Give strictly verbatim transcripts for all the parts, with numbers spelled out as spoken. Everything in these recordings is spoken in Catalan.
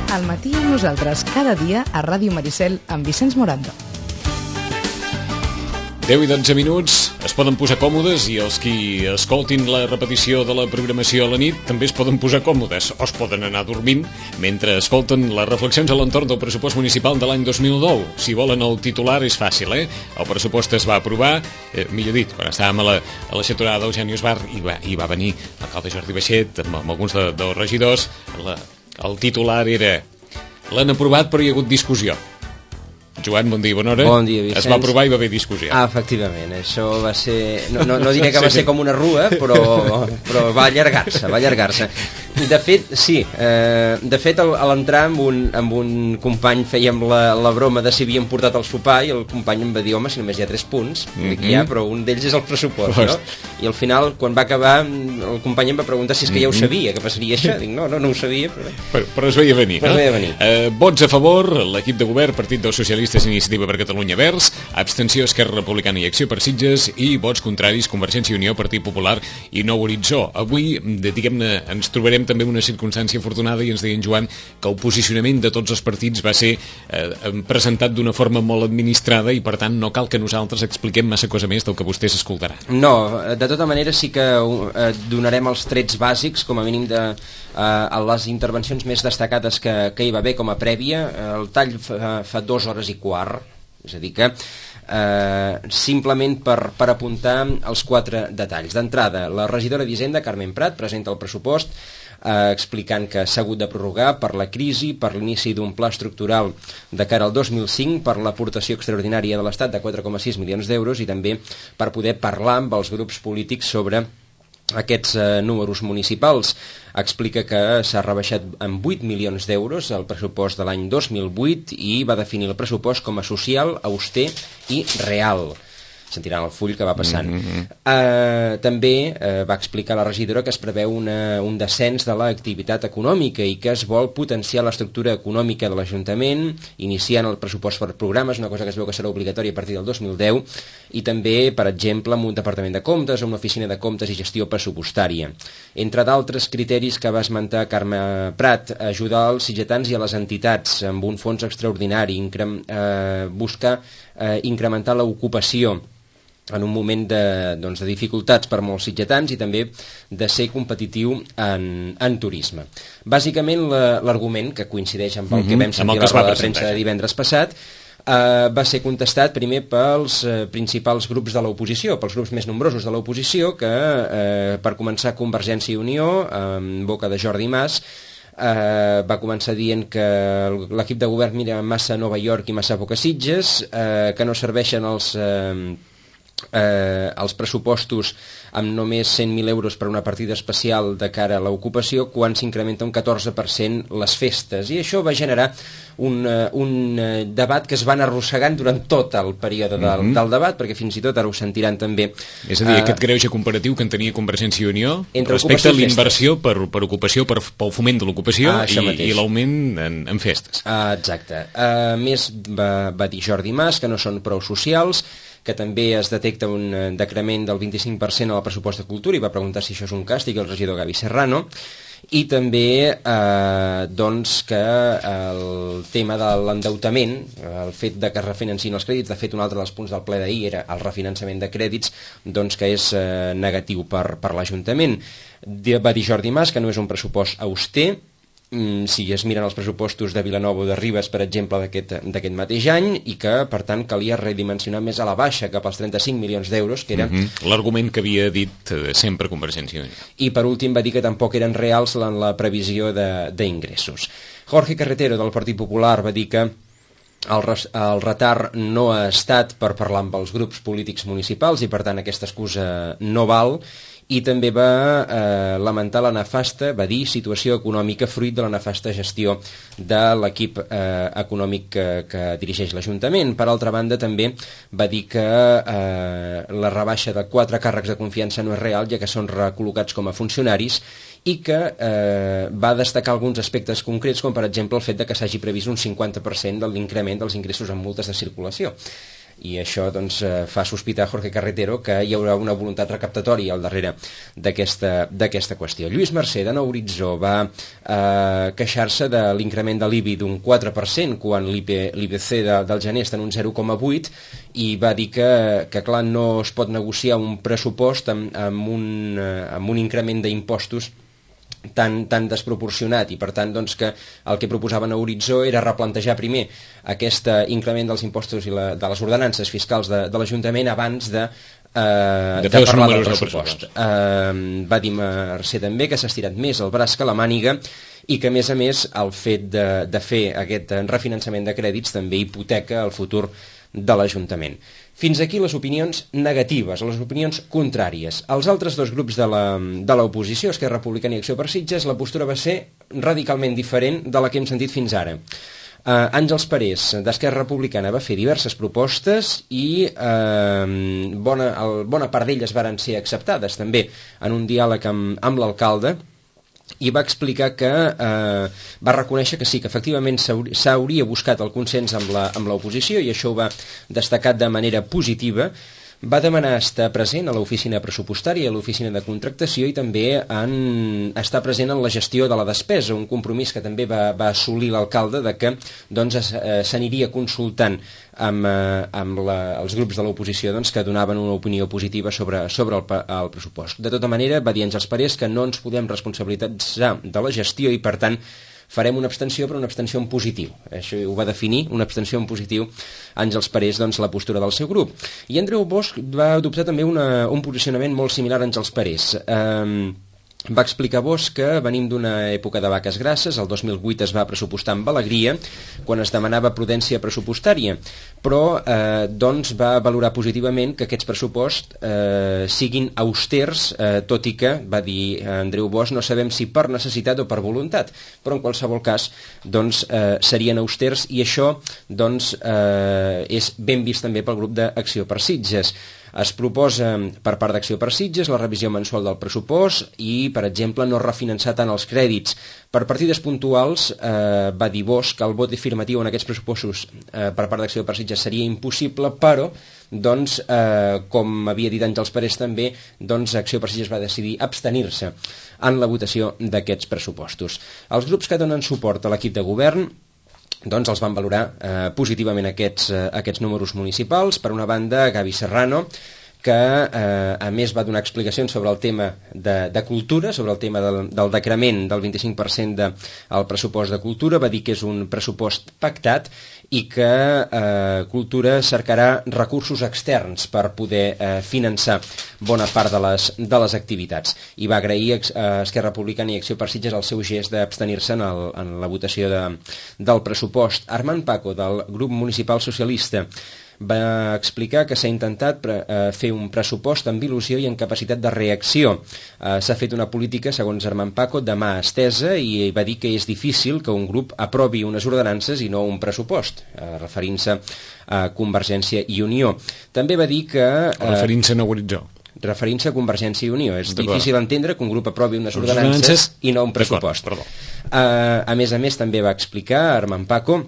Al matí amb nosaltres cada dia a Ràdio Maricel amb Vicenç Morando. deu i dotze minuts, es poden posar còmodes i els qui escoltin la repetició de la programació a la nit també es poden posar còmodes o es poden anar dormint mentre escolten les reflexions a l'entorn del pressupost municipal de l'any dos mil nou. Si volen el titular és fàcil, eh? El pressupost es va aprovar, eh, millor dit, quan estàvem a la, a la xaturada d'Eugeni Esbar i va, i va venir l'alcalde Jordi Baixet amb, amb alguns de, dels regidors, la, el titular era l'han aprovat però hi ha hagut discussió. Joan, bon dia, bona hora. Bon dia, Vicenç. Es va aprovar i va haver discussió. Ah, efectivament, això va ser... No, no, no diré que va ser com una rua, però, però va allargar-se, va allargar-se. De fet, sí, eh, de fet a l'entrar amb un, amb un company fèiem la, la broma de si havíem portat el sopar i el company em va dir, home, si només hi ha tres punts, mm -hmm. ja, però un d'ells és el pressupost, no? I al final, quan va acabar, el company em va preguntar si és que ja ho sabia, que passaria això. Dic, no, no, no ho sabia, però... Però, però es veia venir, però no? Es veia venir. Eh, vots a favor, l'equip de govern, Partit dels Socialistes, Iniciativa per Catalunya Verds, abstenció Esquerra Republicana i Acció per Sitges i vots contraris Convergència i Unió, Partit Popular i Nou Horitzó. Avui, diguem-ne, ens trobarem també una circumstància afortunada i ens deien, Joan, que el posicionament de tots els partits va ser eh, presentat d'una forma molt administrada i per tant no cal que nosaltres expliquem massa cosa més del que vostès escoltaran. No, de tota manera sí que eh, donarem els trets bàsics, com a mínim de eh, a les intervencions més destacades que, que hi va haver com a prèvia. El tall fa, fa dues hores i quart, és a dir que eh, simplement per, per apuntar els quatre detalls. D'entrada, la regidora d'Hisenda, Carmen Prat, presenta el pressupost eh, explicant que s'ha hagut de prorrogar per la crisi, per l'inici d'un pla estructural de cara al dos mil cinc, per l'aportació extraordinària de l'Estat de quatre coma sis milions d'euros i també per poder parlar amb els grups polítics sobre aquests eh, números municipals. Explica que s'ha rebaixat en vuit milions d'euros el pressupost de l'any dos mil vuit i va definir el pressupost com a social, auster i real. Sentiran el full que va passant. Mm-hmm. uh, també uh, va explicar la regidora que es preveu una, un descens de l'activitat econòmica i que es vol potenciar l'estructura econòmica de l'Ajuntament, iniciant el pressupost per programes, una cosa que es veu que serà obligatòria a partir del dos mil deu, i també, per exemple, amb un departament de comptes, amb una oficina de comptes i gestió pressupostària. Entre d'altres criteris que va esmentar Carme Prat, ajudar els sitgetans i a les entitats amb un fons extraordinari, increm, eh, buscar eh, incrementar l'ocupació en un moment de, doncs, de dificultats per molts sitgetans i també de ser competitiu en, en turisme. Bàsicament, l'argument, que coincideix amb el que vam sentir a la roda de premsa de divendres passat, Uh, va ser contestat primer pels uh, principals grups de l'oposició, pels grups més nombrosos de l'oposició, que uh, per començar Convergència i Unió, en boca de Jordi Mas, uh, va començar dient que l'equip de govern mira massa a Nova York i massa poc a Sitges, uh, que no serveixen els... Uh, Eh, els pressupostos amb només cent mil euros per una partida especial de cara a l'ocupació quan s'incrementa un catorze per cent les festes, i això va generar un, uh, un uh, debat que es van arrossegant durant tot el període del, mm-hmm. del debat, perquè fins i tot ara ho sentiran també. És a dir, uh, aquest greuge comparatiu que en tenia Convergència i Unió respecte a l'inversió per, per ocupació, per, pel foment de l'ocupació ah, i, i l'augment en, en festes. Uh, exacte. A uh, més, va, va dir Jordi Mas que no són prou socials, que també es detecta un decrement del vint-i-cinc per cent al pressupost de cultura i va preguntar si això és un càstig al regidor Gavi Serrano, i també eh, doncs que el tema de l'endeutament, el fet de que es refinancin els crèdits, de fet un altre dels punts del ple d'ahir era el refinançament de crèdits, doncs que és eh, negatiu per, per l'Ajuntament. Va dir Jordi Mas que no és un pressupost auster. Si es miren els pressupostos de Vilanova o de Ribes, per exemple, d'aquest mateix any, i que, per tant, calia redimensionar més a la baixa, cap als trenta-cinc milions d'euros, que era... Mm-hmm. L'argument que havia dit sempre Convergència i Unió. I, per últim, va dir que tampoc eren reals en la previsió d'ingressos. Jorge Carretero, del Partit Popular, va dir que el, el retard no ha estat per parlar amb els grups polítics municipals i, per tant, aquesta excusa no val, i també va eh, lamentar la nefasta, va dir, situació econòmica fruit de la nefasta gestió de l'equip eh, econòmic que, que dirigeix l'Ajuntament. Per altra banda, també va dir que eh, la rebaixa de quatre càrrecs de confiança no és real, ja que són recol·locats com a funcionaris, i que eh, va destacar alguns aspectes concrets, com per exemple el fet de que s'hagi previst un cinquanta per cent de l'increment dels ingressos en multes de circulació. i això doncs, fa sospitar Jorge Carretero que hi haurà una voluntat recaptatòria al darrere d'aquesta qüestió. Lluís Mercè, de Nou Horitzó, va eh, queixar-se de l'increment de l'I B I d'un quatre per cent quan l'I B C de, del gener està en un zero coma vuit i va dir que, que clar, no es pot negociar un pressupost amb, amb, un, amb un increment d'impostos tan, tan desproporcionat i per tant doncs, que el que proposaven a Horitzó era replantejar primer aquest increment dels impostos i la, de les ordenances fiscals de, de l'Ajuntament abans de Uh, de, de parlar del pressupost. Uh, va dir Mercè també que s'ha estirat més el braç que la màniga i que a més a més el fet de, de fer aquest refinançament de crèdits també hipoteca el futur de l'Ajuntament. Fins aquí les opinions negatives, les opinions contràries. Els altres dos grups de l'oposició, Esquerra Republicana i Acció per Sitges, la postura va ser radicalment diferent de la que hem sentit fins ara. Uh, Àngels Parés, d'Esquerra Republicana, va fer diverses propostes i uh, bona, el, bona part d'elles varen ser acceptades també en un diàleg amb, amb l'alcalde, i va explicar que eh, va reconèixer que sí, que efectivament s'hauria buscat el consens amb l'oposició i això ho va destacar de manera positiva. Va demanar estar present a l'oficina pressupostària i a l'oficina de contractació i també en estar present en la gestió de la despesa, un compromís que també va, va assolir l'alcalde de que doncs, s'aniria consultant amb, amb la, els grups de l'oposició doncs, que donaven una opinió positiva sobre, sobre el, el pressupost. De tota manera, va dir Àngels Parés que no ens podem responsabilitzar de la gestió i, per tant, farem una abstenció, però una abstenció en positiu. Això ho va definir, una abstenció en positiu, Àngels Parés, doncs, la postura del seu grup. I Andreu Bosch va adoptar també una, un posicionament molt similar a Àngels Parés. Eh, va explicar Bosch que venim d'una època de vaques grasses, el dos mil vuit es va pressupostar amb alegria, quan es demanava prudència pressupostària, però eh, doncs va valorar positivament que aquests pressuposts eh, siguin austers, eh, tot i que, va dir Andreu Bosch, no sabem si per necessitat o per voluntat, però en qualsevol cas doncs, eh, serien austers i això doncs, eh, és ben vist també pel grup d'Acció per Sitges. Es proposa per part d'Acció per Sitges la revisió mensual del pressupost i, per exemple, no refinançar tant els crèdits. Per partides puntuals, eh, va dir Bosch que el vot afirmatiu en aquests pressupostos eh, per part d'Acció per Sitges seria impossible, però, doncs, eh, com havia dit Àngels Parés també, doncs Acció per Sitges va decidir abstenir-se en la votació d'aquests pressupostos. Els grups que donen suport a l'equip de govern doncs els van valorar eh, positivament aquests, eh, aquests números municipals. Per una banda, Gavi Serrano, que eh, a més va donar explicacions sobre el tema de, de cultura, sobre el tema del, del decrement del vint-i-cinc per cent del de, pressupost de cultura, va dir que és un pressupost pactat i que eh, Cultura cercarà recursos externs per poder eh, finançar bona part de les, de les activitats. I va agrair a Esquerra Republicana i Acció per Sitges el seu gest d'abstenir-se en, el, en la votació de, del pressupost. Armand Paco, del grup municipal socialista, va explicar que s'ha intentat pre eh, fer un pressupost amb il·lusió i amb capacitat de reacció. Eh, s'ha fet una política, segons Armand Paco, de mà estesa i va dir que és difícil que un grup aprovi unes ordenances i no un pressupost, eh, referint-se a Convergència i Unió. També va dir que... Eh, referint-se a Nou Horitzó. Referint-se a Convergència i Unió. És difícil entendre que un grup aprovi unes ordenances i no un pressupost. Eh, a més a més, també va explicar Armand Paco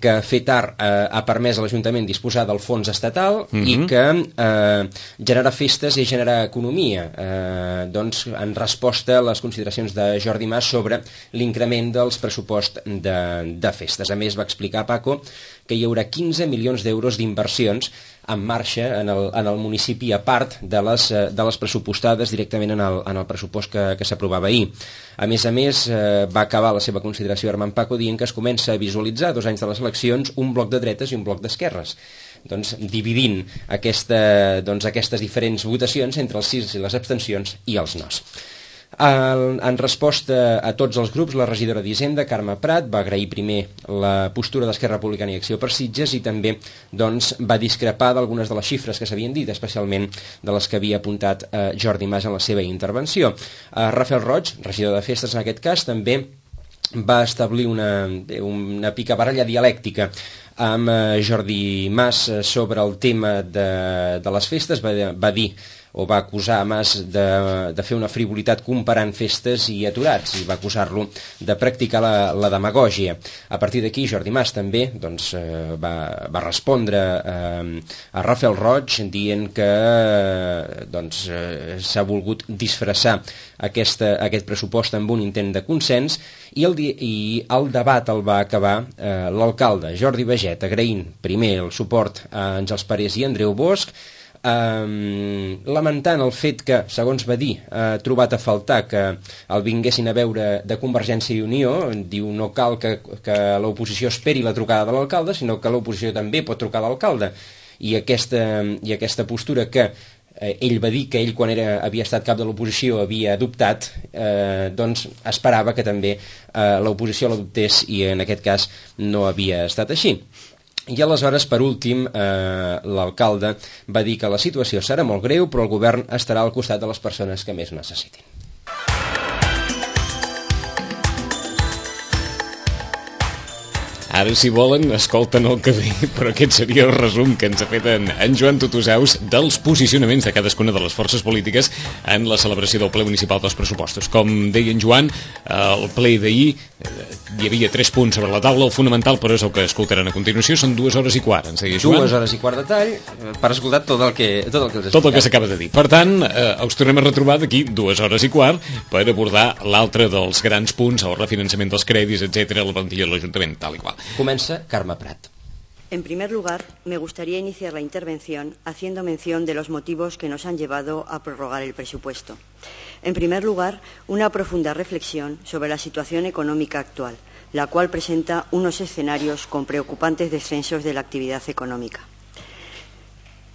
que fer tard eh, ha permès a l'Ajuntament disposar del fons estatal mm-hmm. i que eh, generar festes i generar economia, eh, doncs en resposta a les consideracions de Jordi Mas sobre l'increment dels pressuposts de, de festes. A més, va explicar Paco que hi haurà quinze milions d'euros d'inversions en marxa en el, en el municipi a part de les, de les pressupostades directament en el, en el pressupost que, que s'aprovava ahir. A més a més, eh, va acabar la seva consideració Armand Paco dient que es comença a visualitzar, dos anys de les eleccions, un bloc de dretes i un bloc d'esquerres. Doncs dividint aquesta, doncs, aquestes diferents votacions entre els sis i les abstencions i els nos. En, en resposta a tots els grups, la regidora d'Hisenda, Carme Prat, va agrair primer la postura d'Esquerra Republicana i Acció per Sitges i també doncs, va discrepar d'algunes de les xifres que s'havien dit, especialment de les que havia apuntat eh, Jordi Mas en la seva intervenció. Eh, Rafael Roig, regidor de Festes en aquest cas, també va establir una, una picabaralla dialèctica amb Jordi Mas sobre el tema de, de les festes. Va, va dir o va acusar Mas de, de fer una frivolitat comparant festes i aturats, i va acusar-lo de practicar la, la demagògia. A partir d'aquí Jordi Mas també doncs, eh, va, va respondre eh, a Rafael Roig dient que eh, doncs, eh, s'ha volgut disfressar aquesta, aquest pressupost amb un intent de consens, i el, i el debat el va acabar eh, l'alcalde Jordi Baget agraint primer el suport a Àngels Parés i Andreu Bosch, Um, lamentant el fet que, segons va dir, ha trobat a faltar que el vinguessin a veure de Convergència i Unió. Diu no cal que, que l'oposició esperi la trucada de l'alcalde, sinó que l'oposició també pot trucar a l'alcalde, i aquesta, i aquesta postura que eh, ell va dir que ell quan era, havia estat cap de l'oposició havia adoptat, eh, doncs esperava que també eh, l'oposició l'adoptés, i en aquest cas no havia estat així. I aleshores, per últim, eh, l'alcalde va dir que la situació serà molt greu, però el govern estarà al costat de les persones que més necessitin. Ara, si volen, escolten el que ve, però aquest seria el resum que ens ha fet en, en Joan Tutusaus dels posicionaments de cadascuna de les forces polítiques en la celebració del ple municipal dels pressupostos. Com deia en Joan, el ple d'ahir hi havia tres punts sobre la taula. El fonamental, però, és el que escoltaran a continuació. Són dues hores i quart, ens deia Joan. Dues hores i quart de tall per escoltar tot el que, tot el que els Tot el que s'acaba de dir. Per tant, eh, us tornem a retrobar d'aquí dues hores i quart per abordar l'altre dels grans punts, el refinançament dels crèdits, etcètera, la plantilla de l'Ajuntament, tal i qual. Comença Carme Prat. En primer lugar, me gustaría iniciar la intervención haciendo mención de los motivos que nos han llevado a prorrogar el presupuesto. En primer lugar, una profunda reflexión sobre la situación económica actual, la cual presenta unos escenarios con preocupantes descensos de la actividad económica.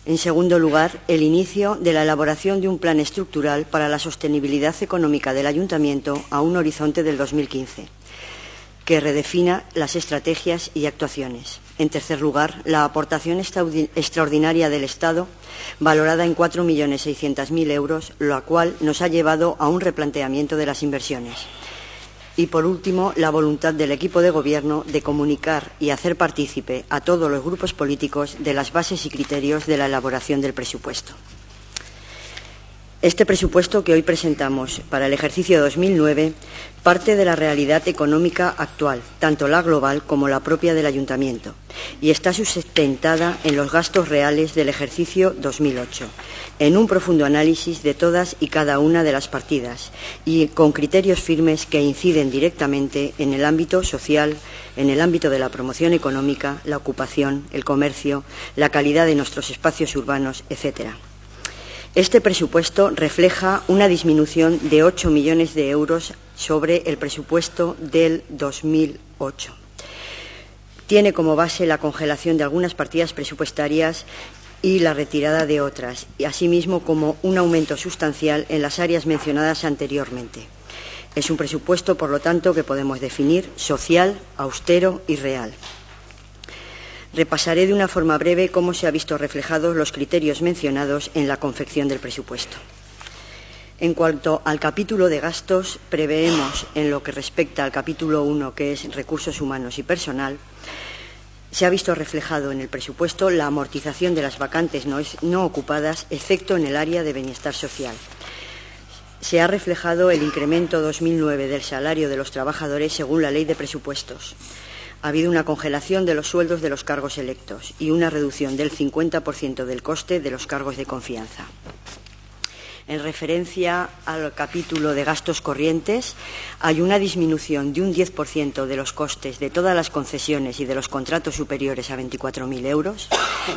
En segundo lugar, el inicio de la elaboración de un plan estructural para la sostenibilidad económica del Ayuntamiento a un horizonte del dos mil quince, que redefina las estrategias y actuaciones. En tercer lugar, la aportación extraordinaria del Estado, valorada en cuatro millones seiscientos mil euros, lo cual nos ha llevado a un replanteamiento de las inversiones. Y, por último, la voluntad del equipo de Gobierno de comunicar y hacer partícipe a todos los grupos políticos de las bases y criterios de la elaboración del presupuesto. Este presupuesto que hoy presentamos para el ejercicio dos mil nueve parte de la realidad económica actual, tanto la global como la propia del Ayuntamiento, y está sustentada en los gastos reales del ejercicio dos mil ocho, en un profundo análisis de todas y cada una de las partidas y con criterios firmes que inciden directamente en el ámbito social, en el ámbito de la promoción económica, la ocupación, el comercio, la calidad de nuestros espacios urbanos, etcétera. Este presupuesto refleja una disminución de ocho millones de euros sobre el presupuesto del dos mil ocho. Tiene como base la congelación de algunas partidas presupuestarias y la retirada de otras, y asimismo como un aumento sustancial en las áreas mencionadas anteriormente. Es un presupuesto, por lo tanto, que podemos definir social, austero y real. Repasaré de una forma breve cómo se han visto reflejados los criterios mencionados en la confección del presupuesto. En cuanto al capítulo de gastos, preveemos, en lo que respecta al capítulo uno, que es recursos humanos y personal, se ha visto reflejado en el presupuesto la amortización de las vacantes no, es, no ocupadas, excepto en el área de bienestar social. Se ha reflejado el incremento dos mil nueve del salario de los trabajadores según la Ley de Presupuestos. Ha habido una congelación de los sueldos de los cargos electos y una reducción del cincuenta por ciento del coste de los cargos de confianza. En referencia al capítulo de gastos corrientes, hay una disminución de un diez por ciento de los costes de todas las concesiones y de los contratos superiores a veinticuatro mil euros.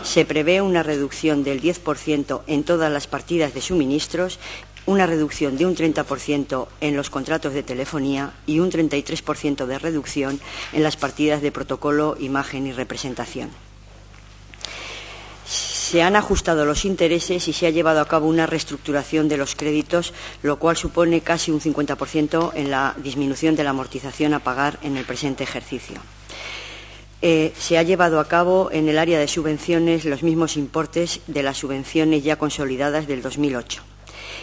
Se prevé una reducción del diez por ciento en todas las partidas de suministros, una reducción de un treinta por ciento en los contratos de telefonía y un treinta y tres por ciento de reducción en las partidas de protocolo, imagen y representación. Se han ajustado los intereses y se ha llevado a cabo una reestructuración de los créditos, lo cual supone casi un cincuenta por ciento en la disminución de la amortización a pagar en el presente ejercicio. Eh, se ha llevado a cabo en el área de subvenciones los mismos importes de las subvenciones ya consolidadas del dos mil ocho.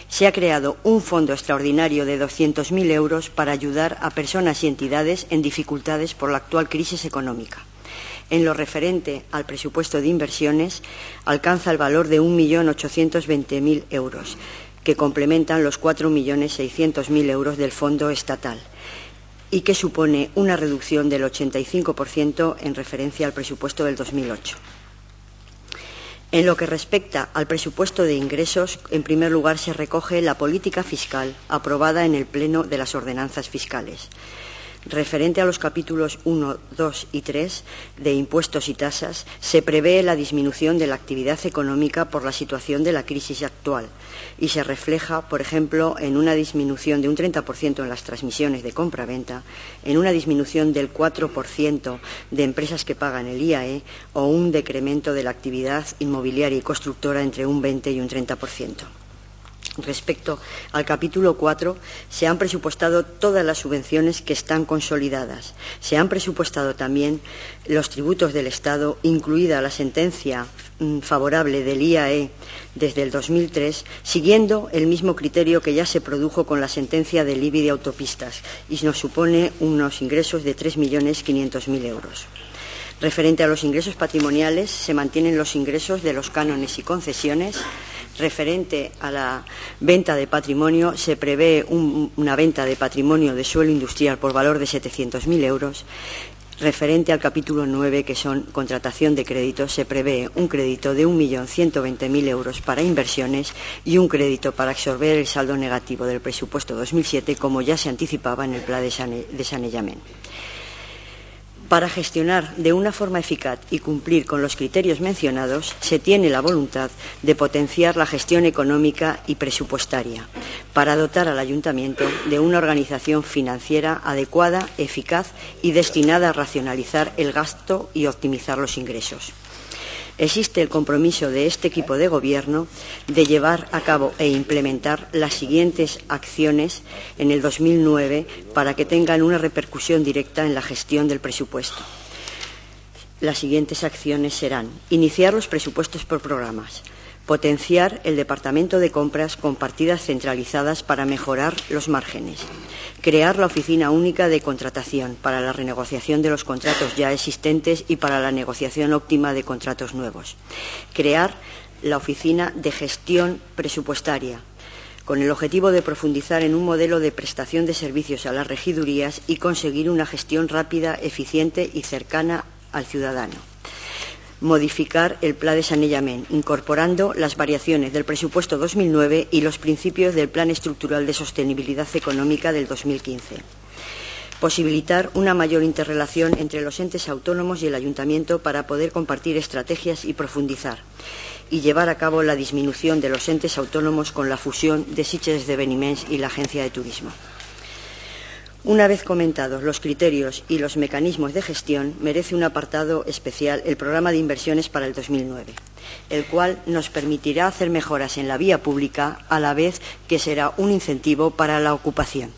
Se ha creado un fondo extraordinario de doscientos mil euros para ayudar a personas y entidades en dificultades por la actual crisis económica. en lo referente al presupuesto de inversiones, alcanza el valor de un millón ochocientos veinte mil euros, que complementan los cuatro millones seiscientos mil euros del fondo estatal y que supone una reducción del ochenta y cinco por ciento en referencia al presupuesto del dos mil ocho. En lo que respecta al presupuesto de ingresos, en primer lugar se recoge la política fiscal aprobada en el Pleno de las Ordenanzas Fiscales. Referente a los capítulos uno, dos y tres de impuestos y tasas, se prevé la disminución de la actividad económica por la situación de la crisis actual y se refleja, por ejemplo, en una disminución de un treinta por ciento en las transmisiones de compra-venta, en una disminución del cuatro por ciento de empresas que pagan el I A E o un decremento de la actividad inmobiliaria y constructora entre un veinte y un treinta por ciento. Respecto al capítulo cuatro, se han presupuestado todas las subvenciones que están consolidadas. Se han presupuestado también los tributos del Estado, incluida la sentencia mmm, favorable del I A E desde el dos mil tres, siguiendo el mismo criterio que ya se produjo con la sentencia del I B I de autopistas, y nos supone unos ingresos de tres millones quinientos mil euros. Referente a los ingresos patrimoniales, se mantienen los ingresos de los cánones y concesiones. Referente a la venta de patrimonio, se prevé un, una venta de patrimonio de suelo industrial por valor de setecientos mil euros. Referente al capítulo nueve, que son contratación de créditos, se prevé un crédito de un millón ciento veinte mil euros para inversiones y un crédito para absorber el saldo negativo del presupuesto dos mil siete, como ya se anticipaba en el plan de, sane, de saneamiento. Para gestionar de una forma eficaz y cumplir con los criterios mencionados, se tiene la voluntad de potenciar la gestión económica y presupuestaria para dotar al Ayuntamiento de una organización financiera adecuada, eficaz y destinada a racionalizar el gasto y optimizar los ingresos. Existe el compromiso de este equipo de gobierno de llevar a cabo e implementar las siguientes acciones en el dos mil nueve para que tengan una repercusión directa en la gestión del presupuesto. Las siguientes acciones serán: iniciar los presupuestos por programas, potenciar el departamento de compras con partidas centralizadas para mejorar los márgenes, crear la oficina única de contratación para la renegociación de los contratos ya existentes y para la negociación óptima de contratos nuevos, crear la oficina de gestión presupuestaria con el objetivo de profundizar en un modelo de prestación de servicios a las regidurías y conseguir una gestión rápida, eficiente y cercana al ciudadano. Modificar el Plan de Saneamiento, incorporando las variaciones del presupuesto dos mil nueve y los principios del Plan Estructural de Sostenibilidad Económica del dos mil quince. Posibilitar una mayor interrelación entre los entes autónomos y el Ayuntamiento para poder compartir estrategias y profundizar. Y llevar a cabo la disminución de los entes autónomos con la fusión de Sitges Esdeveniments y la Agencia de Turismo. Una vez comentados los criterios y los mecanismos de gestión, merece un apartado especial el programa de inversiones para el dos mil nueve, el cual nos permitirá hacer mejoras en la vía pública a la vez que será un incentivo para la ocupación.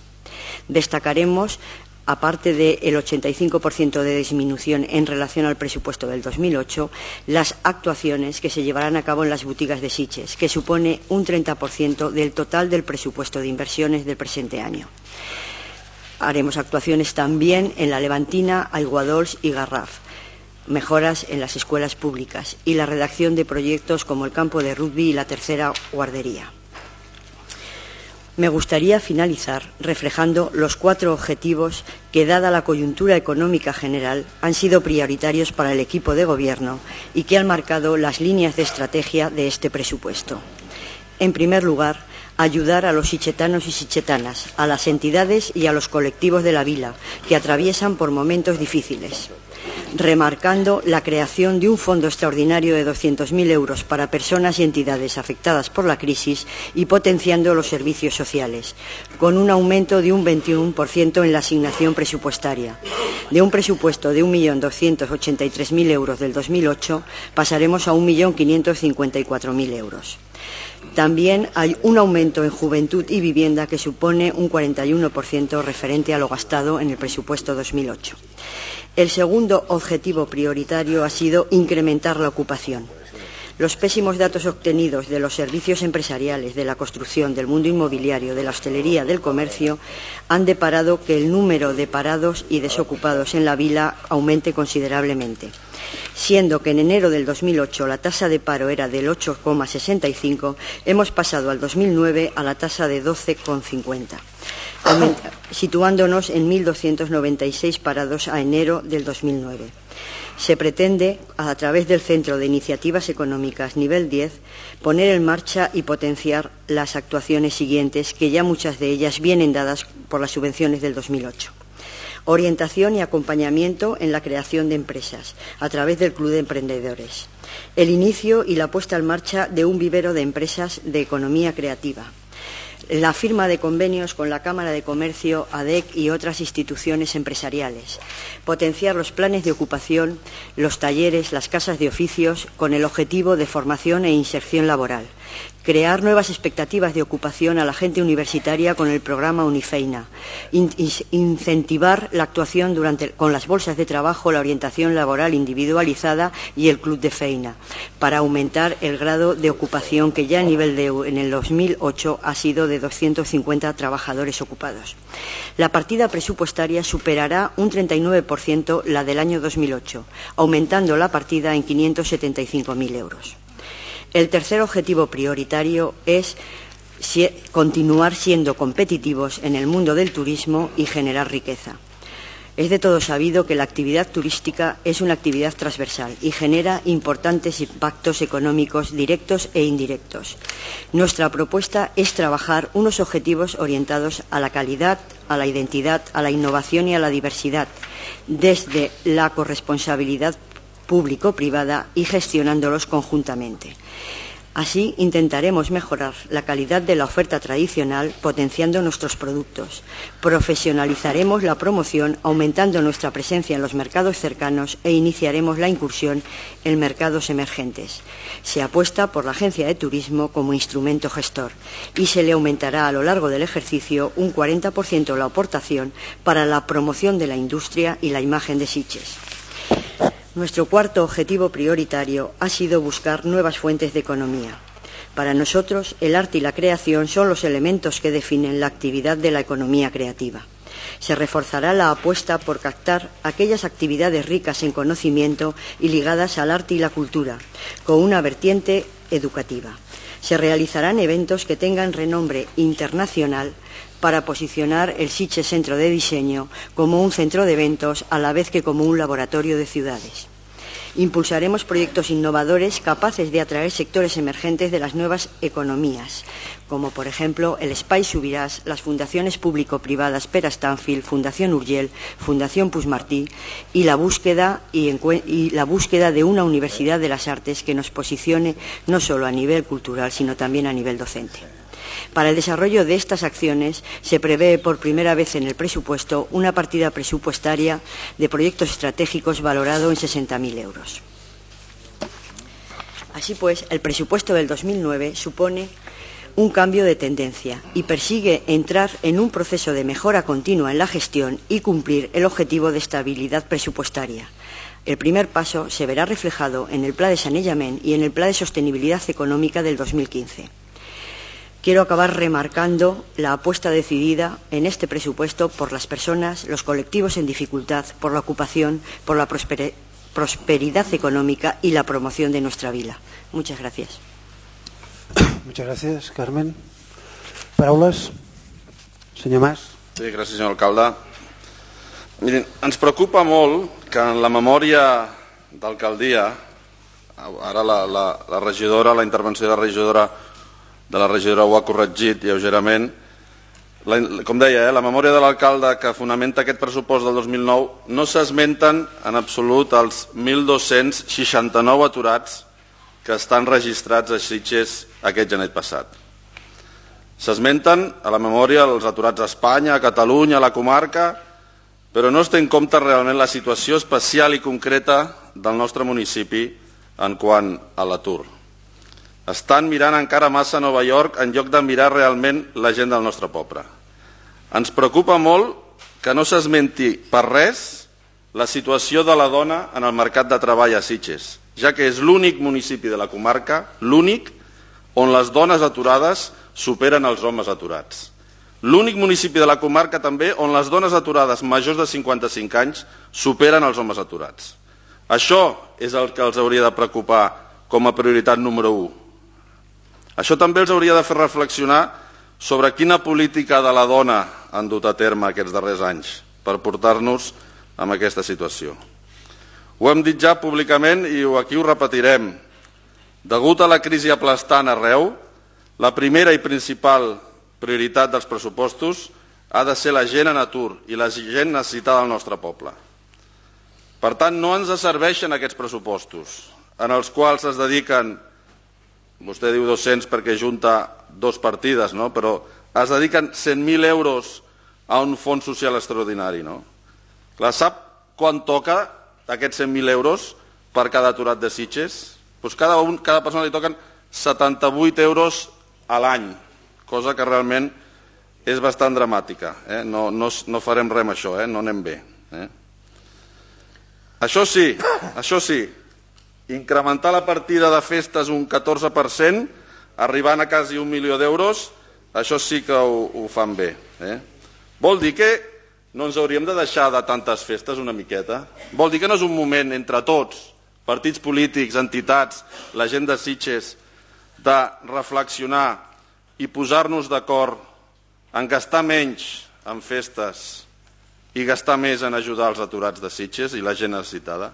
Destacaremos, aparte del ochenta y cinco por ciento de disminución en relación al presupuesto del dos mil ocho, las actuaciones que se llevarán a cabo en las boutiques de Sitges, que supone un treinta por ciento del total del presupuesto de inversiones del presente año. Haremos actuaciones también en la Levantina, Aiguadols y Garraf, mejoras en las escuelas públicas y la redacción de proyectos como el campo de rugby y la tercera guardería. Me gustaría finalizar reflejando los cuatro objetivos que, dada la coyuntura económica general, han sido prioritarios para el equipo de gobierno y que han marcado las líneas de estrategia de este presupuesto. En primer lugar, ayudar a los sitgetanos y sitgetanas, a las entidades y a los colectivos de la vila que atraviesan por momentos difíciles, remarcando la creación de un fondo extraordinario de doscientos mil euros para personas y entidades afectadas por la crisis y potenciando los servicios sociales, con un aumento de un veintiuno por ciento en la asignación presupuestaria. De un presupuesto de un millón doscientos ochenta y tres mil euros del dos mil ocho pasaremos a un millón quinientos cincuenta y cuatro mil euros. También hay un aumento en juventud y vivienda que supone un cuarenta y uno por ciento referente a lo gastado en el presupuesto dos mil ocho. El segundo objetivo prioritario ha sido incrementar la ocupación. Los pésimos datos obtenidos de los servicios empresariales, de la construcción, del mundo inmobiliario, de la hostelería, del comercio, han deparado que el número de parados y desocupados en la vila aumente considerablemente. Siendo que en enero del dos mil ocho la tasa de paro era del ocho coma sesenta y cinco, hemos pasado al dos mil nueve a la tasa de doce coma cincuenta, situándonos en mil doscientos noventa y seis parados a enero del dos mil nueve. Se pretende, a través del Centro de Iniciativas Económicas Nivel diez, poner en marcha y potenciar las actuaciones siguientes, que ya muchas de ellas vienen dadas por las subvenciones del dos mil ocho. Orientación y acompañamiento en la creación de empresas, a través del Club de Emprendedores. El inicio y la puesta en marcha de un vivero de empresas de economía creativa. La firma de convenios con la Cámara de Comercio, A D E C y otras instituciones empresariales. Potenciar los planes de ocupación, los talleres, las casas de oficios, con el objetivo de formación e inserción laboral. Crear nuevas expectativas de ocupación a la gente universitaria con el programa Unifeina. In- incentivar la actuación durante, con las bolsas de trabajo, la orientación laboral individualizada y el Club de Feina, para aumentar el grado de ocupación, que ya a nivel de en el dos mil ocho ha sido de doscientos cincuenta trabajadores ocupados. La partida presupuestaria superará un treinta y nueve por ciento la del año dos mil ocho, aumentando la partida en quinientos setenta y cinco mil euros. El tercer objetivo prioritario es si, continuar siendo competitivos en el mundo del turismo y generar riqueza. Es de todo sabido que la actividad turística es una actividad transversal y genera importantes impactos económicos directos e indirectos. Nuestra propuesta es trabajar unos objetivos orientados a la calidad, a la identidad, a la innovación y a la diversidad, desde la corresponsabilidad público-privada y gestionándolos conjuntamente. Así intentaremos mejorar la calidad de la oferta tradicional, potenciando nuestros productos. Profesionalizaremos la promoción, aumentando nuestra presencia en los mercados cercanos, e iniciaremos la incursión en mercados emergentes. Se apuesta por la agencia de turismo como instrumento gestor y se le aumentará a lo largo del ejercicio un cuarenta por ciento la aportación para la promoción de la industria y la imagen de Sitges. Nuestro cuarto objetivo prioritario ha sido buscar nuevas fuentes de economía. Para nosotros, el arte y la creación son los elementos que definen la actividad de la economía creativa. Se reforzará la apuesta por captar aquellas actividades ricas en conocimiento y ligadas al arte y la cultura, con una vertiente educativa. Se realizarán eventos que tengan renombre internacional para posicionar el Sitges Centro de Diseño como un centro de eventos, a la vez que como un laboratorio de ciudades. Impulsaremos proyectos innovadores capaces de atraer sectores emergentes de las nuevas economías, como por ejemplo el Espai Subirás, las fundaciones público-privadas Pere Stanfield, Fundación Urgell, Fundación Puigmartí, y la búsqueda y, y la búsqueda de una universidad de las artes que nos posicione no solo a nivel cultural, sino también a nivel docente. Para el desarrollo de estas acciones se prevé por primera vez en el presupuesto una partida presupuestaria de proyectos estratégicos valorado en sesenta mil euros. Así pues, el presupuesto del dos mil nueve supone un cambio de tendencia y persigue entrar en un proceso de mejora continua en la gestión y cumplir el objetivo de estabilidad presupuestaria. El primer paso se verá reflejado en el Pla de Sanejament y en el Pla de Sostenibilidad Económica del dos mil quince. Quiero acabar remarcando la apuesta decidida en este presupuesto por las personas, los colectivos en dificultad, por la ocupación, por la prosper- prosperidad económica y la promoción de nuestra vila. Muchas gracias. Muchas gracias, Carmen. Paraules? Senyor Mas. Sí, gràcies, senyor alcalde. Miren, ens preocupa molt que en la memòria d'alcaldia, ara la, la, la regidora, la intervenció de la regidora de la regidora ho ha corregit lleugerament. La, com deia, eh, la memòria de l'alcalde que fonamenta aquest pressupost del dos mil nou no s'esmenten en absolut els mil dos-cents seixanta-nou aturats que estan registrats a Sitges aquest gener passat. S'esmenten a la memòria els aturats a Espanya, a Catalunya, a la comarca, però no es té en compte realment la situació especial i concreta del nostre municipi en quant a l'atur. Estan mirant encara massa a Nova York en lloc de mirar realment la gent del nostre poble. Ens preocupa molt que no s'esmenti per res la situació de la dona en el mercat de treball a Sitges, ja que és l'únic municipi de la comarca, l'únic, on les dones aturades superen els homes aturats. L'únic municipi de la comarca també on les dones aturades majors de cinquanta-cinc anys superen els homes aturats. Això és el que els hauria de preocupar com a prioritat número u. Això també els hauria de fer reflexionar sobre quina política de la dona han dut a terme aquests darrers anys per portar-nos a aquesta situació. Ho hem dit ja públicament i aquí ho repetirem. Degut a la crisi aplastant arreu, la primera i principal prioritat dels pressupostos ha de ser la gent en atur i la gent necessitada del nostre poble. Per tant, no ens serveixen aquests pressupostos en els quals es dediquen, vostè diu dos-cents perquè junta dos partides, no? Però es dediquen cent mil euros a un fons social extraordinari. No? Clar, sap quan toca aquests cent mil euros per cada aturat de Sitges? Pues cada, un, cada persona li toquen setanta-vuit euros a l'any, cosa que realment és bastant dramàtica. Eh? No, no, no farem res amb això, eh? No anem bé. Eh? Això sí, això sí, incrementar la partida de festes un catorze per cent, arribant a quasi un milió d'euros, això sí que ho, ho fan bé. Eh? Vol dir que no ens hauríem de deixar de tantes festes una miqueta? Vol dir que no és un moment entre tots, partits polítics, entitats, la gent de Sitges, de reflexionar i posar-nos d'acord en gastar menys en festes i gastar més en ajudar els aturats de Sitges i la gent necessitada?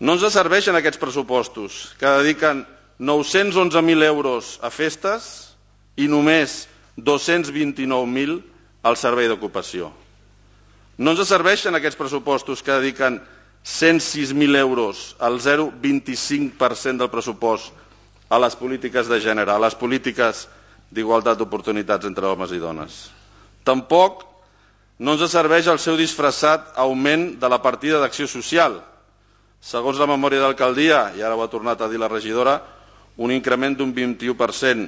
No ens serveixen aquests pressupostos que dediquen nou-cents onze mil euros a festes i només dos-cents vint-i-nou mil al servei d'ocupació. No ens serveixen aquests pressupostos que dediquen cent sis mil euros al zero coma vint-i-cinc per cent del pressupost a les polítiques de gènere, a les polítiques d'igualtat d'oportunitats entre homes i dones. Tampoc no ens serveix el seu disfressat augment de la partida d'acció social. Segons la memòria d'alcaldia, i ara ho ha tornat a dir la regidora, un increment d'un vint-i-u per cent.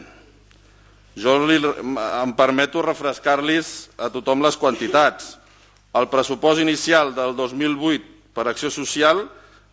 Jo li, em permeto refrescar-los a tothom les quantitats. El pressupost inicial del dos mil vuit per acció social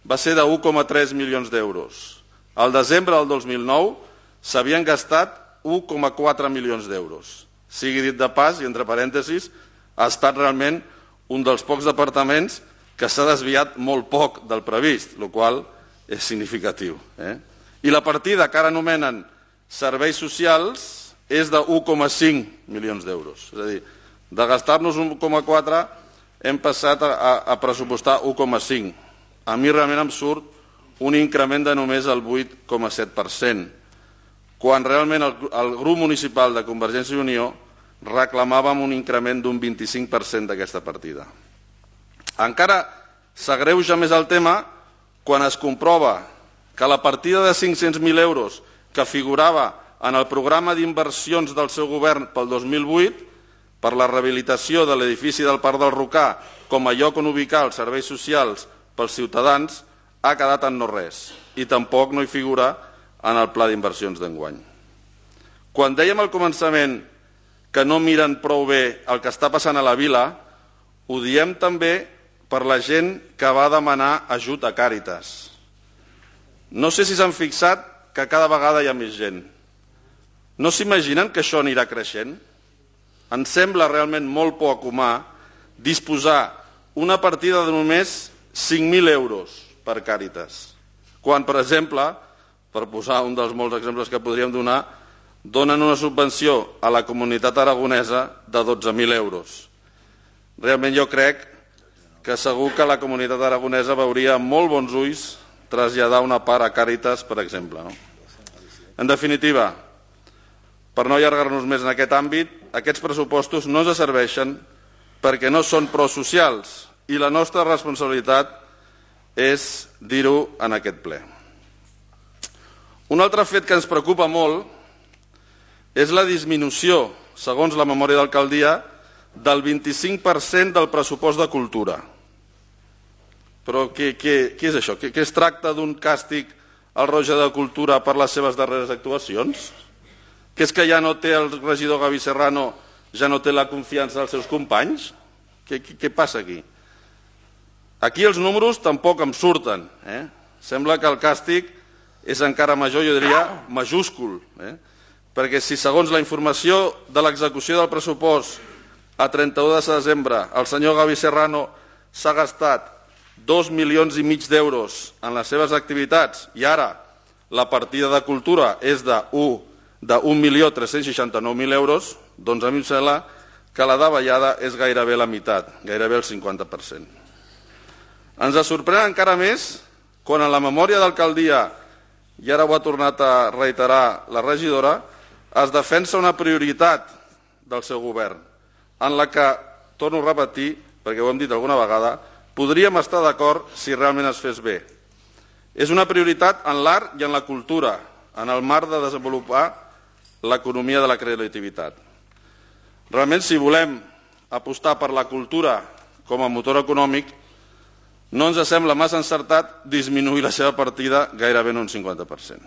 va ser de un coma tres milions d'euros. Al desembre del dos mil nou s'havien gastat un coma quatre milions d'euros. Sigui dit de pas, i entre parèntesis, ha estat realment un dels pocs departaments que s'ha desviat molt poc del previst, el qual és significatiu. Eh? I la partida que ara anomenen serveis socials és de un coma cinc milions d'euros. És a dir, de gastar-nos un coma quatre hem passat a, a, a pressupostar un coma cinc. A mi realment em surt un increment de només el vuit coma set per cent, quan realment el, el grup municipal de Convergència i Unió reclamàvem un increment d'un vint-i-cinc per cent d'aquesta partida. Encara s'agreuja més el tema quan es comprova que la partida de cinc-cents mil euros que figurava en el programa d'inversions del seu govern pel dos mil vuit per la rehabilitació de l'edifici del Parc del Rocà com a lloc on ubicar els serveis socials pels ciutadans ha quedat en no res i tampoc no hi figura en el pla d'inversions d'enguany. Quan dèiem al començament que no miren prou bé el que està passant a la vila, ho diem també per la gent que va demanar ajut a Càritas. No sé si s'han fixat que cada vegada hi ha més gent. No s'imaginen que això anirà creixent? Ens sembla realment molt poc humà disposar una partida de només cinc mil euros per Càritas, quan, per exemple, per posar un dels molts exemples que podríem donar, donen una subvenció a la comunitat aragonesa de dotze mil euros. Realment jo crec que segur que la comunitat aragonesa veuria amb molt bons ulls traslladar una part a Càritas, per exemple. No? En definitiva, per no allargar-nos més en aquest àmbit, aquests pressupostos no ens serveixen perquè no són prosocials i la nostra responsabilitat és dir-ho en aquest ple. Un altre fet que ens preocupa molt és la disminució, segons la memòria d'alcaldia, del vint-i-cinc per cent del pressupost de cultura. Però què, què, què és això? Què, què es tracta d'un càstig al Roja de Cultura per les seves darreres actuacions? Que és que ja no té el regidor Gavi Serrano, ja no té la confiança dels seus companys? Què, què, què passa aquí? Aquí els números tampoc em surten. Eh? Sembla que el càstig és encara major, jo diria, majúscul. Eh? Perquè si segons la informació de l'execució del pressupost a trenta-u de desembre el senyor Gavi Serrano s'ha gastat dos milions i mig d'euros en les seves activitats i ara la partida de cultura és d'un milió tres-cents seixanta-nou mil euros, doncs a mi em sembla que la davallada és gairebé la meitat, gairebé el cinquanta per cent. Ens sorprèn encara més quan en la memòria d'alcaldia, i ara ho ha tornat a reiterar la regidora, es defensa una prioritat del seu govern, en la que, torno a repetir, perquè ho hem dit alguna vegada, podríem estar d'acord si realment es fes bé. És una prioritat en l'art i en la cultura, en el marc de desenvolupar l'economia de la creativitat. Realment, si volem apostar per la cultura com a motor econòmic, no ens sembla massa encertat disminuir la seva partida gairebé en un cinquanta per cent.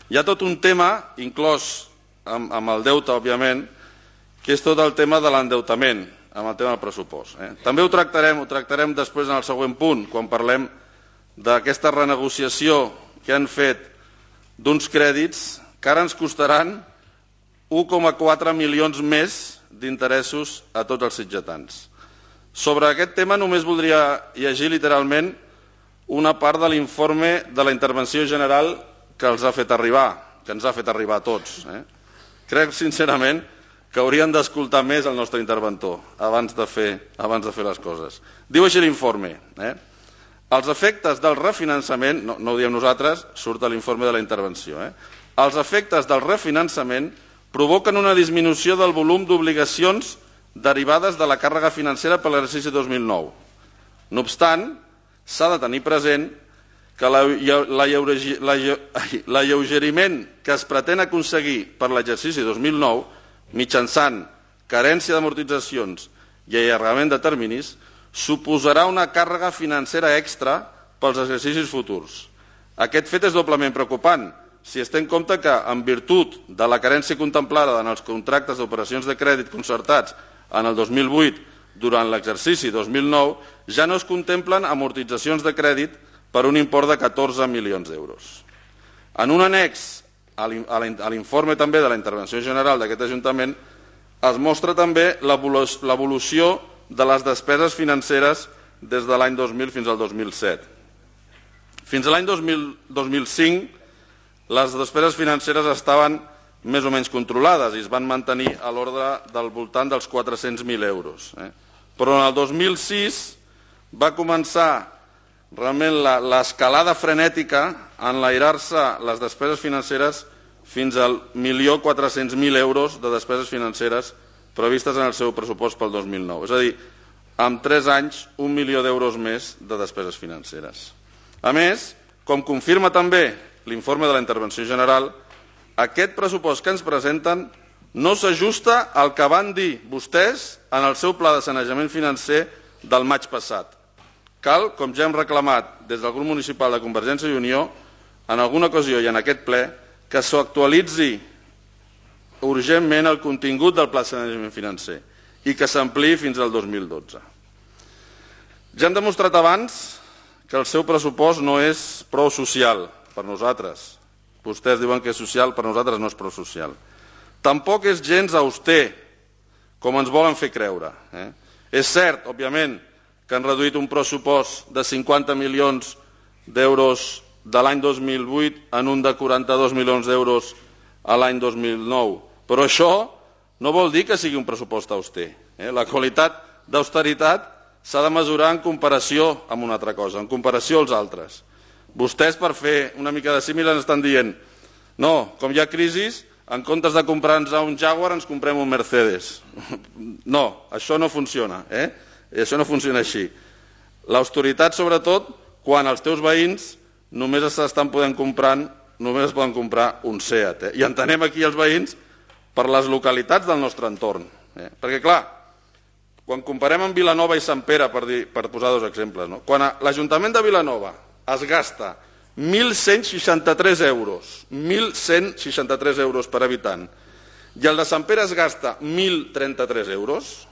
Hi ha tot un tema, inclòs amb, amb el deute, òbviament, que és tot el tema de l'endeutament, amb el tema del pressupost. Eh? També ho tractarem, ho tractarem després en el següent punt, quan parlem d'aquesta renegociació que han fet d'uns crèdits que ara ens costaran un coma quatre milions més d'interessos a tots els sitgetans. Sobre aquest tema només voldria llegir literalment una part de l'informe de la intervenció general que els ha fet arribar, que ens ha fet arribar a tots. Eh? Crec, sincerament, que haurien d'escoltar més el nostre interventor abans de fer, abans de fer les coses. Diu així l'informe. Eh? Els efectes del refinançament, no, no ho diem nosaltres, surt a l'informe de la intervenció, eh? Els efectes del refinançament provoquen una disminució del volum d'obligacions derivades de la càrrega financera per l'exercici dos mil nou. No obstant, s'ha de tenir present que l'alleugeriment que es pretén aconseguir per l'exercici dos mil nou, mitjançant carència d'amortitzacions i allargament de terminis, suposarà una càrrega financera extra pels exercicis futurs. Aquest fet és doblement preocupant, si es té en compte que, en virtut de la carència contemplada en els contractes d'operacions de crèdit concertats en el dos mil vuit, durant l'exercici dos mil nou, ja no es contemplen amortitzacions de crèdit per un import de catorze milions d'euros. En un annex a l'informe també de la intervenció general d'aquest Ajuntament es mostra també l'evolució de les despeses financeres des de l'any dos mil fins al dos mil set. Fins a l'any dos mil cinc, les despeses financeres estaven més o menys controlades i es van mantenir a l'ordre del voltant dels quatre-cents mil euros. Eh? Però en el dos mil sis va començar realment l'escalada frenètica a enlairar-se les despeses financeres fins al milió quatre-cents mil euros de despeses financeres previstes en el seu pressupost pel dos mil nou. És a dir, en tres anys, un milió d'euros més de despeses financeres. A més, com confirma també l'informe de la intervenció general, aquest pressupost que ens presenten no s'ajusta al que van dir vostès en el seu pla de sanejament financer del maig passat. Cal, com ja hem reclamat des del grup municipal de Convergència i Unió, en alguna ocasió i en aquest ple, que s'actualitzi urgentment el contingut del pla de sanejament financer i que s'ampliï fins al dos mil dotze. Ja hem demostrat abans que el seu pressupost no és prou social per nosaltres. Vostès diuen que és social, per nosaltres no és prou social. Tampoc és gens auster, com ens volen fer creure. Eh? És cert, òbviament, que han reduït un pressupost de cinquanta milions d'euros de l'any dos mil vuit en un de quaranta-dos milions d'euros a l'any dos mil nou. Però això no vol dir que sigui un pressupost auster. Eh? La qualitat d'austeritat s'ha de mesurar en comparació amb una altra cosa, en comparació als altres. Vostès, per fer una mica de símil, ens estan dient no, com hi ha crisis, en comptes de comprar-nos un Jaguar ens comprem un Mercedes. No, això no funciona. Eh? Això no funciona així. L'austeritat, sobretot, quan els teus veïns només s'estan podent comprar, només es poden comprar un Seat. Eh? I entenem aquí els veïns per les localitats del nostre entorn. Eh? Perquè, clar, quan comparem amb Vilanova i Sant Pere, per, dir, per posar dos exemples, no? Quan l'Ajuntament de Vilanova es gasta mil cent seixanta-tres euros, mil cent seixanta-tres euros per habitant, i el de Sant Pere es gasta mil trenta-tres euros,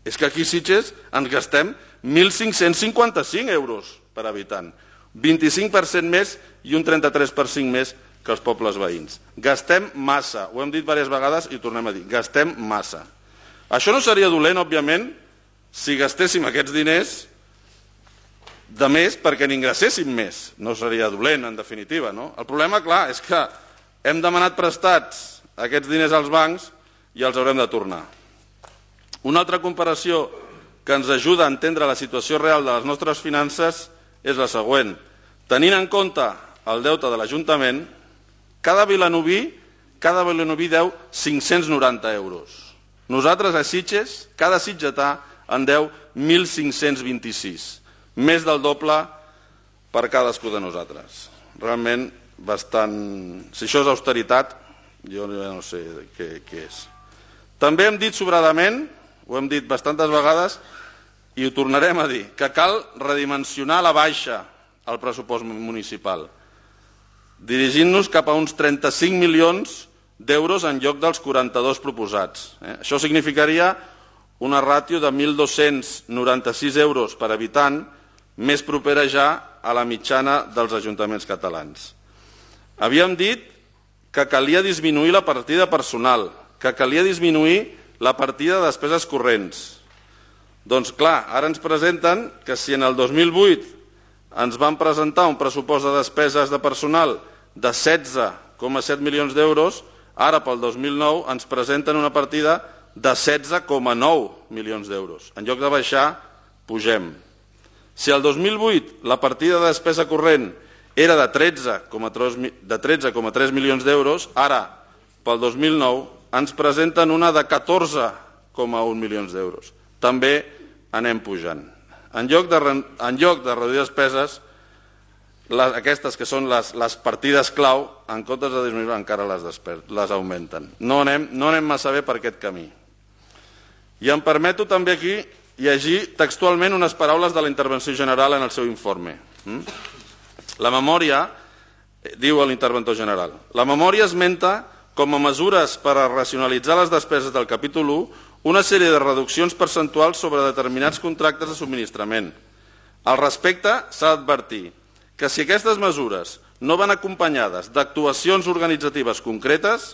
és que aquí a Sitges ens gastem mil cinc-cents cinquanta-cinc euros per habitant, vint-i-cinc per cent més i un trenta-tres per cent més que els pobles veïns. Gastem massa, ho hem dit diverses vegades i ho tornem a dir, gastem massa. Això no seria dolent, òbviament, si gastéssim aquests diners de més perquè n'ingressessin més. No seria dolent, en definitiva. No? El problema, clar, és que hem demanat prestats aquests diners als bancs i els haurem de tornar. Una altra comparació que ens ajuda a entendre la situació real de les nostres finances és la següent. Tenint en compte el deute de l'Ajuntament, cada vilanoví, cada vilanoví deu cinc-cents noranta euros. Nosaltres a Sitges, cada sitgetà en deu mil cinc-cents vint-i-sis. Més del doble per cadascú de nosaltres. Realment bastant... Si això és austeritat, jo no sé què, què és. També hem dit sobradament, ho hem dit bastantes vegades, i ho tornarem a dir, que cal redimensionar a la baixa el pressupost municipal, dirigint-nos cap a uns trenta-cinc milions d'euros en lloc dels quaranta-dos proposats. Eh? Això significaria una ràtio de mil dos-cents noranta-sis euros per habitant, més propera ja a la mitjana dels ajuntaments catalans. Havíem dit que calia disminuir la partida personal, que calia disminuir la partida de despeses corrents. Doncs clar, ara ens presenten que si en el dos mil vuit ens van presentar un pressupost de despeses de personal de setze coma set milions d'euros, ara pel dos mil nou ens presenten una partida de setze coma nou milions d'euros. En lloc de baixar, pugem. Si el dos mil vuit la partida de despesa corrent era de tretze coma tres milions d'euros, ara, pel dos mil nou, ens presenten una de catorze coma un milions d'euros. També anem pujant. En lloc de, en lloc de reduir despeses, les, aquestes que són les, les partides clau, en comptes de disminuir encara les, despeses, les augmenten. No anem, no anem massa bé per aquest camí. I em permeto també aquí llegir textualment unes paraules de la intervenció general en el seu informe. La memòria, diu l'interventor general, la memòria esmenta com a mesures per a racionalitzar les despeses del capítol u una sèrie de reduccions percentuals sobre determinats contractes de subministrament. Al respecte, s'ha d'advertir que si aquestes mesures no van acompanyades d'actuacions organitzatives concretes,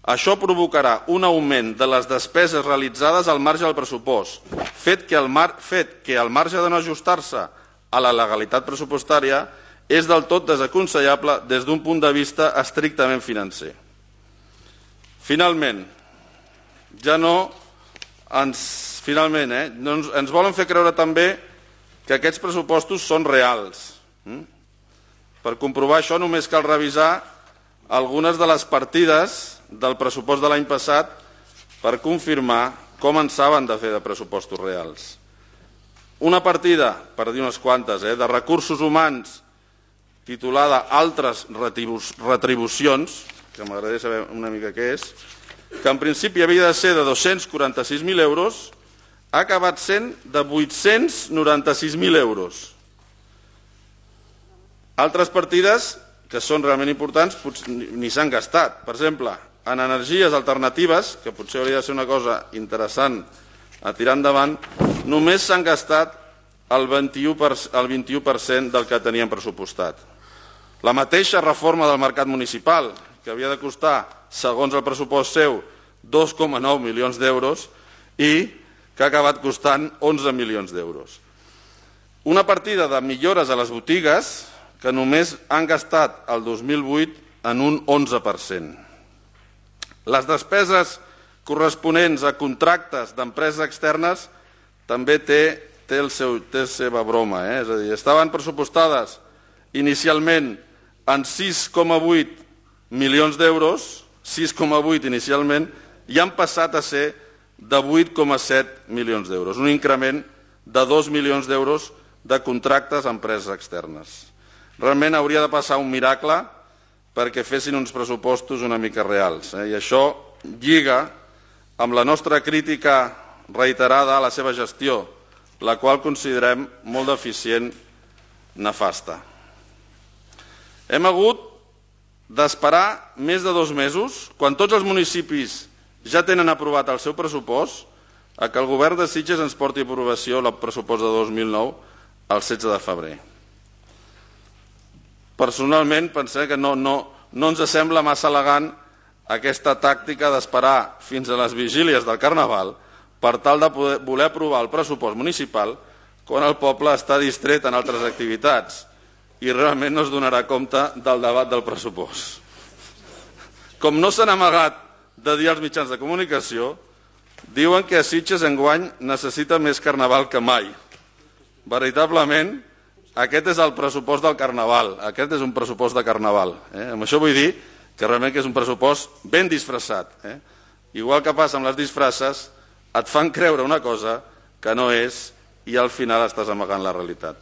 això provocarà un augment de les despeses realitzades al marge del pressupost, fet que el, mar, fet que el marge de no ajustar-se a la legalitat pressupostària és del tot desaconsellable des d'un punt de vista estrictament financer. Finalment, ja no ens, finalment, eh, no ens, ens volen fer creure també que aquests pressupostos són reals. Mm? Per comprovar això només cal revisar algunes de les partides del pressupost de l'any passat per confirmar com en saben de fer de pressupostos reals. Una partida, per dir unes quantes, eh, de recursos humans titulada Altres retribucions, que m'agradaria saber una mica què és, que en principi havia de ser de dos-cents quaranta-sis mil euros, ha acabat sent de vuit-cents noranta-sis mil euros. Altres partides que són realment importants ni s'han gastat. Per exemple, en energies alternatives, que potser hauria de ser una cosa interessant a tirar endavant, només s'han gastat el vint-i-u per cent del que teníem pressupostat. La mateixa reforma del mercat municipal, que havia de costar, segons el pressupost seu, dos coma nou milions d'euros i que ha acabat costant onze milions d'euros. Una partida de millores a les botigues que només han gastat el dos mil vuit en un onze per cent. Les despeses corresponents a contractes d'empreses externes també té, té, el seu, té la seva broma. Eh? És a dir, estaven pressupostades inicialment en sis coma vuit milions d'euros, sis coma vuit inicialment, i han passat a ser de vuit coma set milions d'euros, un increment de dos milions d'euros de contractes a empreses externes. Realment hauria de passar un miracle perquè fessin uns pressupostos una mica reals. Eh? I això lliga amb la nostra crítica reiterada a la seva gestió, la qual considerem molt deficient, nefasta. Hem hagut d'esperar més de dos mesos, quan tots els municipis ja tenen aprovat el seu pressupost, a que el govern de Sitges ens porti a aprovació el pressupost de dos mil nou el setze de febrer. Personalment pensem que no, no, no ens sembla massa elegant aquesta tàctica d'esperar fins a les vigílies del Carnaval per tal de poder, voler aprovar el pressupost municipal quan el poble està distret en altres activitats i realment no es donarà compte del debat del pressupost. Com no s'han amagat de dir als mitjans de comunicació, diuen que a Sitges enguany necessita més carnaval que mai. Veritablement, aquest és el pressupost del carnaval, aquest és un pressupost de carnaval. Eh? Amb això vull dir que realment que és un pressupost ben disfressat. Eh? Igual que passa amb les disfresses, et fan creure una cosa que no és i al final estàs amagant la realitat.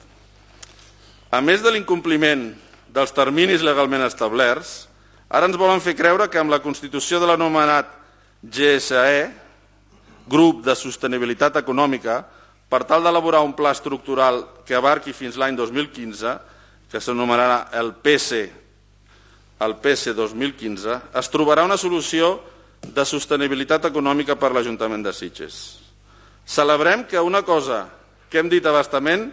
A més de l'incompliment dels terminis legalment establerts, ara ens volen fer creure que amb la constitució de l'anomenat G S E, Grup de Sostenibilitat Econòmica, per tal d'elaborar un pla estructural que abarqui fins l'any dos mil quinze, que s'anomenarà el P S, el P S dos mil quinze, es trobarà una solució de sostenibilitat econòmica per l'Ajuntament de Sitges. Celebrem que una cosa que hem dit a bastament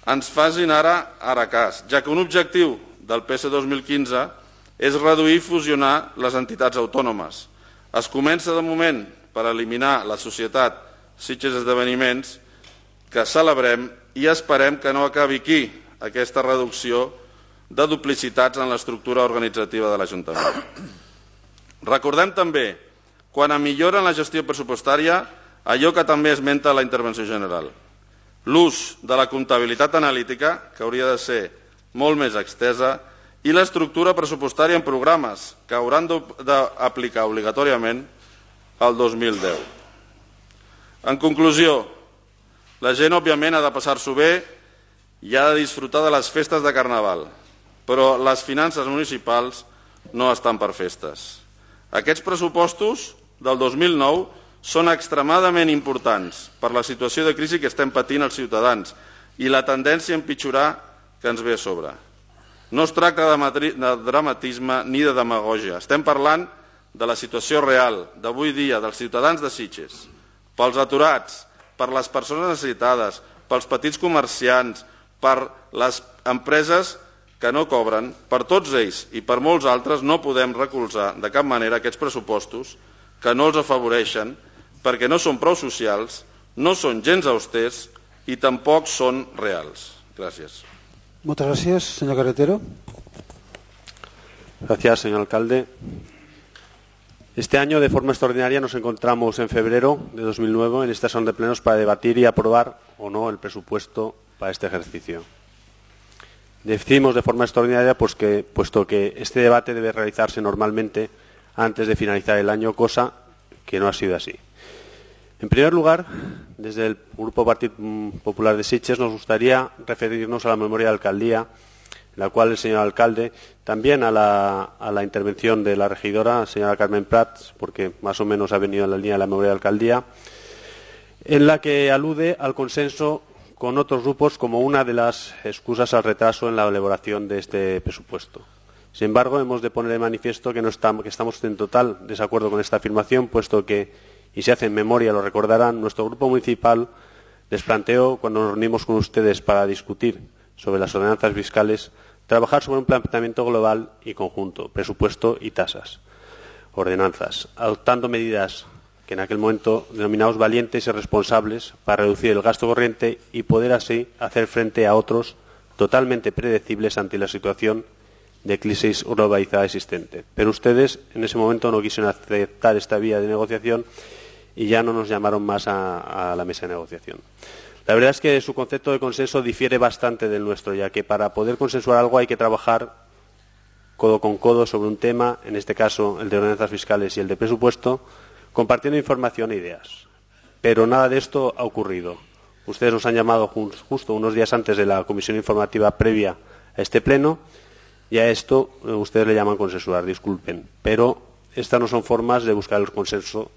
ens facin ara, ara cas, ja que un objectiu del P S dos mil quinze és reduir i fusionar les entitats autònomes. Es comença de moment per eliminar la societat Sitges Esdeveniments, que celebrem i esperem que no acabi aquí aquesta reducció de duplicitats en l'estructura organitzativa de l'Ajuntament. Recordem també, quan a millora en la gestió pressupostària, allò que també esmenta la intervenció general. L'ús de la comptabilitat analítica, que hauria de ser molt més extesa, i l'estructura pressupostària en programes, que hauran d'aplicar obligatòriament el dos mil deu. En conclusió, la gent, òbviament, ha de passar-s'ho bé i ha de disfrutar de les festes de Carnaval, però les finances municipals no estan per festes. Aquests pressupostos del dos mil nou són extremadament importants per la situació de crisi que estem patint els ciutadans i la tendència a empitjorar que ens ve a sobre. No es tracta de dramatisme ni de demagògia. Estem parlant de la situació real d'avui dia dels ciutadans de Sitges, pels aturats, per les persones necessitades, pels petits comerciants, per les empreses que no cobren, per tots ells i per molts altres no podem recolzar de cap manera aquests pressupostos que no els afavoreixen perquè no són prou socials, no són gens austers i tampoc són reals. Gràcies. Muchas gracias, señor Carretero. Gracias, señor alcalde. Este año, de forma extraordinaria, nos encontramos en febrero de dos mil nueve en esta sesión de plenos para debatir y aprobar o no el presupuesto para este ejercicio. Decimos de forma extraordinaria pues que, puesto que este debate debe realizarse normalmente antes de finalizar el año, cosa que no ha sido así. En primer lugar, desde el Grupo Partido Popular de Sitges nos gustaría referirnos a la memoria de alcaldía, en la cual el señor alcalde, también a la, a la intervención de la regidora, señora Carmen Prats, porque más o menos ha venido en la línea de la memoria de alcaldía, en la que alude al consenso con otros grupos como una de las excusas al retraso en la elaboración de este presupuesto. Sin embargo, hemos de poner de manifiesto que, no estamos, que estamos en total desacuerdo con esta afirmación, puesto que, y si hacen memoria lo recordarán, nuestro grupo municipal les planteó, cuando nos reunimos con ustedes para discutir sobre las ordenanzas fiscales, trabajar sobre un planteamiento global y conjunto, presupuesto y tasas, ordenanzas, adoptando medidas que en aquel momento denominamos valientes y responsables para reducir el gasto corriente y poder así hacer frente a otros totalmente predecibles ante la situación de crisis globalizada existente. Pero ustedes en ese momento no quisieron aceptar esta vía de negociación y ya no nos llamaron más a, a la mesa de negociación. La verdad es que su concepto de consenso difiere bastante del nuestro, ya que para poder consensuar algo hay que trabajar codo con codo sobre un tema, en este caso el de ordenanzas fiscales y el de presupuesto, compartiendo información e ideas. Pero nada de esto ha ocurrido. Ustedes nos han llamado justo unos días antes de la comisión informativa previa a este pleno y a esto ustedes le llaman consensuar, disculpen. Pero estas no son formas de buscar el consenso,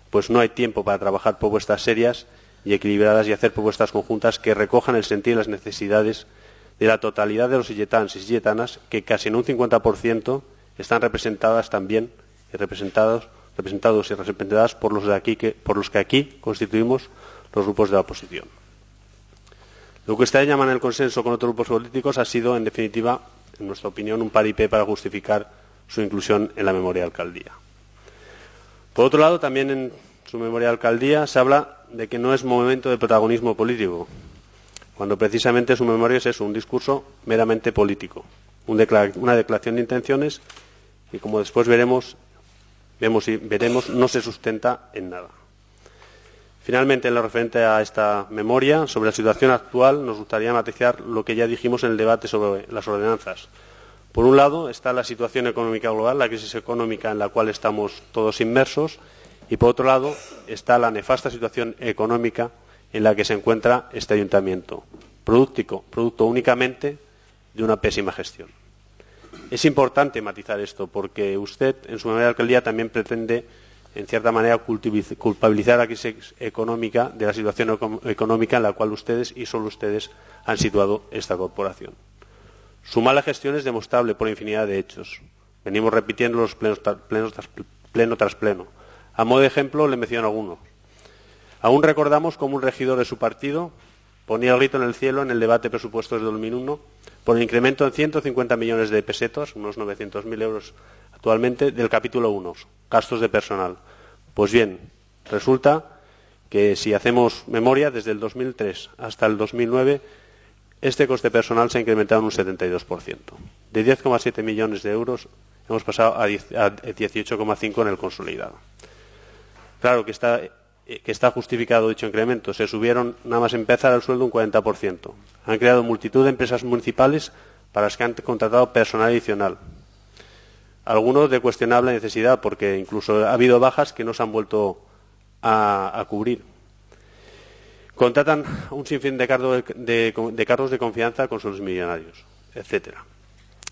pues no hay tiempo para trabajar propuestas serias y equilibradas y hacer propuestas conjuntas que recojan el sentir y las necesidades de la totalidad de los silletanos y silletanas, que casi en un cincuenta por ciento están representadas también y representados representados y representadas por los, de aquí que, por los que aquí constituimos los grupos de la oposición. Lo que ustedes llaman el consenso con otros grupos políticos ha sido, en definitiva, en nuestra opinión, un paripé para justificar su inclusión en la memoria de alcaldía. Por otro lado, también en su memoria de alcaldía se habla de que no es momento de protagonismo político. cuando precisamente su memoria es eso, un discurso meramente político, un declar- una declaración de intenciones y, como después veremos, vemos y veremos, no se sustenta en nada. Finalmente, en lo referente a esta memoria, sobre la situación actual, nos gustaría matizar lo que ya dijimos en el debate sobre las ordenanzas. Por un lado está la situación económica global, la crisis económica en la cual estamos todos inmersos, y por otro lado está la nefasta situación económica en la que se encuentra este ayuntamiento, producto, producto únicamente de una pésima gestión. Es importante matizar esto porque usted, en su memoria de alcaldía, también pretende, en cierta manera, culpabilizar a la crisis económica de la situación económica en la cual ustedes y solo ustedes han situado esta corporación. Su mala gestión es demostrable por infinidad de hechos. Venimos repitiendo los plenos, plenos tras, pleno tras pleno. A modo de ejemplo, le menciono algunos. Aún recordamos cómo un regidor de su partido ponía el grito en el cielo en el debate de presupuestos de dos mil uno por el incremento en ciento cincuenta millones de pesetas, unos novecientos mil euros actualmente, del capítulo uno, gastos de personal. Pues bien, resulta que si hacemos memoria, desde el dos mil tres hasta el dos mil nueve, este coste personal se ha incrementado en un setenta y dos por ciento. De diez coma siete millones de euros hemos pasado a dieciocho coma cinco en el consolidado. Claro que está, que está justificado dicho incremento. Se subieron, nada más empezar, el sueldo un cuarenta por ciento. Han creado multitud de empresas municipales para las que han contratado personal adicional. Algunos de cuestionable necesidad, porque incluso ha habido bajas que no se han vuelto a, a cubrir. Contratan un sinfín de, cargo de, de, de cargos de confianza con sus millonarios, etcétera.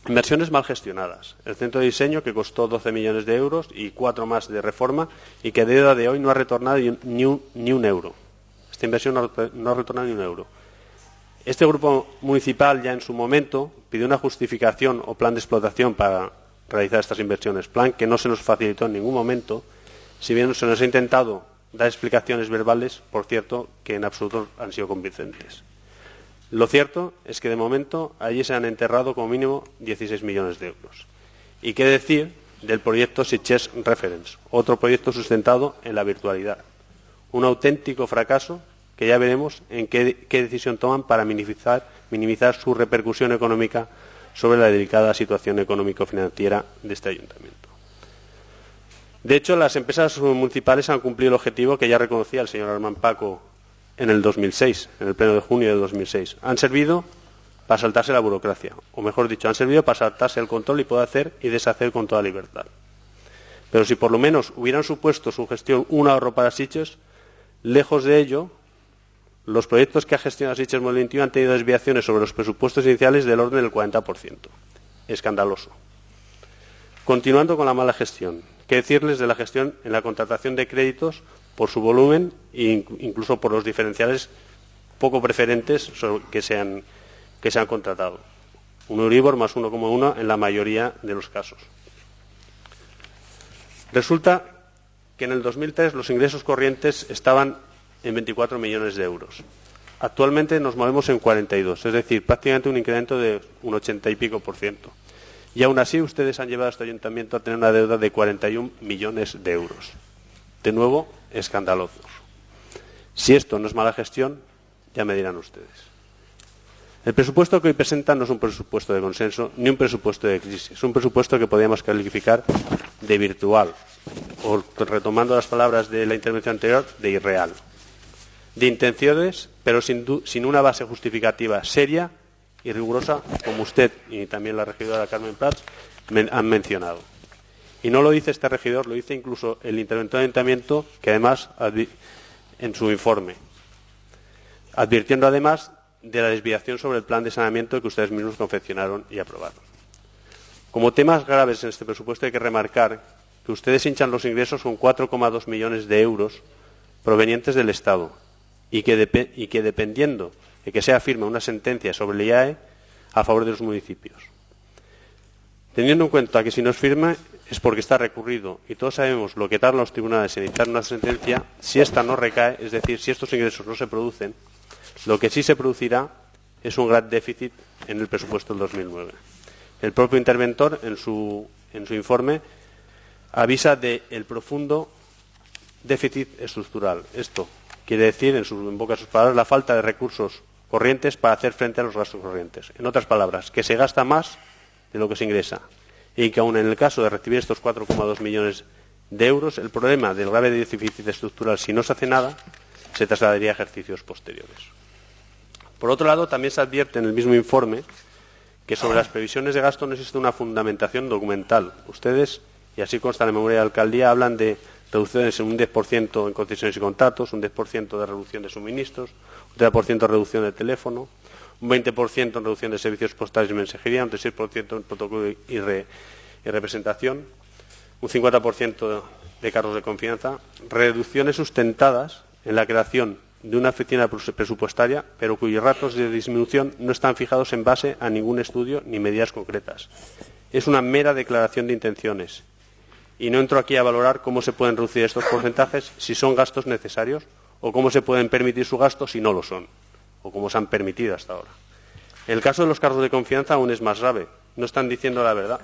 Inversiones mal gestionadas. El centro de diseño, que costó doce millones de euros y cuatro más de reforma, y que a día de hoy no ha retornado ni un, ni un euro. Esta inversión no, no ha retornado ni un euro. Este grupo municipal ya en su momento pidió una justificación o plan de explotación para realizar estas inversiones, plan que no se nos facilitó en ningún momento, si bien se nos ha intentado dar explicaciones verbales, por cierto, que en absoluto han sido convincentes. Lo cierto es que de momento allí se han enterrado como mínimo dieciséis millones de euros. ¿Y qué decir del proyecto Sitges Reference, otro proyecto sustentado en la virtualidad? Un auténtico fracaso que ya veremos en qué, qué decisión toman para minimizar, minimizar su repercusión económica sobre la delicada situación económico-financiera de este ayuntamiento. De hecho, las empresas municipales han cumplido el objetivo que ya reconocía el señor Armand Paco en el dos mil seis, en el pleno de junio de dos mil seis. Han servido para saltarse la burocracia, o mejor dicho, han servido para saltarse el control y poder hacer y deshacer con toda libertad. Pero si por lo menos hubieran supuesto su gestión un ahorro para Sitges, lejos de ello, los proyectos que ha gestionado Sitges dos mil veintiuno han tenido desviaciones sobre los presupuestos iniciales del orden del cuarenta por ciento. Escandaloso. Continuando con la mala gestión, ¿qué decirles de la gestión en la contratación de créditos por su volumen e incluso por los diferenciales poco preferentes que se han, que se han contratado? Un Euribor más uno coma uno en la mayoría de los casos. Resulta que en el dos mil tres los ingresos corrientes estaban en veinticuatro millones de euros. Actualmente nos movemos en cuarenta y dos, es decir, prácticamente un incremento de un ochenta y pico por ciento. Y aún así ustedes han llevado a este ayuntamiento a tener una deuda de cuarenta y un millones de euros. De nuevo, escandalosos. Si esto no es mala gestión, ya me dirán ustedes. El presupuesto que hoy presentan no es un presupuesto de consenso ni un presupuesto de crisis. Es un presupuesto que podríamos calificar de virtual, o, retomando las palabras de la intervención anterior, de irreal. De intenciones, pero sin, sin una base justificativa seria y rigurosa, como usted y también la regidora Carmen Prats men han mencionado. Y no lo dice este regidor, lo dice incluso el interventor de ayuntamiento, que además, en su informe, advirtiendo además de la desviación sobre el plan de saneamiento que ustedes mismos confeccionaron y aprobaron. Como temas graves en este presupuesto hay que remarcar que ustedes hinchan los ingresos con cuatro coma dos millones de euros provenientes del Estado y que, de, y que dependiendo de que sea firme una sentencia sobre el I A E a favor de los municipios. Teniendo en cuenta que si no es firme es porque está recurrido y todos sabemos lo que tardan los tribunales en dictar una sentencia, si esta no recae, es decir, si estos ingresos no se producen, lo que sí se producirá es un gran déficit en el presupuesto del dos mil nueve. El propio interventor, en su, en su informe, avisa del profundo déficit estructural. Esto quiere decir, en, sus, en boca de sus palabras, la falta de recursos corrientes para hacer frente a los gastos corrientes. En otras palabras, que se gasta más de lo que se ingresa y que aun en el caso de recibir estos cuatro coma dos millones de euros, el problema del grave déficit estructural, si no se hace nada, se trasladaría a ejercicios posteriores. Por otro lado, también se advierte en el mismo informe que sobre las previsiones de gasto no existe una fundamentación documental. Ustedes, y así consta en la memoria de alcaldía, hablan de reducciones en un diez por ciento en concesiones y contratos, un diez por ciento de reducción de suministros, un treinta por ciento de reducción de teléfono, un veinte por ciento en reducción de servicios postales y mensajería, un dieciséis por ciento en protocolo y, re, y representación, un cincuenta por ciento de cargos de confianza, reducciones sustentadas en la creación de una oficina presupuestaria, pero cuyos ratos de disminución no están fijados en base a ningún estudio ni medidas concretas. Es una mera declaración de intenciones. Y no entro aquí a valorar cómo se pueden reducir estos porcentajes, si son gastos necesarios, o cómo se pueden permitir su gasto si no lo son, o cómo se han permitido hasta ahora. En el caso de los cargos de confianza aún es más grave. No están diciendo la verdad.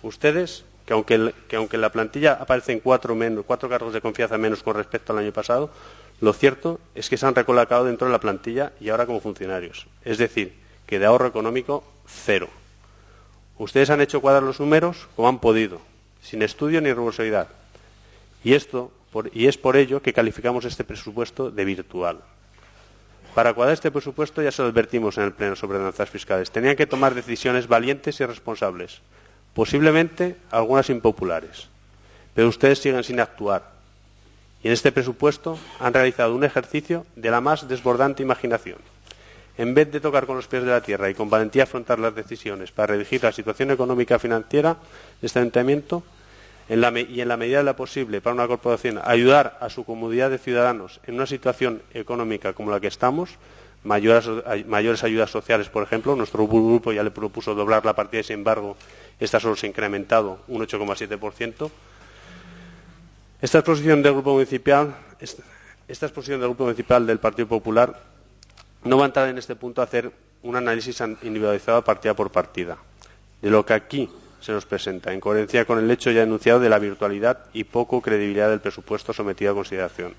Ustedes, que aunque, el, que aunque en la plantilla aparecen cuatro, menos, cuatro cargos de confianza menos con respecto al año pasado, lo cierto es que se han recolocado dentro de la plantilla y ahora como funcionarios. Es decir, que de ahorro económico, cero. Ustedes han hecho cuadrar los números como han podido, sin estudio ni rigurosidad. Y, esto, por, y es por ello que calificamos este presupuesto de virtual. Para cuadrar este presupuesto, ya se lo advertimos en el Pleno sobre ordenanzas fiscales, tenían que tomar decisiones valientes y responsables, posiblemente algunas impopulares, pero ustedes siguen sin actuar. Y en este presupuesto han realizado un ejercicio de la más desbordante imaginación. En vez de tocar con los pies de la tierra y con valentía afrontar las decisiones para redirigir la situación económica financiera de este ayuntamiento, en la, y en la medida de lo posible para una corporación ayudar a su comunidad de ciudadanos en una situación económica como la que estamos, mayores, mayores ayudas sociales, por ejemplo, nuestro grupo ya le propuso doblar la partida y, sin embargo, esta solo se ha incrementado un ocho coma siete por ciento. Esta exposición del Grupo Municipal, esta exposición del Grupo Municipal del Partido Popular no va a entrar en este punto a hacer un análisis individualizado partida por partida de lo que aquí se nos presenta, en coherencia con el hecho ya enunciado de la virtualidad y poco credibilidad del presupuesto sometido a consideración.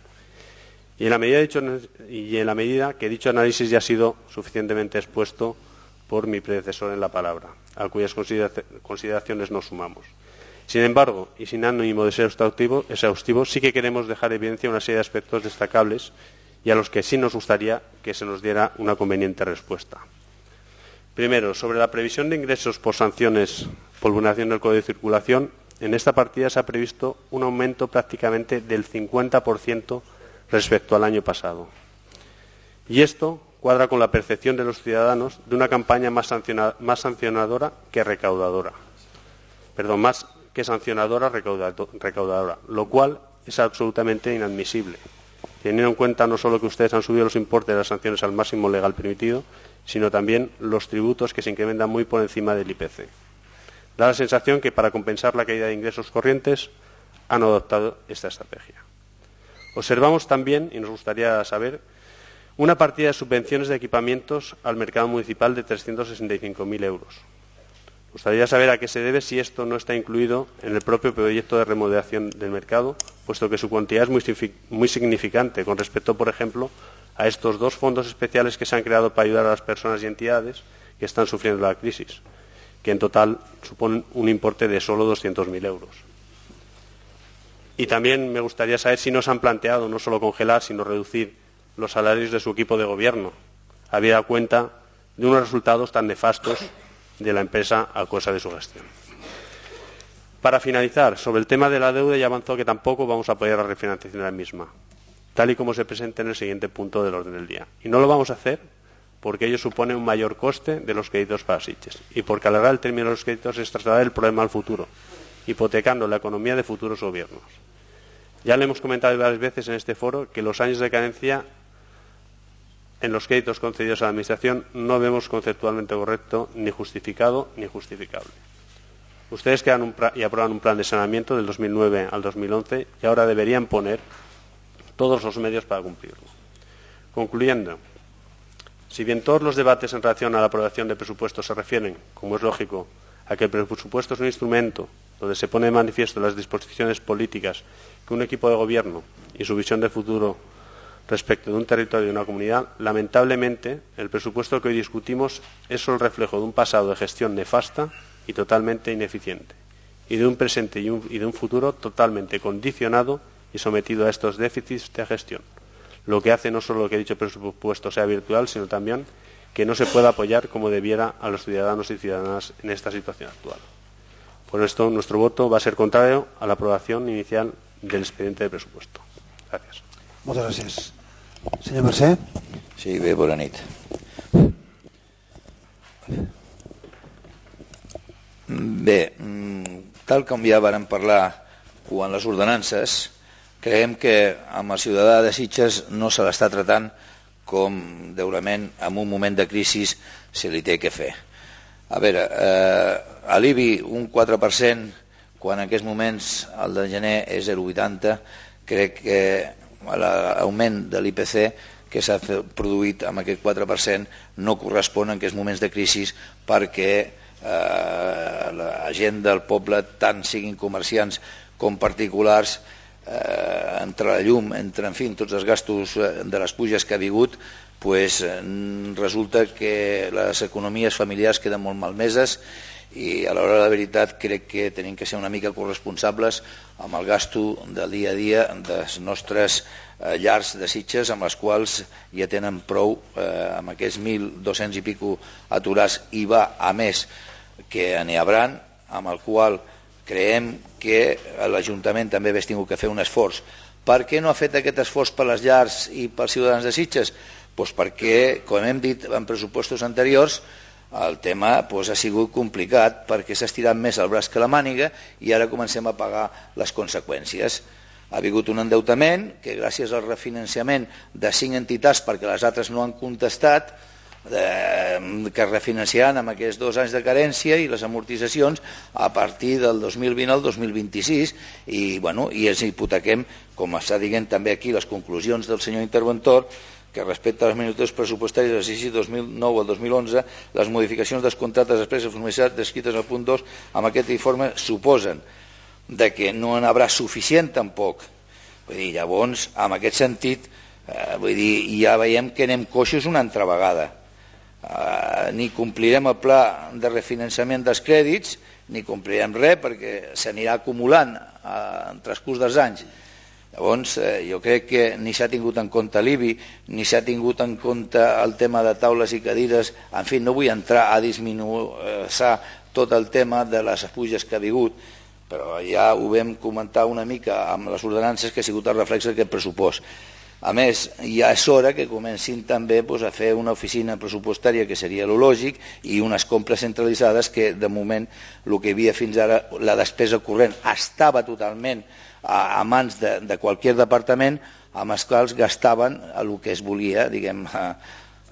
Y en la medida, dicho, y en la medida que dicho análisis ya ha sido suficientemente expuesto por mi predecesor en la palabra, a cuyas consideraciones nos sumamos. Sin embargo, y sin ánimo de ser exhaustivo, exhaustivo, sí que queremos dejar en evidencia una serie de aspectos destacables y a los que sí nos gustaría que se nos diera una conveniente respuesta. Primero, sobre la previsión de ingresos por sanciones por vulneración del Código de Circulación, en esta partida se ha previsto un aumento prácticamente del cincuenta por ciento respecto al año pasado. Y esto cuadra con la percepción de los ciudadanos de una campaña más, sanciona, más sancionadora que recaudadora. Perdón, más que sancionadora recaudadora, lo cual es absolutamente inadmisible, teniendo en cuenta no solo que ustedes han subido los importes de las sanciones al máximo legal permitido, sino también los tributos que se incrementan muy por encima del I P C. Da la sensación que para compensar la caída de ingresos corrientes han adoptado esta estrategia. Observamos también, y nos gustaría saber, una partida de subvenciones de equipamientos al mercado municipal de trescientos sesenta y cinco mil euros. Me gustaría saber a qué se debe si esto no está incluido en el propio proyecto de remodelación del mercado, puesto que su cuantía es muy, muy significante con respecto, por ejemplo, a estos dos fondos especiales que se han creado para ayudar a las personas y entidades que están sufriendo la crisis, que en total suponen un importe de solo doscientos mil euros. Y también me gustaría saber si no se han planteado no solo congelar, sino reducir los salarios de su equipo de gobierno, habida cuenta de unos resultados tan nefastos de la empresa a causa de su gestión. Para finalizar, sobre el tema de la deuda ya avanzó que tampoco vamos a apoyar la refinanciación de la misma, tal y como se presenta en el siguiente punto del orden del día. Y no lo vamos a hacer porque ello supone un mayor coste de los créditos para Sitges y porque alargar el término de los créditos es trasladar el problema al futuro, hipotecando la economía de futuros gobiernos. Ya le hemos comentado varias veces en este foro que los años de carencia en los créditos concedidos a la Administración no vemos conceptualmente correcto, ni justificado, ni justificable. Ustedes crean un y aprueban un plan de saneamiento del dos mil nueve al dos mil once y ahora deberían poner todos los medios para cumplirlo. Concluyendo, si bien todos los debates en relación a la aprobación de presupuestos se refieren, como es lógico, a que el presupuesto es un instrumento donde se pone de manifiesto las disposiciones políticas que un equipo de gobierno y su visión de futuro respecto de un territorio y una comunidad, lamentablemente el presupuesto que hoy discutimos es solo el reflejo de un pasado de gestión nefasta y totalmente ineficiente, y de un presente y, un, y de un futuro totalmente condicionado y sometido a estos déficits de gestión, lo que hace no solo que dicho presupuesto sea virtual, sino también que no se pueda apoyar como debiera a los ciudadanos y ciudadanas en esta situación actual. Por esto, nuestro voto va a ser contrario a la aprobación inicial del expediente de presupuesto. Gracias. Moltes gràcies. Senyor Mercè. Sí, bé, bona nit. Bé, tal com ja vàrem parlar quan les ordenances, creiem que amb el ciutadà de Sitges no se l'està tratant com deurament en un moment de crisi se li té que fer. A veure, eh, a l'I B I un quatre per cent, quan en aquests moments el de gener és zero coma vuitanta, crec que l'augment de l'I P C que s'ha produït amb aquest quatre per cent no correspon en aquests moments de crisi perquè eh, la gent del poble, tant siguin comerciants com particulars, eh, entre la llum, entre en fi, tots els gastos de les puges que ha hagut, pues, resulta que les economies familiars queden molt malmeses i a l'hora de la veritat crec que tenim que ser una mica corresponsables amb el gasto del dia a dia dels nostres eh, llars de Sitges, amb les quals ja tenen prou eh, amb aquests mil dos-cents i pico aturats, i va a més que n'hi hauran, amb el qual creiem que l'Ajuntament també hagués tingut que fer un esforç. Per què no ha fet aquest esforç per les llars i pels ciutadans de Sitges? Pues perquè, com hem dit en pressupostos anteriors, el tema pues, ha sigut complicat perquè s'ha estirat més el braç que la màniga i ara comencem a pagar les conseqüències. Ha hagut un endeutament que gràcies al refinanciament de cinc entitats, perquè les altres no han contestat, eh, que es refinanciaran amb aquests dos anys de carència i les amortitzacions a partir del dos mil vint al dos mil vint-i-sis i, bueno, i ens hipotequem, com està dient també aquí les conclusions del senyor interventor, que respecte a les minutes pressupostàries de l'exercici dos mil nou al dos mil onze, les modificacions dels contractes expresses de formalitat descrites al punt dos amb aquest informe suposen de que no n'hi haurà suficient tampoc. Vull dir, llavors, en aquest sentit, eh, vull dir, ja veiem que anem coixos una altra vegada. Eh, ni complirem el pla de refinançament dels crèdits, ni complirem res perquè s'anirà acumulant eh, en transcurs dels anys. Llavors, eh, jo crec que ni s'ha tingut en compte l'I B I, ni s'ha tingut en compte el tema de taules i cadires. En fi, no vull entrar a disminuir tot el tema de les puges que ha hagut, però ja ho vam comentar una mica amb les ordenances, que ha sigut el reflex d'aquest pressupost. A més, ja és hora que comencin també doncs, a fer una oficina pressupostària, que seria lo lògic, i unes compres centralitzades que, de moment, el que hi havia fins ara, la despesa corrent, estava totalment a, a mans de, de qualsevol departament, amb els quals gastaven el que es volia, diguem, a,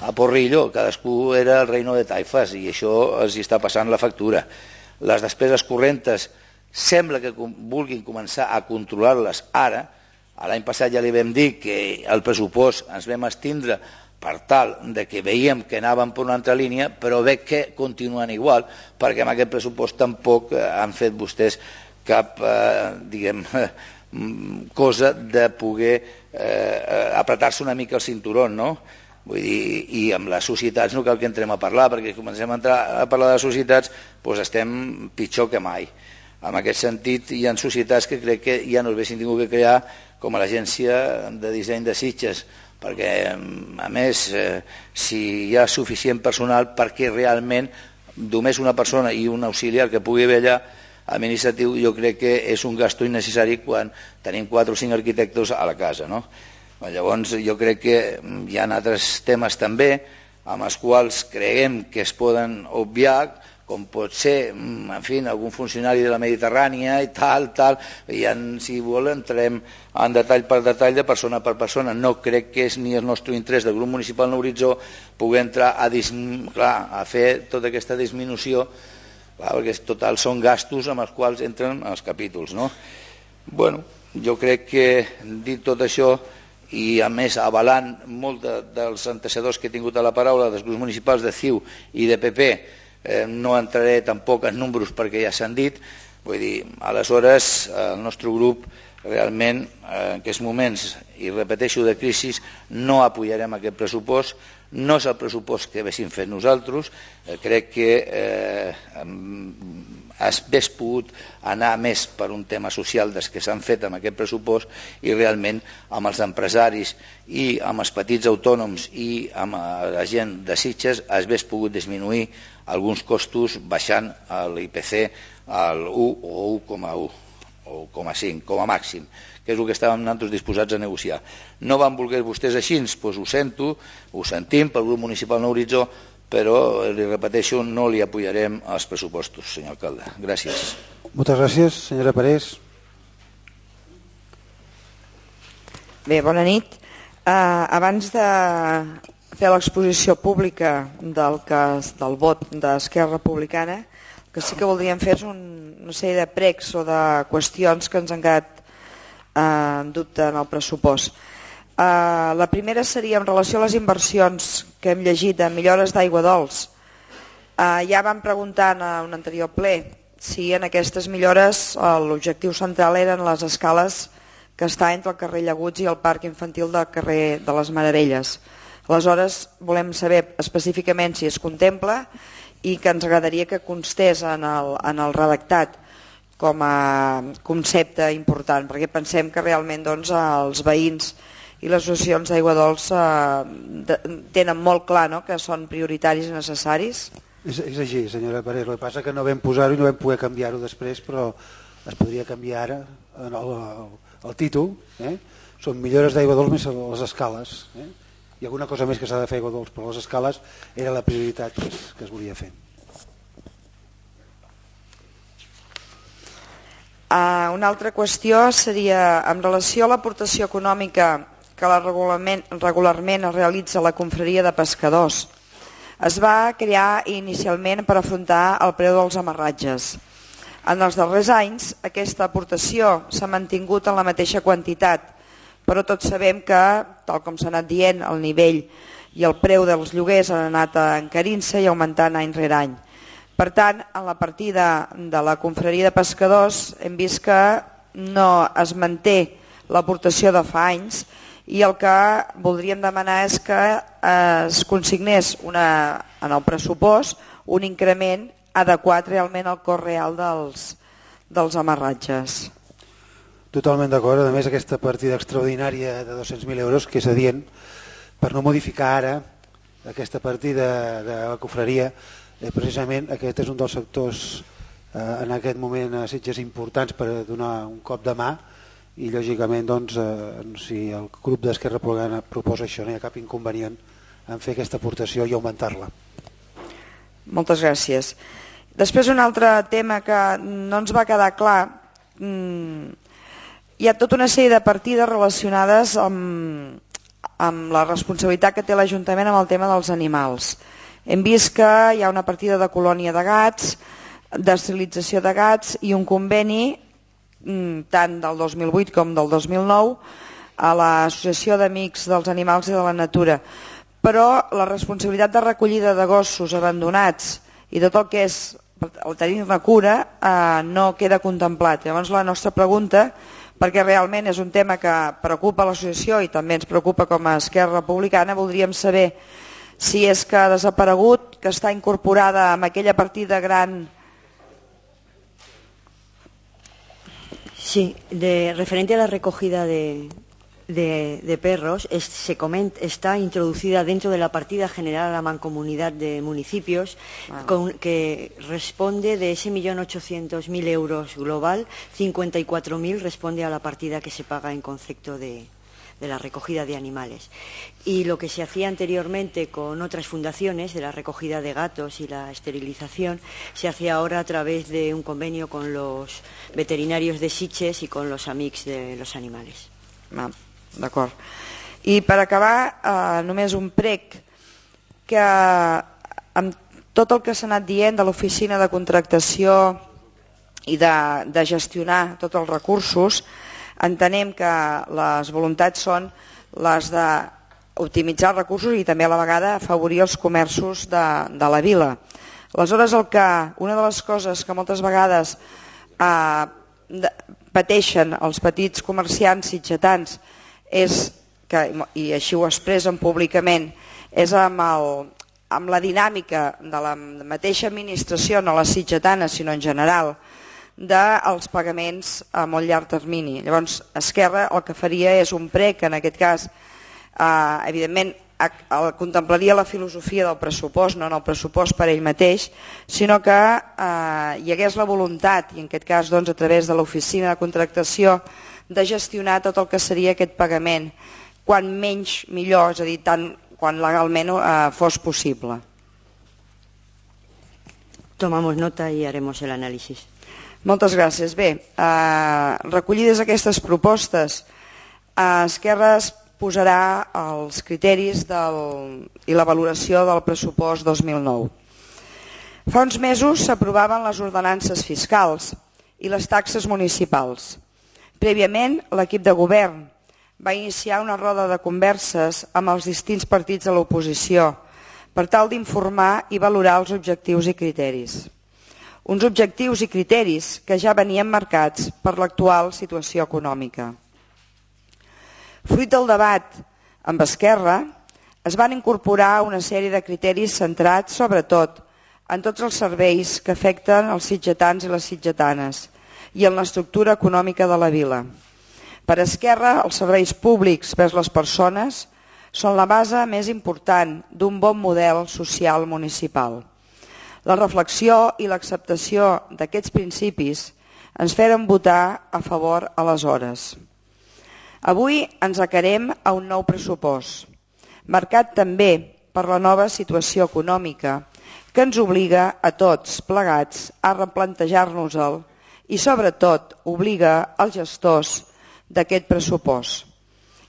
a porrillo, cadascú era el reino de taifes, i això els està passant la factura. Les despeses correntes sembla que vulguin començar a controlar-les ara. L'any passat ja li vam dir que el pressupost ens vam estindre per tal de que veiem que anàvem per una altra línia, però veig que continuen igual, perquè amb aquest pressupost tampoc han fet vostès cap, eh, diguem, cosa de poder eh, apretar-se una mica el cinturón, no? Vull dir, i amb les societats no cal que entrem a parlar, perquè si comencem a entrar a parlar de les societats, doncs estem pitjor que mai. En aquest sentit, hi ha societats que crec que ja no s'haguessin tingut que crear, com a l'Agència de Disseny de Sitges, perquè, a més, eh, si hi ha suficient personal perquè realment només una persona i un auxiliar que pugui haver allà administratiu, jo crec que és un gasto innecessari quan tenim quatre o cinc arquitectes a la casa, no? Llavors, jo crec que hi ha altres temes també amb els quals creiem que es poden obviar, com pot ser, en fi, algun funcionari de la Mediterrània i tal, tal, i en, si vol entrem en detall per detall de persona per persona. No crec que és ni el nostre interès del grup municipal en Horitzó poder entrar a, clar, a fer tota aquesta disminució, clar, perquè total són gastos amb els quals entren els capítols, no? Bueno, jo crec que dit tot això, i a més avalant molt de, dels antecedors que he tingut a la paraula dels grups municipals de C I U i de P P, Eh, no entraré tampoc en números perquè ja s'han dit, vull dir, aleshores el nostre grup realment en aquests moments, i repeteixo, de crisi, no apoyarem aquest pressupost. No és el pressupost que haguéssim fet nosaltres. Crec que hauria pogut anar més per un tema social dels que s'han fet amb aquest pressupost, i realment amb els empresaris i amb els petits autònoms i amb la gent de Sitges hauria pogut disminuir alguns costos baixant l'I P C al u o u coma u o u coma cinc com a màxim, que és el que estàvem nosaltres disposats a negociar. No van voler vostès així, doncs ho sento, ho sentim pel grup municipal Nou Horitzó, però, li repeteixo, no li apoyarem els pressupostos, senyor alcalde. Gràcies. Moltes gràcies, senyora Parés. Bé, bona nit. Uh, abans de fer l'exposició pública del, que, del vot d'Esquerra Republicana, que sí que voldríem fer és un, una sèrie de pregs o de qüestions que ens han quedat eh, en dubte en el pressupost. Eh, la primera seria en relació a les inversions que hem llegit de millores d'aigua dolç. Eh, ja vam preguntar en un anterior ple si en aquestes millores eh, l'objectiu central eren les escales que està entre el carrer Llaguts i el parc infantil del carrer de les Meravelles. Aleshores volem saber específicament si es contempla i que ens agradaria que constés en el, en el redactat com a concepte important, perquè pensem que realment doncs, els veïns i les associacions d'aigua dolça eh, tenen molt clar, no?, que són prioritaris i necessaris. És, és així, senyora Parés. El que passa que no vam posar-ho i no vam poder canviar-ho després, però es podria canviar ara en el, el, el títol. Eh? Són millores d'aigua dolç més les escales. Eh? Hi ha alguna cosa més que s'ha de fer aigua dolç, però les escales era la prioritat que es, que es volia fer. Uh, una altra qüestió seria en relació a l'aportació econòmica que la regularment, regularment es realitza a la confraria de pescadors. Es va crear inicialment per afrontar el preu dels amarratges. En els darrers anys aquesta aportació s'ha mantingut en la mateixa quantitat, però tots sabem que, tal com s'ha anat dient, el nivell i el preu dels lloguers han anat encarint-se i augmentant any rere any. Per tant, en la partida de la confraria de pescadors hem vist que no es manté l'aportació de fa anys i el que voldríem demanar és que es consignés una, en el pressupost un increment adequat realment al cost real dels, dels amarratges. Totalment d'acord. A més, aquesta partida extraordinària de dos-cents mil euros, que és adient, per no modificar ara aquesta partida de la confraria, eh, precisament aquest és un dels sectors eh, en aquest moment a Sitges importants per donar un cop de mà i, lògicament, doncs, eh, si el grup d'Esquerra Republicana proposa això, no hi ha cap inconvenient en fer aquesta aportació i augmentar-la. Moltes gràcies. Després, un altre tema que no ens va quedar clar. Mmm, Hi ha tota una sèrie de partides relacionades amb, amb la responsabilitat que té l'Ajuntament amb el tema dels animals. Hem vist que hi ha una partida de colònia de gats, d'esterilització de gats i un conveni tant del dos mil vuit com del dos mil nou a l'Associació d'Amics dels Animals i de la Natura. Però la responsabilitat de recollida de gossos abandonats i tot el que és el tenir-ne cura eh, no queda contemplat. Llavors la nostra pregunta, perquè realment és un tema que preocupa l'associació i també ens preocupa com a Esquerra Republicana, voldríem saber si és que ha desaparegut, que està incorporada en aquella partida gran. Sí, de, referente a la recogida de, de, de perros, es, se comenta, está introducida dentro de la partida general a la mancomunidad de municipios, wow. con, que responde de ese millón ochocientos mil euros global, cincuenta y cuatro mil responde a la partida que se paga en concepto de, de la recogida de animales. Y lo que se hacía anteriormente con otras fundaciones, de la recogida de gatos y la esterilización, se hace ahora a través de un convenio con los veterinarios de Sitges y con los amics de los animales. Ah, d'acord. I per acabar, eh, només un prec que amb tot el que s'ha anat dient de l'oficina de contractació i de, de gestionar tots els recursos, entenem que les voluntats són les d'optimitzar els recursos i també a la vegada afavorir els comerços de, de la vila. Aleshores, el que, una de les coses que moltes vegades eh, pateixen els petits comerciants sitgetans és que, i així ho expressen públicament, és amb, el, amb la dinàmica de la mateixa administració, no la sitgetana sinó en general, dels pagaments a molt llarg termini. Llavors Esquerra el que faria és un prec, en aquest cas eh, evidentment contemplaria la filosofia del pressupost, no en el pressupost per ell mateix, sinó que eh, hi hagués la voluntat, i en aquest cas doncs, a través de l'oficina de contractació, de gestionar tot el que seria aquest pagament, quan menys millor, és a dir, tant quan legalment eh, fos possible. Tomamos nota i haremos el análisis. Moltes gràcies. Bé, eh, recollides aquestes propostes, eh, Esquerra es posarà els criteris del, i la valoració del pressupost dos mil nou. Fa uns mesos s'aprovaven les ordenances fiscals i les taxes municipals. Prèviament, l'equip de govern va iniciar una roda de converses amb els distints partits de l'oposició per tal d'informar i valorar els objectius i criteris. Uns objectius i criteris que ja venien marcats per l'actual situació econòmica. Fruit del debat amb Esquerra, es van incorporar una sèrie de criteris centrats, sobretot, en tots els serveis que afecten els sitgetans i les sitgetanes i en l'estructura econòmica de la vila. Per Esquerra, els serveis públics vers les persones són la base més important d'un bon model social municipal. La reflexió i l'acceptació d'aquests principis ens feren votar a favor aleshores. Avui ens acarem a un nou pressupost, marcat també per la nova situació econòmica que ens obliga a tots plegats a replantejar-nos-el i sobretot obliga als gestors d'aquest pressupost.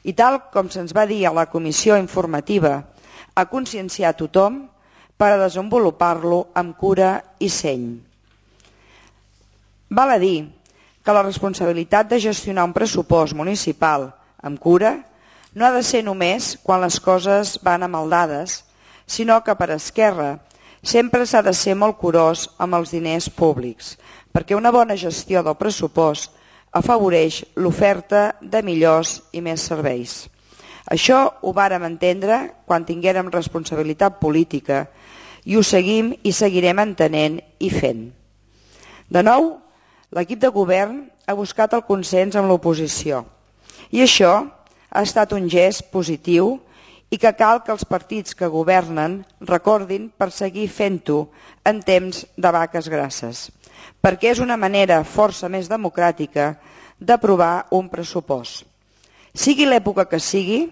I tal com se'ns va dir a la comissió informativa, a conscienciar tothom per a desenvolupar-lo amb cura i seny. Val a dir que la responsabilitat de gestionar un pressupost municipal amb cura no ha de ser només quan les coses van amaldades, sinó que per Esquerra sempre s'ha de ser molt curós amb els diners públics, perquè una bona gestió del pressupost afavoreix l'oferta de millors i més serveis. Això ho vàrem entendre quan tinguérem responsabilitat política i ho seguim i seguirem entenent i fent. De nou, l'equip de govern ha buscat el consens amb l'oposició i això ha estat un gest positiu i que cal que els partits que governen recordin per seguir fent-ho en temps de vaques grasses, perquè és una manera força més democràtica d'aprovar un pressupost. Sigui l'època que sigui,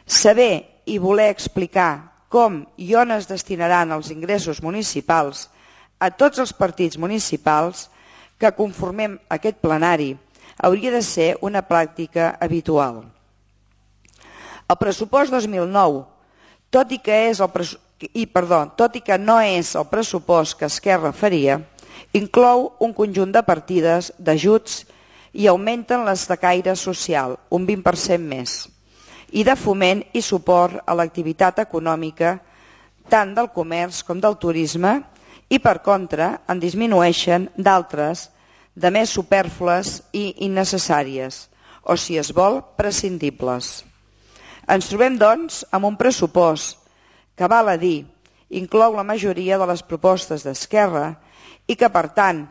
saber i voler explicar com i on es destinaran els ingressos municipals a tots els partits municipals que conformem aquest plenari hauria de ser una pràctica habitual. El pressupost dos mil nou, tot i que, és el i, perdó, tot i que no és el pressupost que Esquerra faria, inclou un conjunt de partides d'ajuts i augmenten les de caire social, un vint per cent més, i de foment i suport a l'activitat econòmica tant del comerç com del turisme, i per contra en disminueixen d'altres de més supèrflues i innecessàries, o si es vol, prescindibles. Ens trobem, doncs, amb un pressupost que, val a dir, inclou la majoria de les propostes d'Esquerra i que, per tant,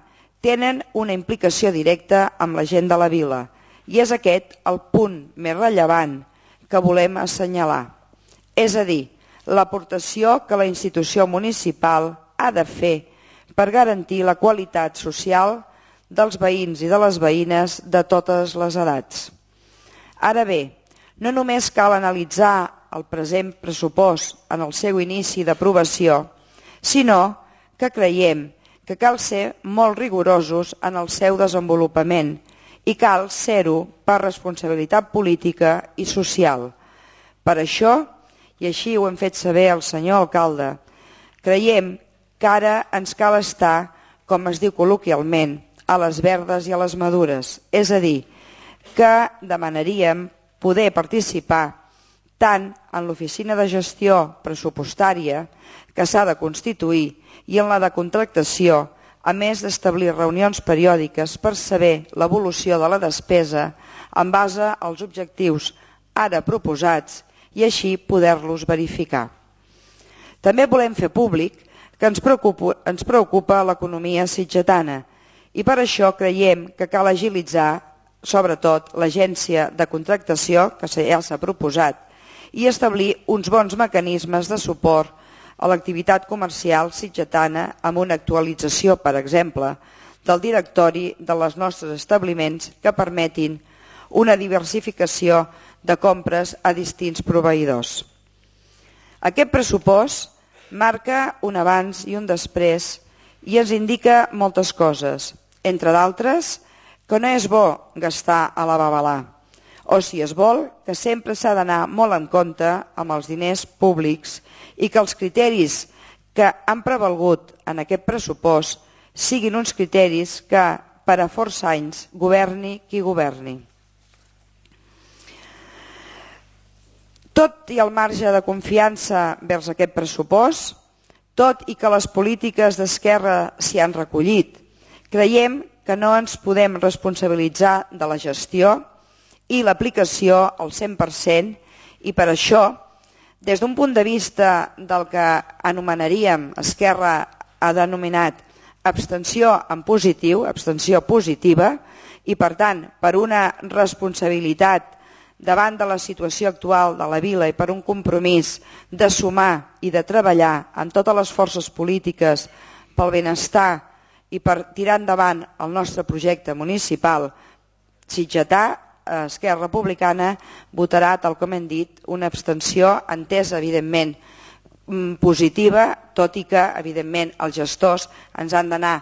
tenen una implicació directa amb la gent de la vila, i és aquest el punt més rellevant que volem assenyalar. És a dir, l'aportació que la institució municipal ha de fer per garantir la qualitat social dels veïns i de les veïnes de totes les edats. Ara bé, no només cal analitzar el present pressupost en el seu inici d'aprovació, sinó que creiem que cal ser molt rigorosos en el seu desenvolupament i cal ser-ho per responsabilitat política i social. Per això, i així ho hem fet saber al senyor alcalde, creiem que ara ens cal estar, com es diu col·loquialment, a les verdes i a les madures, és a dir, que demanaríem poder participar tant en l'oficina de gestió pressupostària que s'ha de constituir i en la de contractació a més d'establir reunions periòdiques per saber l'evolució de la despesa en base als objectius ara proposats i així poder-los verificar. També volem fer públic que ens preocupa, ens preocupa l'economia sitgetana i per això creiem que cal agilitzar sobretot l'agència de contractació, que ja s'ha proposat, i establir uns bons mecanismes de suport a l'activitat comercial sitgetana amb una actualització, per exemple, del directori de les nostres establiments que permetin una diversificació de compres a distints proveïdors. Aquest pressupost marca un abans i un després i ens indica moltes coses, entre d'altres que no és bo gastar a la babalà, o si es vol, que sempre s'ha d'anar molt en compte amb els diners públics i que els criteris que han prevalgut en aquest pressupost siguin uns criteris que per a força anys governi qui governi. Tot i el marge de confiança vers aquest pressupost, tot i que les polítiques d'esquerra s'hi han recollit, creiem que no ens podem responsabilitzar de la gestió i l'aplicació al cent per cent i per això, des d'un punt de vista del que anomenaríem, Esquerra ha denominat abstenció en positiu, abstenció positiva, i per tant per una responsabilitat davant de la situació actual de la vila i per un compromís de sumar i de treballar amb totes les forces polítiques pel benestar i per tirar endavant el nostre projecte municipal sitgetà, Esquerra Republicana votarà, tal com hem dit, una abstenció entesa, evidentment, positiva, tot i que, evidentment, els gestors ens han d'anar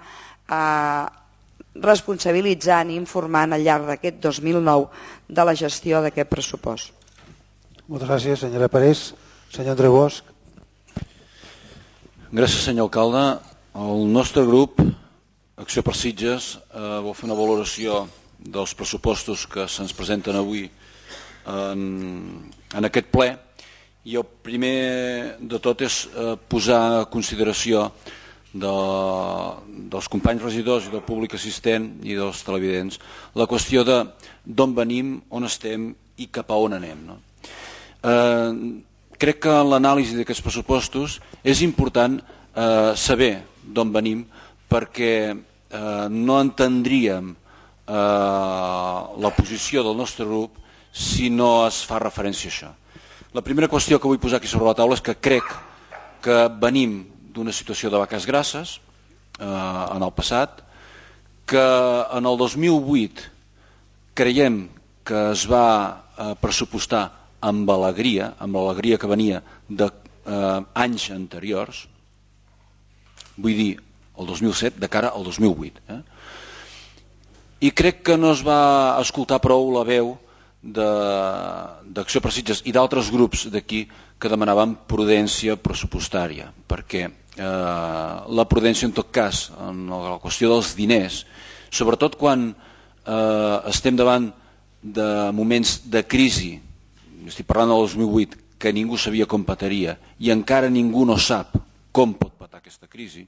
responsabilitzant i informant al llarg d'aquest dos mil nou de la gestió d'aquest pressupost. Moltes gràcies, senyora Parés. Senyor Andreu Bosch. Gràcies, senyor alcalde. El nostre grup, Acció per Sitges, eh, vol fer una valoració dels pressupostos que se'ns presenten avui en, en aquest ple, i el primer de tot és eh, posar a consideració de, dels companys regidors i del públic assistent i dels televidents la qüestió de d'on venim, on estem i cap a on anem. No? Eh, crec que en l'anàlisi d'aquests pressupostos és important eh, saber d'on venim, perquè eh, no entendríem eh, la posició del nostre grup si no es fa referència a això. La primera qüestió que vull posar aquí sobre la taula és que crec que venim d'una situació de vaques grasses eh, en el passat, que en el dos mil vuit creiem que es va eh, pressupostar amb alegria, amb l'alegria que venia d'anys eh, anteriors, vull dir, el dos mil set de cara al dos mil vuit. Eh? I crec que no es va escoltar prou la veu d'Acció per Sitges i d'altres grups d'aquí que demanaven prudència pressupostària, perquè eh, la prudència en tot cas en la qüestió dels diners, sobretot quan eh, estem davant de moments de crisi, estic parlant del dos mil vuit, que ningú sabia com petaria i encara ningú no sap com pot petar aquesta crisi,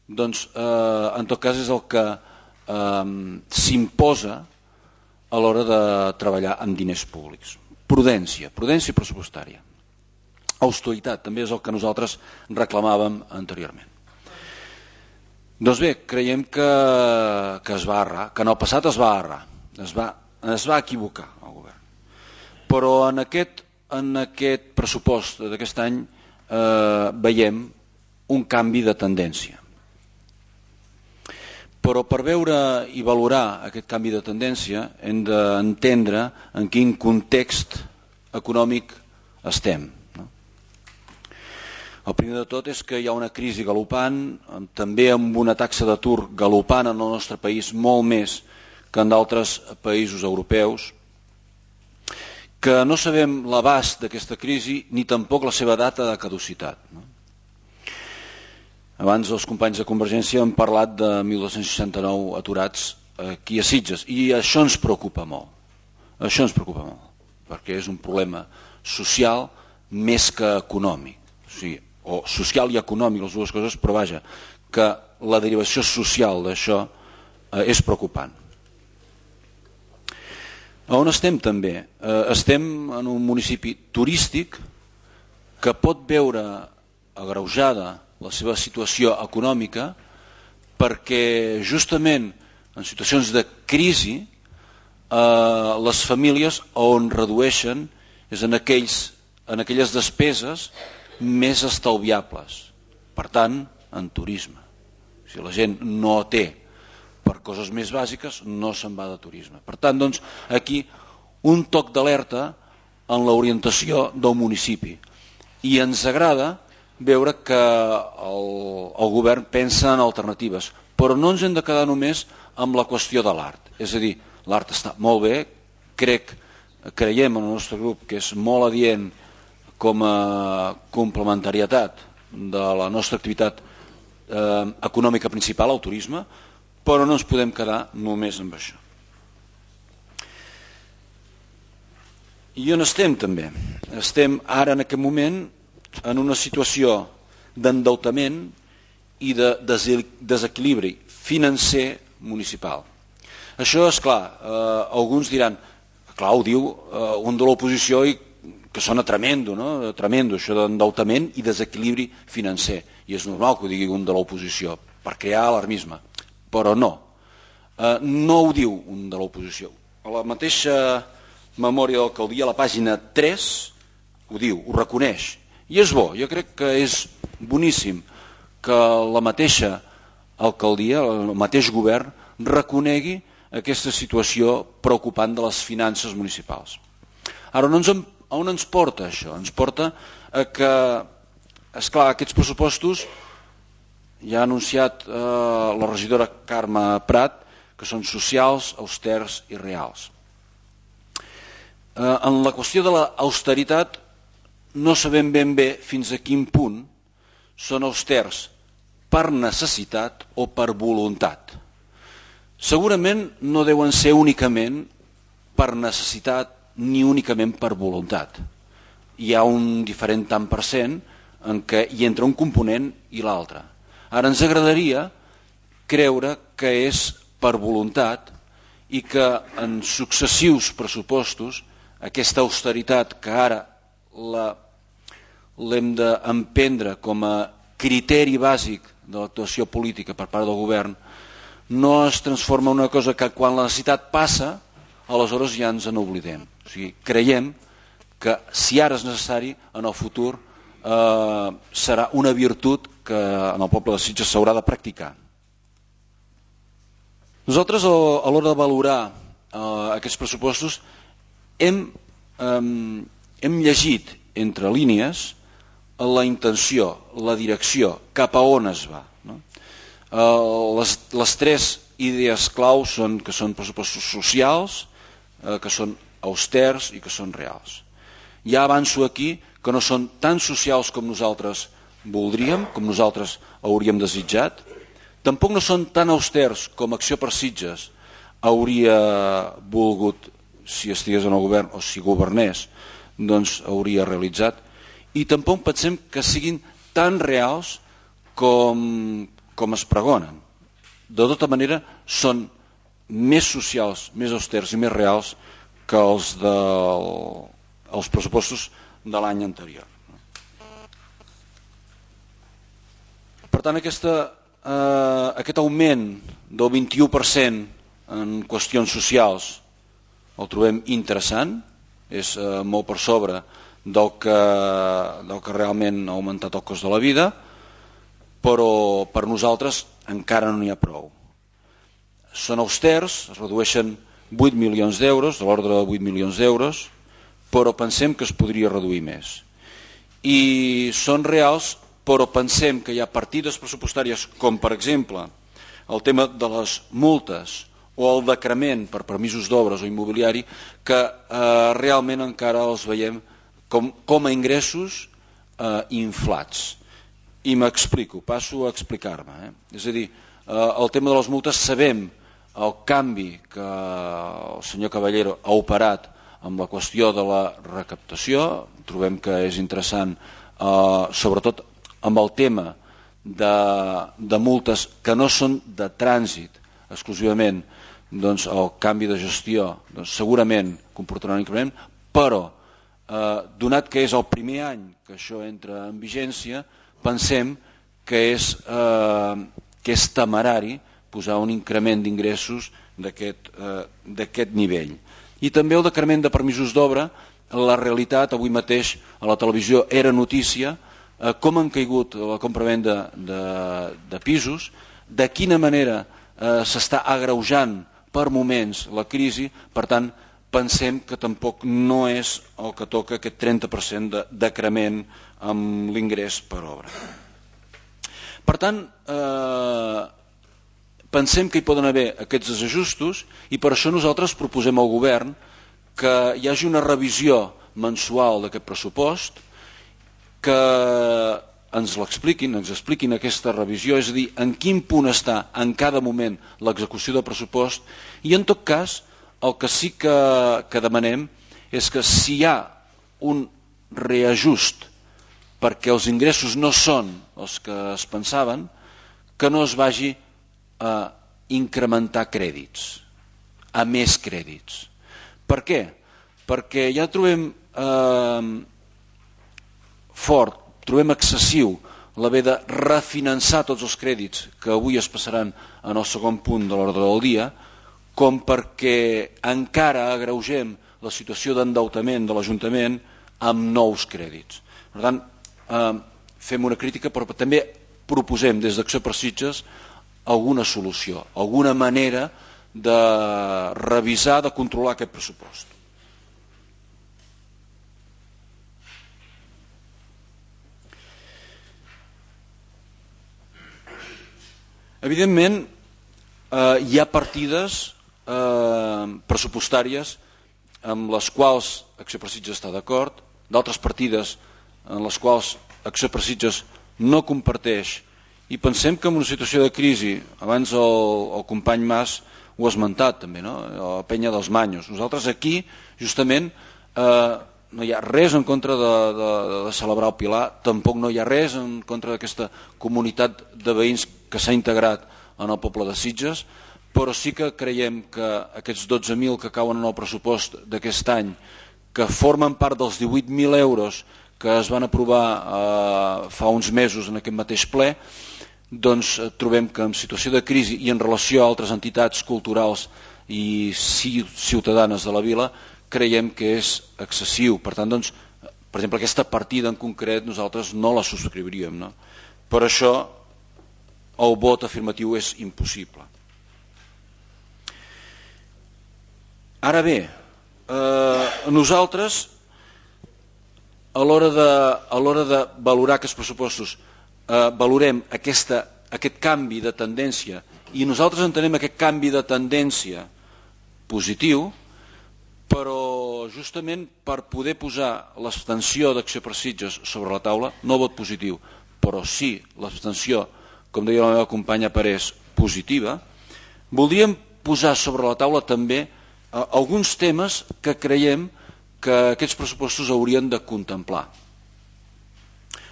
doncs eh, en tot cas és el que eh, s'imposa a l'hora de treballar amb diners públics. Prudència, prudència pressupostària. Austeritat, també és el que nosaltres reclamàvem anteriorment. Doncs bé, creiem que, que es va errar, que en el passat es va errar, es va, es va equivocar el govern. Però en aquest, en aquest pressupost d'aquest any eh, veiem un canvi de tendència. Però per veure i valorar aquest canvi de tendència hem d'entendre en quin context econòmic estem. No? El primer de tot és que hi ha una crisi galopant, també amb una taxa d'atur galopant en el nostre país molt més que en d'altres països europeus, que no sabem l'abast d'aquesta crisi ni tampoc la seva data de caducitat. No? Abans els companys de Convergència han parlat de mil dos-cents seixanta-nou aturats aquí a Sitges i això ens preocupa molt. Això ens preocupa molt, perquè és un problema social més que econòmic. O sigui, o social i econòmic, les dues coses, però vaja, que la derivació social d'això és preocupant. On estem també? Estem en un municipi turístic que pot veure agreujada la seva situació econòmica perquè justament en situacions de crisi les famílies on redueixen és en, aquells, en aquelles despeses més estalviables. Per tant, en turisme. Si la gent no té per coses més bàsiques, no se'n va de turisme. Per tant, doncs, aquí un toc d'alerta en l'orientació del municipi. I ens agrada veure que el, el govern pensa en alternatives, però no ens hem de quedar només amb la qüestió de l'art. És a dir, l'art està molt bé, crec, creiem en el nostre grup que és molt adient com a complementarietat de la nostra activitat eh, econòmica principal, el turisme, però no ens podem quedar només amb això. I on estem també? Estem ara en aquest moment en una situació d'endeutament i de desequilibri financer municipal. Això és clar, eh, alguns diran, clar, ho diu eh, un de l'oposició i que sona tremendo, no? Tremendo, això d'endeutament i desequilibri financer. I és normal que ho digui un de l'oposició, per crear alarmisme. Però no, eh, no ho diu un de l'oposició. A la mateixa memòria d'alcaldia, a la pàgina tres, ho diu, ho reconeix. I és bo, jo crec que és boníssim que la mateixa alcaldia, el mateix govern, reconegui aquesta situació preocupant de les finances municipals. Ara, on ens, on ens porta això? Ens porta a que, esclar, aquests pressupostos ja ha anunciat eh, la regidora Carme Prat que són socials, austers i reals. Eh, en la qüestió de l'austeritat no sabem ben bé fins a quin punt són austers per necessitat o per voluntat. Segurament no deuen ser únicament per necessitat ni únicament per voluntat. Hi ha un diferent tant per cent en què hi entra un component i l'altre. Ara ens agradaria creure que és per voluntat i que en successius pressupostos aquesta austeritat que ara l'hem d'emprendre com a criteri bàsic de l'actuació política per part del govern no es transforma en una cosa que quan la necessitat passa, aleshores ja ens en oblidem. O sigui, creiem que si ara és necessari, en el futur eh, serà una virtut que en el poble de Sitges s'haurà de practicar. Nosaltres, a l'hora de valorar eh, aquests pressupostos, hem, eh, hem llegit entre línies la intenció, la direcció, cap a on es va. No? Eh, les, les tres idees clau són que són pressupostos socials, eh, que són austers i que són reals. Ja avanço aquí que no són tan socials com nosaltres voldríem, com nosaltres hauríem desitjat, tampoc no són tan austers com Acció per Sitges hauria volgut si estigués en el govern o si governés, doncs hauria realitzat, i tampoc pensem que siguin tan reals com, com es pregonen. De tota manera, són més socials, més austers i més reals que els, del, els pressupostos de l'any anterior. Per tant, aquesta, eh, aquest augment del vint-i-u per cent en qüestions socials el trobem interessant, és eh, molt per sobre del que, del que realment ha augmentat el cost de la vida, però per nosaltres encara no n'hi ha prou. Són austers, es redueixen vuit milions d'euros, de l'ordre de vuit milions d'euros, però pensem que es podria reduir més. I són reals, però pensem que hi ha partides pressupostàries, com per exemple el tema de les multes o el decrement per permisos d'obres o immobiliari, que eh, realment encara els veiem com, com a ingressos eh, inflats. I m'explico, passo a explicar-me. Eh? És a dir, eh, el tema de les multes, sabem el canvi que el senyor Caballero ha operat amb la qüestió de la recaptació, trobem que és interessant, eh, sobretot amb el tema de, de multes que no són de trànsit exclusivament, doncs el canvi de gestió doncs, segurament comportarà un increment, però eh, donat que és el primer any que això entra en vigència, pensem que és, eh, que és temerari posar un increment d'ingressos d'aquest eh, d'aquest nivell. I també el decrement de permisos d'obra, la realitat avui mateix a la televisió era notícia, eh, com han caigut la compra-venda de, de pisos, de quina manera eh, s'està agreujant per moments la crisi, per tant pensem que tampoc no és el que toca aquest trenta per cent de decrement amb l'ingrés per obra. Per tant, eh, pensem que hi poden haver aquests desajustos i per això nosaltres proposem al govern que hi hagi una revisió mensual d'aquest pressupost, que ens l'expliquin, ens expliquin aquesta revisió, és a dir, en quin punt està en cada moment l'execució del pressupost i en tot cas el que sí que, que demanem és que si hi ha un reajust perquè els ingressos no són els que es pensaven, que no es vagi a incrementar crèdits, a més crèdits. Per què? Perquè ja trobem eh, fort, trobem excessiu l'haver de refinançar tots els crèdits que avui es passaran en el segon punt de l'ordre del dia, com perquè encara agreugem la situació d'endeutament de l'Ajuntament amb nous crèdits. Per tant, eh, fem una crítica, però també proposem des d'Acció per Sitges alguna solució, alguna manera de revisar, de controlar aquest pressupost. Evidentment, eh, hi ha partides eh, pressupostàries amb les quals Acció per Sitges està d'acord, d'altres partides en les quals Acció per Sitges no comparteix, i pensem que en una situació de crisi, abans el, el company Mas ho ha esmentat també, no? La penya dels Manyos. Nosaltres aquí, justament, eh, no hi ha res en contra de, de, de celebrar el Pilar, tampoc no hi ha res en contra d'aquesta comunitat de veïns que s'ha integrat en el poble de Sitges, però sí que creiem que aquests dotze mil que cauen en el pressupost d'aquest any, que formen part dels divuit mil euros que es van aprovar eh, fa uns mesos en aquest mateix ple, doncs trobem que en situació de crisi i en relació a altres entitats culturals i ciutadanes de la vila creiem que és excessiu. Per tant, doncs, per exemple, aquesta partida en concret nosaltres no la subscriuríem, no? Per això el vot afirmatiu és impossible. Ara bé, eh, nosaltres a l'hora de, a l'hora de valorar aquests pressupostos eh, valorem aquesta, aquest canvi de tendència i nosaltres entenem aquest canvi de tendència positiu, però justament per poder posar l'abstenció d'Acció per Sitges sobre la taula, no vot positiu, però sí l'abstenció, com deia la meva companya Parés, positiva, voldríem posar sobre la taula també eh, alguns temes que creiem que aquests pressupostos haurien de contemplar.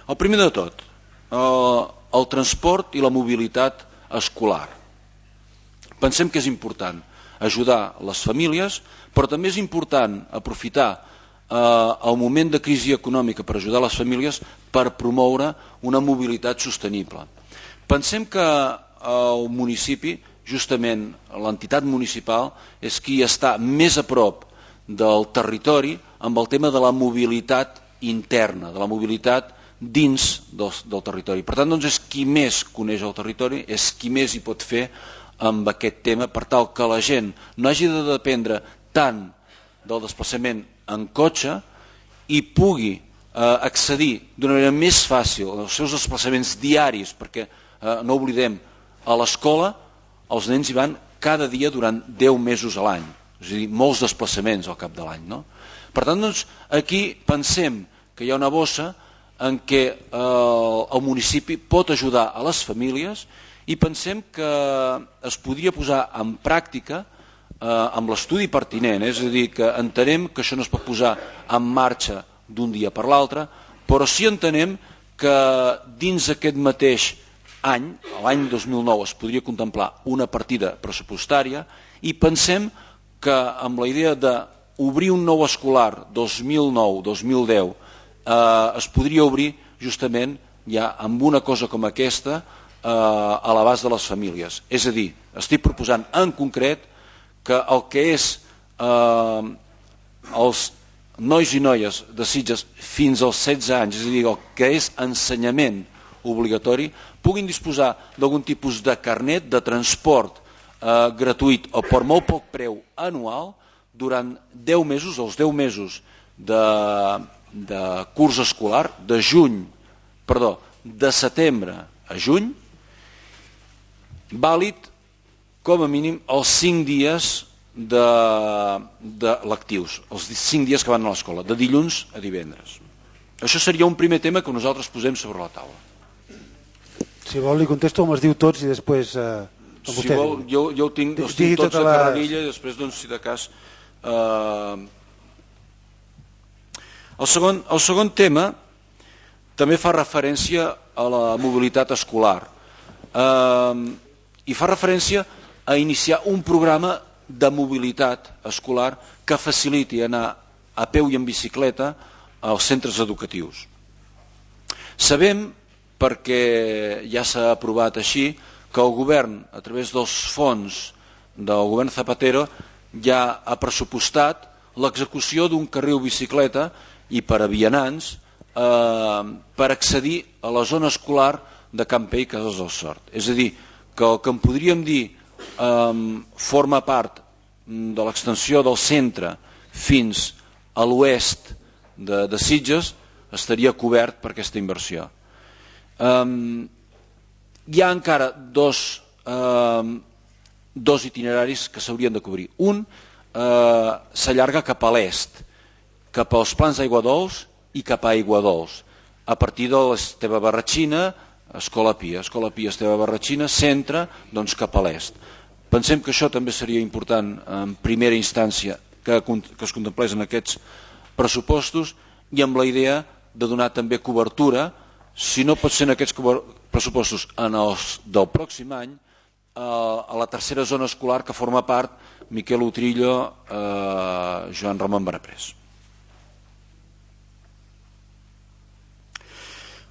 El primer de tot, el, el transport i la mobilitat escolar. Pensem que és important ajudar les famílies, però també és important aprofitar eh, el moment de crisi econòmica per ajudar les famílies per promoure una mobilitat sostenible. Pensem que el municipi, justament l'entitat municipal, és qui està més a prop del territori amb el tema de la mobilitat interna, de la mobilitat dins del, del territori. Per tant, doncs, és qui més coneix el territori, és qui més hi pot fer amb aquest tema, per tal que la gent no hagi de dependre tant del desplaçament en cotxe i pugui eh, accedir d'una manera més fàcil als seus desplaçaments diaris, perquè eh, no oblidem, a l'escola els nens hi van cada dia durant deu mesos a l'any, és a dir, molts desplaçaments al cap de l'any, no? Per tant, doncs, aquí pensem que hi ha una bossa en què eh, el municipi pot ajudar a les famílies i pensem que es podria posar en pràctica eh, amb l'estudi pertinent, és a dir, que entenem que això no es pot posar en marxa d'un dia per l'altre, però sí entenem que dins aquest mateix any, l'any dos mil nou, es podria contemplar una partida pressupostària i pensem que amb la idea d'obrir un nou escolar dos mil nou dos mil deu eh, es podria obrir justament ja amb una cosa com aquesta eh, a l'abast de les famílies. És a dir, estic proposant en concret que el que és eh, els nois i noies de Sitges fins als setze anys, és a dir, el que és ensenyament obligatori, puguin disposar d'algun tipus de carnet de transport eh, gratuït o per molt poc preu anual durant deu mesos, els deu mesos de, de curs escolar, de juny, perdó, de setembre a juny, vàlid com a mínim els cinc dies de, de lectius, els cinc dies que van a l'escola, de dilluns a divendres. Això seria un primer tema que nosaltres posem sobre la taula. Si vol li contesto com es diu tots i després... Eh, si vol, jo, jo ho tinc, els tinc tots a la carrerilla i després, doncs, si de cas... Eh... El, segon, el segon tema també fa referència a la mobilitat escolar eh, i fa referència a iniciar un programa de mobilitat escolar que faciliti anar a peu i en bicicleta als centres educatius. Sabem, perquè ja s'ha aprovat així, que el govern, a través dels fons del govern Zapatero, ja ha pressupostat l'execució d'un carril bicicleta i per a vianants eh, per accedir a la zona escolar de Campell i Cases del Sort. És a dir, que el que en podríem dir eh, forma part de l'extensió del centre fins a l'oest de, de Sitges estaria cobert per aquesta inversió. Um, hi ha encara dos, um, dos itineraris que s'haurien de cobrir. Un uh, s'allarga cap a l'est, cap als plans d'Aigua Dols i cap a Aigua Dols, a partir de l'Esteve Barratxina, Escola Pia, Escola Pia, Esteve Barratxina, centre, doncs cap a l'est. Pensem que això també seria important en primera instància que, que es contemplés en aquests pressupostos i amb la idea de donar també cobertura, si no pot ser en aquests pressupostos en els del pròxim any, a la tercera zona escolar que forma part Miquel Utrillo, eh, Joan Ramon Benaprés.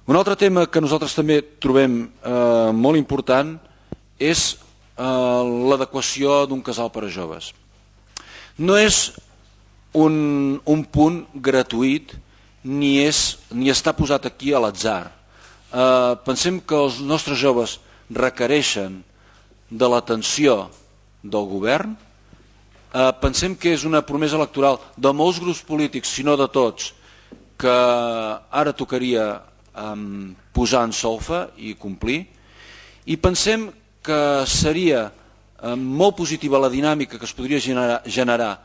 Un altre tema que nosaltres també trobem eh, molt important és eh, l'adequació d'un casal per a joves. No és un, un punt gratuït ni, és, ni està posat aquí a l'atzar. Eh, pensem que els nostres joves requereixen de l'atenció del govern, eh, pensem que és una promesa electoral de molts grups polítics, si no de tots, que ara tocaria eh, posar en solfa i complir, i pensem que seria eh, molt positiva la dinàmica que es podria generar, generar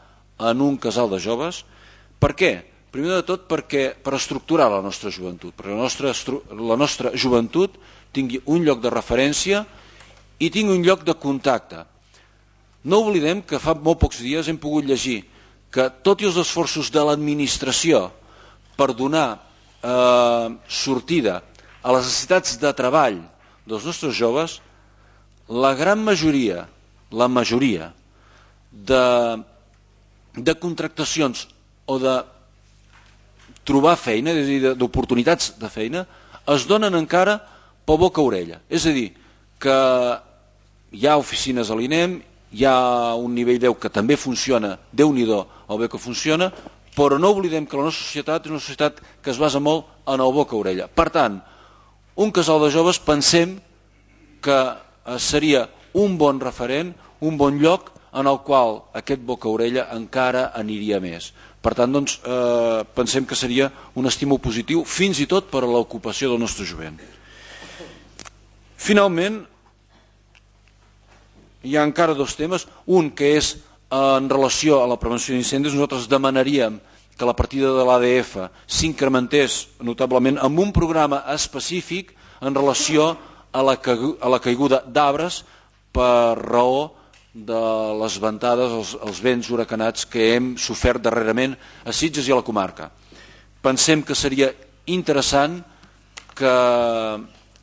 en un casal de joves. Per què? Primer de tot perquè per estructurar la nostra joventut, perquè la nostra, la nostra joventut tingui un lloc de referència i tingui un lloc de contacte. No oblidem que fa molt pocs dies hem pogut llegir que tot i els esforços de l'administració per donar eh, sortida a les necessitats de treball dels nostres joves, la gran majoria, la majoria de, de contractacions o de trobar feina, és a dir, d'oportunitats de feina, es donen encara pel boca-orella. És a dir, que hi ha oficines a l'I N E M, hi ha un nivell deu que també funciona, Déu-n'hi-do el bé que funciona, però no oblidem que la nostra societat és una societat que es basa molt en el boca-orella. Per tant, un casal de joves pensem que seria un bon referent, un bon lloc en el qual aquest boca-orella encara aniria més. Per tant, doncs, eh, pensem que seria un estímul positiu fins i tot per a l'ocupació del nostre jovent. Finalment, hi ha encara dos temes. Un que és en relació a la prevenció d'incendis. Nosaltres demanaríem que la partida de l'A D F s'incrementés notablement amb un programa específic en relació a la, a la caiguda d'arbres per raó de les ventades, els, els vents huracanats que hem sofert darrerament a Sitges i a la comarca. Pensem que seria interessant que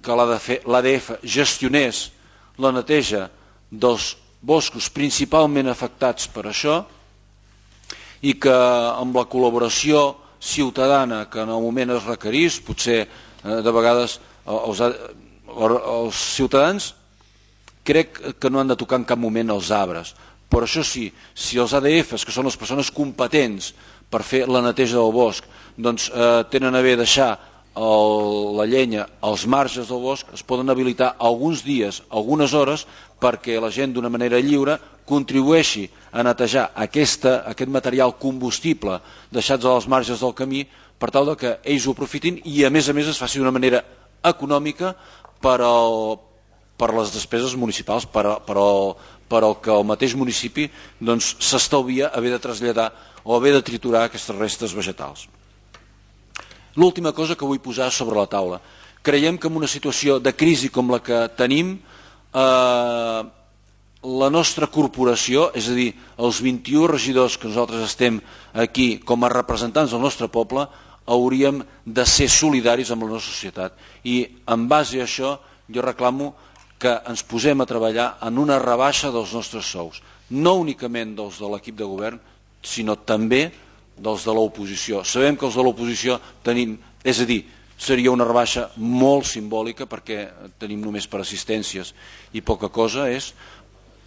que l'A D F gestionés la neteja dels boscos principalment afectats per això i que amb la col·laboració ciutadana que en el moment es requerís, potser de vegades els, els ciutadans crec que no han de tocar en cap moment els arbres, però això sí, si els A D Fs, que són les persones competents per fer la neteja del bosc, doncs eh, tenen a bé deixar el, la llenya als marges del bosc, es poden habilitar alguns dies, algunes hores, perquè la gent d'una manera lliure contribueixi a netejar aquesta, aquest material combustible deixats als marges del camí per tal que ells ho aprofitin i a més a més es faci d'una manera econòmica per, al, per les despeses municipals, per, per, al, per al que el mateix municipi doncs, s'estalvia haver de traslladar o haver de triturar aquestes restes vegetals. L'última cosa que vull posar sobre la taula. Creiem que en una situació de crisi com la que tenim, eh, la nostra corporació, és a dir, els vint-i-u regidors que nosaltres estem aquí com a representants del nostre poble, hauríem de ser solidaris amb la nostra societat. I en base a això jo reclamo que ens posem a treballar en una rebaixa dels nostres sous, no únicament dels de l'equip de govern, sinó també dels de l'oposició. Sabem que els de l'oposició tenim, és a dir, seria una rebaixa molt simbòlica perquè tenim només per assistències i poca cosa és,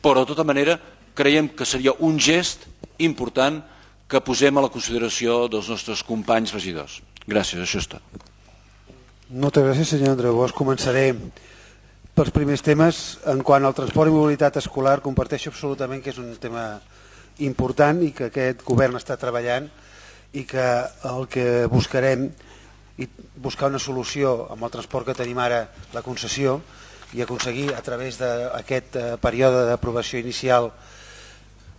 però de tota manera creiem que seria un gest important que posem a la consideració dels nostres companys regidors. Gràcies, això és tot. Moltes gràcies, senyor Andreu Bosch. Començaré pels primers temes. En quant al transport i mobilitat escolar, comparteixo absolutament que és un tema important i que aquest govern està treballant i que el que buscarem i buscar una solució amb el transport que tenim ara, la concessió, i aconseguir a través d'aquest període d'aprovació inicial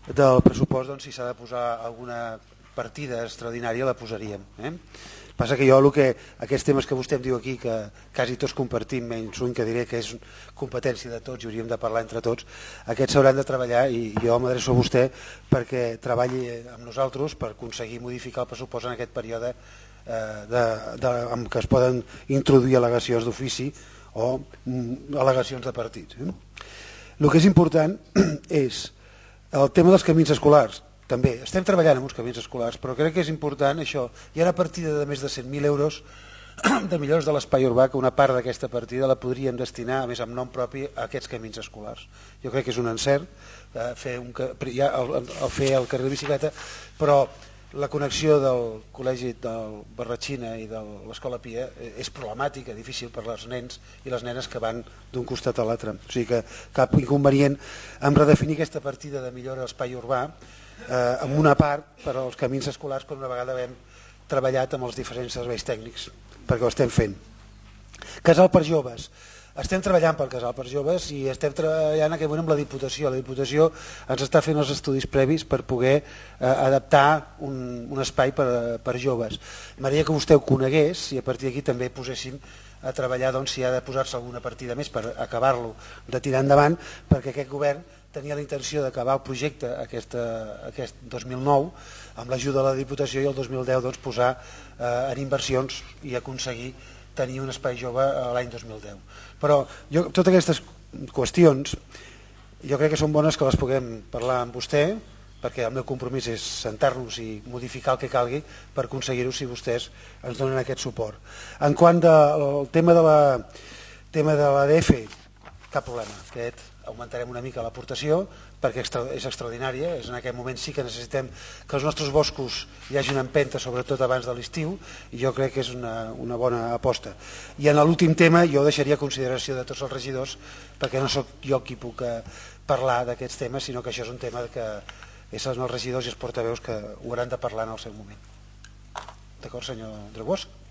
del pressupost, doncs, si s'ha de posar alguna partida extraordinària la posaríem. Eh? Passa que jo el que, aquests temes que vostè em diu aquí, que quasi tots compartim, menys un que diré que és competència de tots i hauríem de parlar entre tots, aquests s'hauran de treballar i jo m'adreço a vostè perquè treballi amb nosaltres per aconseguir modificar el pressupost en aquest període eh, de, de, en què es poden introduir al·legacions d'ofici o mm, al·legacions de partits. Eh? El que és important és el tema dels camins escolars. També estem treballant amb uns camins escolars, però crec que és important això. Hi ha una partida de més de cent mil euros de millores de l'espai urbà, que una part d'aquesta partida la podríem destinar, a més amb nom propi, a aquests camins escolars. Jo crec que és un encert eh, fer, un, ja, el, el, fer el carril de bicicleta, però la connexió del col·legi del Barratxina i de l'Escola Pia és problemàtica, difícil per als nens i les nenes que van d'un costat a l'altre. O sigui que cap inconvenient en redefinir aquesta partida de millora de l'espai urbà Eh, amb una part per als camins escolars quan una vegada hem treballat amb els diferents serveis tècnics perquè ho estem fent. Casal per joves. Estem treballant pel casal per joves i estem treballant en aquest moment amb la Diputació. La Diputació ens està fent els estudis previs per poder eh, adaptar un, un espai per, per joves. M'agradaria que vostè ho conegués i a partir d'aquí també poséssim a treballar doncs, si ha de posar-se alguna partida més per acabar-lo de tirar endavant, perquè aquest govern tenia la intenció d'acabar el projecte aquest, aquest dos mil nou amb l'ajuda de la Diputació i el dos mil deu doncs, posar eh, en inversions i aconseguir tenir un espai jove l'any dos mil deu. Però jo, totes aquestes qüestions jo crec que són bones que les puguem parlar amb vostè, perquè el meu compromís és sentar-nos i modificar el que calgui per aconseguir-ho si vostès ens donen aquest suport. En quant al tema de la tema de l'A D F, cap problema, aquest augmentarem una mica l'aportació perquè és extraordinària, és en aquest moment sí que necessitem que els nostres boscos hi hagi una empenta, sobretot abans de l'estiu, i jo crec que és una, una bona aposta. I en l'últim tema jo deixaria a consideració de tots els regidors, perquè no sóc jo qui puc parlar d'aquests temes, sinó que això és un tema que són els regidors i els portaveus que ho hauran de parlar en el seu moment. D'acord, senyor Andreu Bosch?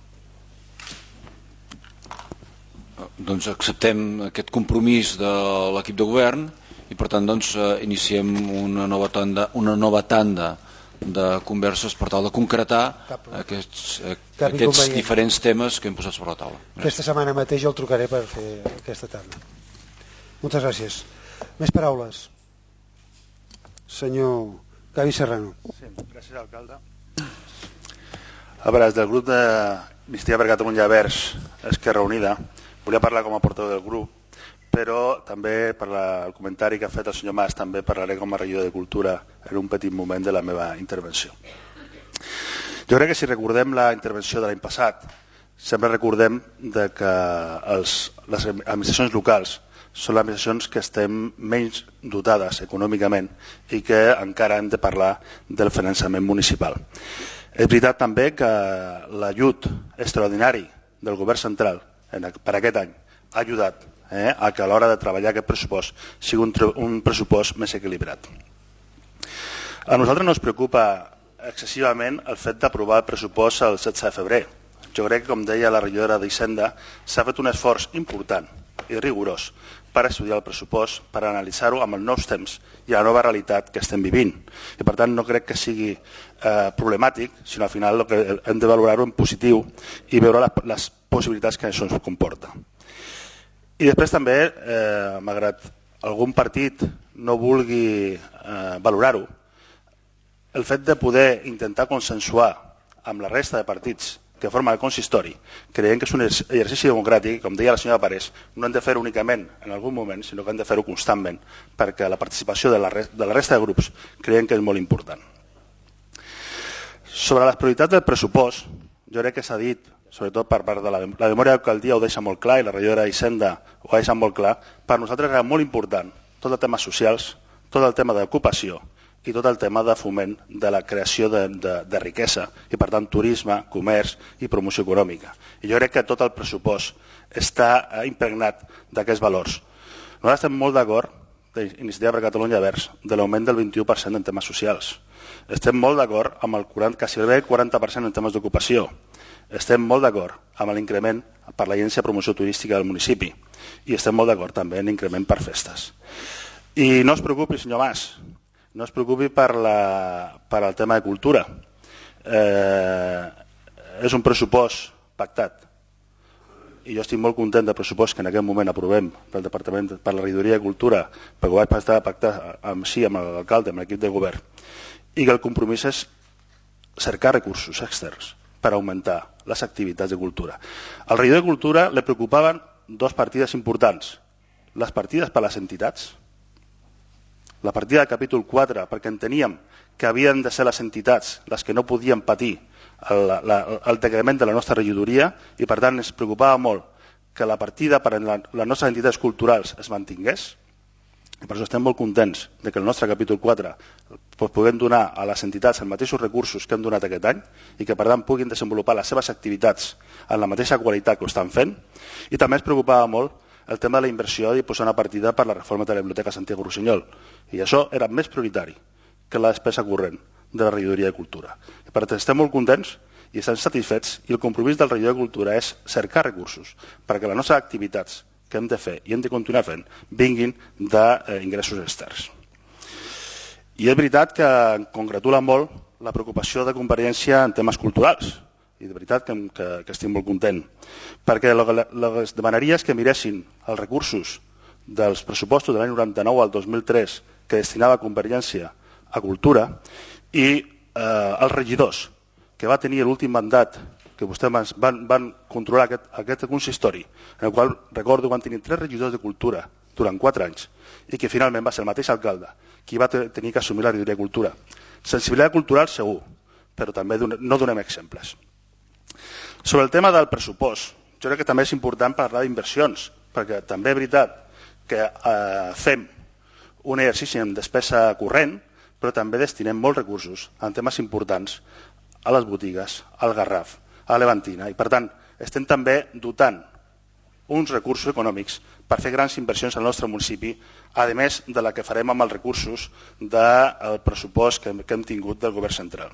Doncs acceptem aquest compromís de l'equip de govern i per tant doncs, iniciem una nova tanda, una nova tanda de converses per tal de concretar aquests, aquests diferents temes que hem posat sobre la taula. Aquesta setmana mateix jo el trucaré per fer aquesta tanda. Moltes gràcies. Més paraules. Senyor Gavi Serrano. Sí, gràcies, alcalde. A veure, des del grup de Migdia per Catalunya Verds, Esquerra Unida, volia parlar com a portaveu del grup, però també per el comentari que ha fet el senyor Mas també parlaré com a regidor de Cultura en un petit moment de la meva intervenció. Jo crec que si recordem la intervenció de l'any passat, sempre recordem de que els, les administracions locals són les administracions que estem menys dotades econòmicament i que encara hem de parlar del finançament municipal. És veritat també que l'ajut extraordinari del govern central per aquest any ha ajudat eh, a que a l'hora de treballar aquest pressupost sigui un, un pressupost més equilibrat. A nosaltres no ens preocupa excessivament el fet d'aprovar el pressupost el setze de febrer. Jo crec que, com deia la regidora d'Hisenda, s'ha fet un esforç important i rigorós per estudiar el pressupost, per analitzar-ho amb els nous temps i la nova realitat que estem vivint. I per tant no crec que sigui eh, problemàtic, sinó al final que hem de valorar-ho en positiu i veure les, les possibilitats que això ens comporta. I després també, eh, malgrat algun partit no vulgui eh, valorar-ho, el fet de poder intentar consensuar amb la resta de partits que formen el consistori, creiem que és un exercici democràtic, com deia la senyora Parés, no hem de fer-ho únicament en algun moment, sinó que hem de fer-ho constantment, perquè la participació de la, de la resta de grups creiem que és molt important. Sobre les prioritats del pressupost, jo crec que s'ha dit, sobretot per part de la, la memòria d'alcaldia ho deixa molt clar i la regidora d'Hisenda ho deixa molt clar, per nosaltres era molt important tot el tema socials, tot el tema d'ocupació i tot el tema de foment de la creació de, de, de riquesa i, per tant, turisme, comerç i promoció econòmica. I jo crec que tot el pressupost està impregnat d'aquests valors. Nosaltres estem molt d'acord, d'Iniciativa per Catalunya Verds, de l'augment del vint-i-u per cent en temes socials. Estem molt d'acord amb el quaranta, quasi el quaranta per cent en temes d'ocupació. Estem molt d'acord amb l'increment per l'Agència de Promoció Turística del municipi i estem molt d'acord també en l'increment per festes. I no es preocupi, senyor Mas, no es preocupi per, la, per el tema de cultura. Eh, és un pressupost pactat i jo estic molt content del pressupost que en aquest moment aprovem pel Departament per la Regidoria de Cultura, perquè ho vaig estar pactat amb, sí, amb l'alcalde, amb l'equip de govern, i que el compromís és cercar recursos externs per augmentar les activitats de cultura. Al regidor de Cultura li preocupaven dos partides importants, les partides per les entitats, la partida del capítol quatre, perquè enteníem que havien de ser les entitats les que no podien patir el, la, el decrement de la nostra regidoria i, per tant, ens preocupava molt que la partida per a la, les nostres entitats culturals es mantingués. I per això estem molt contents de que el nostre capítol quatre puguem donar a les entitats els mateixos recursos que hem donat aquest any i que, per tant, puguin desenvolupar les seves activitats en la mateixa qualitat que ho estan fent. I també ens preocupava molt el tema de la inversió i posar una partida per la reforma de la Biblioteca Santiago Rossinyol. I això era més prioritari que la despesa corrent de la regidoria de Cultura. I per tant, estem molt contents i estem satisfets i el compromís del regidor de Cultura és cercar recursos perquè les nostres activitats que hem de fer i hem de continuar fent vinguin d'ingressos externs. I és veritat que em congratula molt la preocupació de Convergència en temes culturals. I de veritat que, que, que estic molt content, perquè el que es demanaria és que miressin els recursos dels pressupostos de l'any noranta-nou al dos mil tres que destinava Convergència a cultura i eh, els regidors que va tenir l'últim mandat que vostès van, van controlar aquest, aquest consistori, en el qual recordo van tenir tres regidors de cultura durant quatre anys i que finalment va ser el mateix alcalde qui va tenir que assumir la regidoria de cultura. Sensibilitat cultural segur, però també no donem exemples. Sobre el tema del pressupost, jo crec que també és important parlar d'inversions, perquè també és veritat que eh, fem un exercici en despesa corrent, però també destinem molts recursos en temes importants a les botigues, al Garraf, a l'Eventina, i per tant estem també dotant uns recursos econòmics per fer grans inversions al nostre municipi, a més de la que farem amb els recursos del pressupost que hem, que hem tingut del govern central.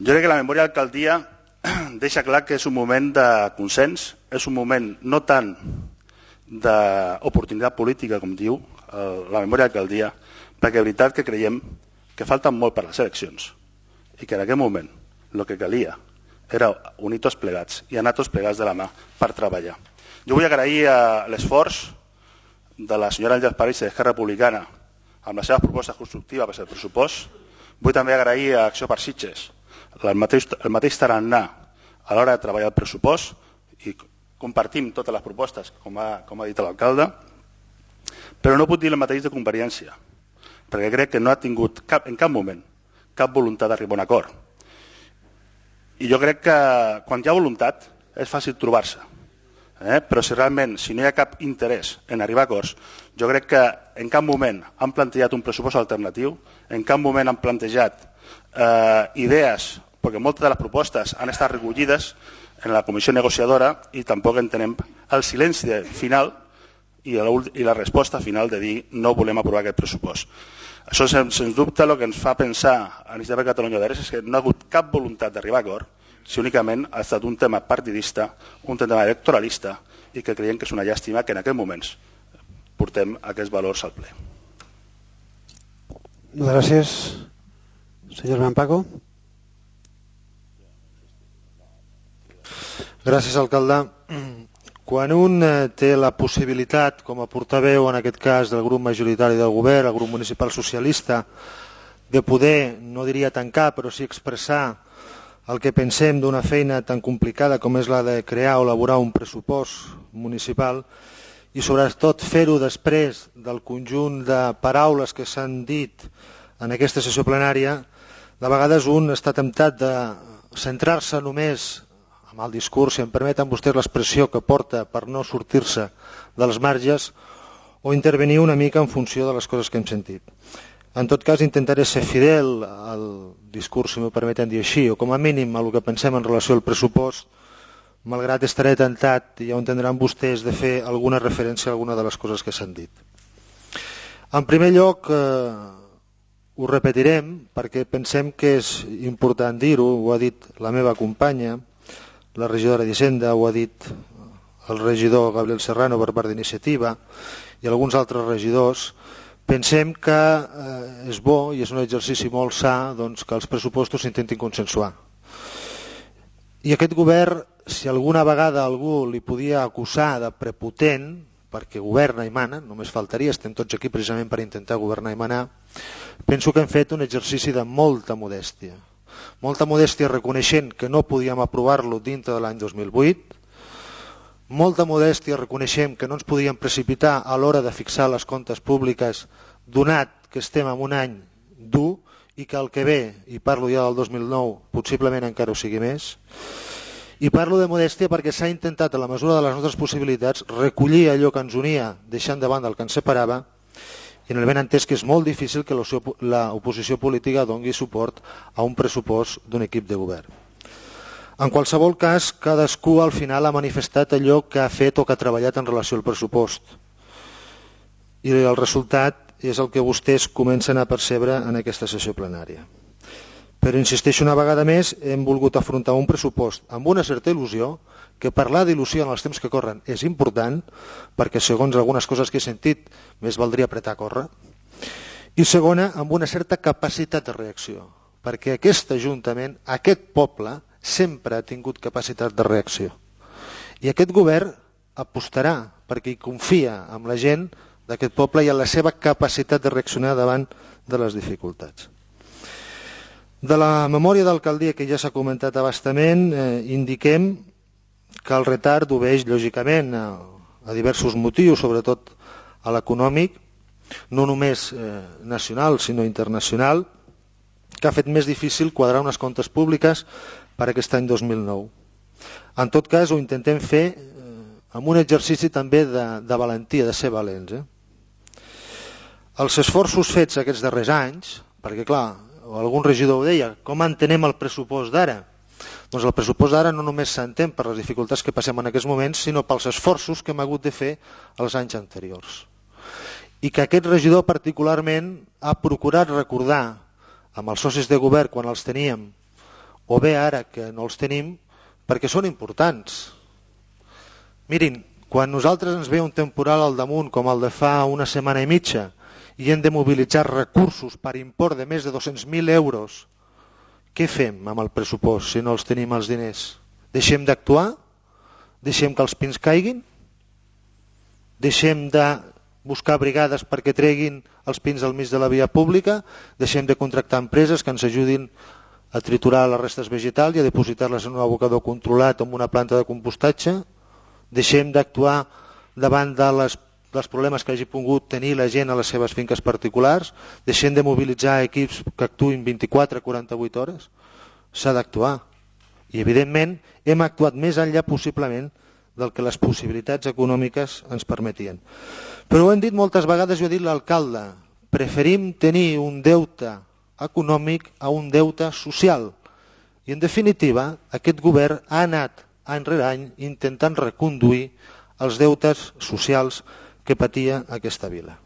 Jo crec que la memòria d'alcaldia deixa clar que és un moment de consens, és un moment no tant d'oportunitat política, com diu la memòria d'alcaldia, perquè és veritat que creiem que falten molt per les eleccions i que en aquest moment el que calia era unir tots plegats i anar tots plegats de la mà per treballar. Jo vull agrair l'esforç de la senyora Àngels París d'Esquerra Republicana amb les seves propostes constructives per al pressupost. Vull també agrair a Acció per Sitges el mateix, el mateix tarannà a l'hora de treballar el pressupost i compartim totes les propostes, com ha, com ha dit l'alcalde, però no puc dir el mateix de conveniència, perquè crec que no ha tingut cap, en cap moment cap voluntat d'arribar a un acord. I jo crec que quan hi ha voluntat és fàcil trobar-se, eh? però si realment si no hi ha cap interès en arribar a acords, jo crec que en cap moment han plantejat un pressupost alternatiu, en cap moment han plantejat eh, idees, perquè moltes de les propostes han estat recollides en la comissió negociadora i tampoc entenem el silenci final i la, i la resposta final de dir no volem aprovar aquest pressupost. Això, sens, sens dubte, el que ens fa pensar a l'Iniciativa per Catalunya Verds és que no ha hagut cap voluntat d'arribar a acord, si únicament ha estat un tema partidista, un tema electoralista, i que creiem que és una llàstima que en aquests moments portem aquests valors al ple. Gràcies. Senyor Mampaco. Gràcies, alcalde. Quan un té la possibilitat, com a portaveu, en aquest cas del grup majoritari del govern, el grup municipal socialista, de poder, no diria tancar, però sí expressar el que pensem d'una feina tan complicada com és la de crear o elaborar un pressupost municipal i sobretot fer-ho després del conjunt de paraules que s'han dit en aquesta sessió plenària, de vegades un està temptat de centrar-se només amb el discurs, si em permeten vostès l'expressió que porta per no sortir-se dels marges, o intervenir una mica en funció de les coses que hem sentit. En tot cas, intentaré ser fidel al discurs, si m'ho permeten dir així, o com a mínim a el que pensem en relació al pressupost, malgrat estaré tentat, i ja ho entendran vostès, de fer alguna referència a alguna de les coses que s'han dit. En primer lloc, eh, ho repetirem, perquè pensem que és important dir-ho, ho ha dit la meva companya, la regidora d'Hisenda, ho ha dit el regidor Gabriel Serrano per part d'Iniciativa i alguns altres regidors. Pensem que eh, és bo i és un exercici molt sa doncs, que els pressupostos s'intentin consensuar. I aquest govern, si alguna vegada algú li podia acusar de prepotent, perquè governa i mana, només faltaria, estem tots aquí precisament per intentar governar i manar, penso que hem fet un exercici de molta modèstia. Molta modèstia reconeixent que no podíem aprovar-lo dintre de l'any dos mil vuit, molta modèstia reconeixem que no ens podíem precipitar a l'hora de fixar les comptes públiques, donat que estem en un any dur i que el que ve, i parlo ja del dos mil nou, possiblement encara ho sigui més, i parlo de modèstia perquè s'ha intentat, a la mesura de les nostres possibilitats, recollir allò que ens unia, deixant de banda el que ens separava, i en el ben entès que és molt difícil que l'oposició política doni suport a un pressupost d'un equip de govern. En qualsevol cas, cadascú al final ha manifestat allò que ha fet o que ha treballat en relació al pressupost. I el resultat és el que vostès comencen a percebre en aquesta sessió plenària. Però insisteixo una vegada més, hem volgut afrontar un pressupost amb una certa il·lusió, que parlar d'il·lusió en els temps que corren és important, perquè segons algunes coses que he sentit, més valdria apretar a córrer, i segona, amb una certa capacitat de reacció, perquè aquest ajuntament, aquest poble, sempre ha tingut capacitat de reacció. I aquest govern apostarà, perquè hi confia en la gent d'aquest poble i en la seva capacitat de reaccionar davant de les dificultats. De la memòria d'alcaldia, que ja s'ha comentat a bastament, eh, indiquem que el retard obeix lògicament a, a diversos motius, sobretot a l'econòmic, no només eh, nacional sinó internacional, que ha fet més difícil quadrar unes comptes públiques per aquest any dos mil nou. En tot cas, ho intentem fer eh, amb un exercici també de, de valentia, de ser valents. Eh? Els esforços fets aquests darrers anys, perquè clar, algun regidor ho deia, com entenem el pressupost d'ara? Doncs el pressupost d'ara no només s'entén per les dificultats que passem en aquests moments, sinó pels esforços que hem hagut de fer els anys anteriors. I que aquest regidor particularment ha procurat recordar amb els socis de govern quan els teníem, o bé ara que no els tenim, perquè són importants. Mirin, quan nosaltres ens ve un temporal al damunt com el de fa una setmana i mitja i hem de mobilitzar recursos per import de més de dos-cents mil euros, què fem amb el pressupost si no els tenim els diners? Deixem d'actuar? Deixem que els pins caiguin? Deixem de buscar brigades perquè treguin els pins al mig de la via pública? Deixem de contractar empreses que ens ajudin a triturar les restes vegetals i a depositar-les en un abocador controlat o en una planta de compostatge? deixem d'actuar davant de les, dels problemes que hagi pogut tenir la gent a les seves finques particulars, deixem de mobilitzar equips que actuïn vint-i-quatre a quaranta-vuit hores. S'ha d'actuar. I, evidentment, hem actuat més enllà possiblement del que les possibilitats econòmiques ens permetien. Però ho hem dit moltes vegades, ho ha dit l'alcalde, preferim tenir un deute econòmic a un deute social. I, en definitiva, aquest govern ha anat any rere any intentant reconduir els deutes socials que patia aquesta vila.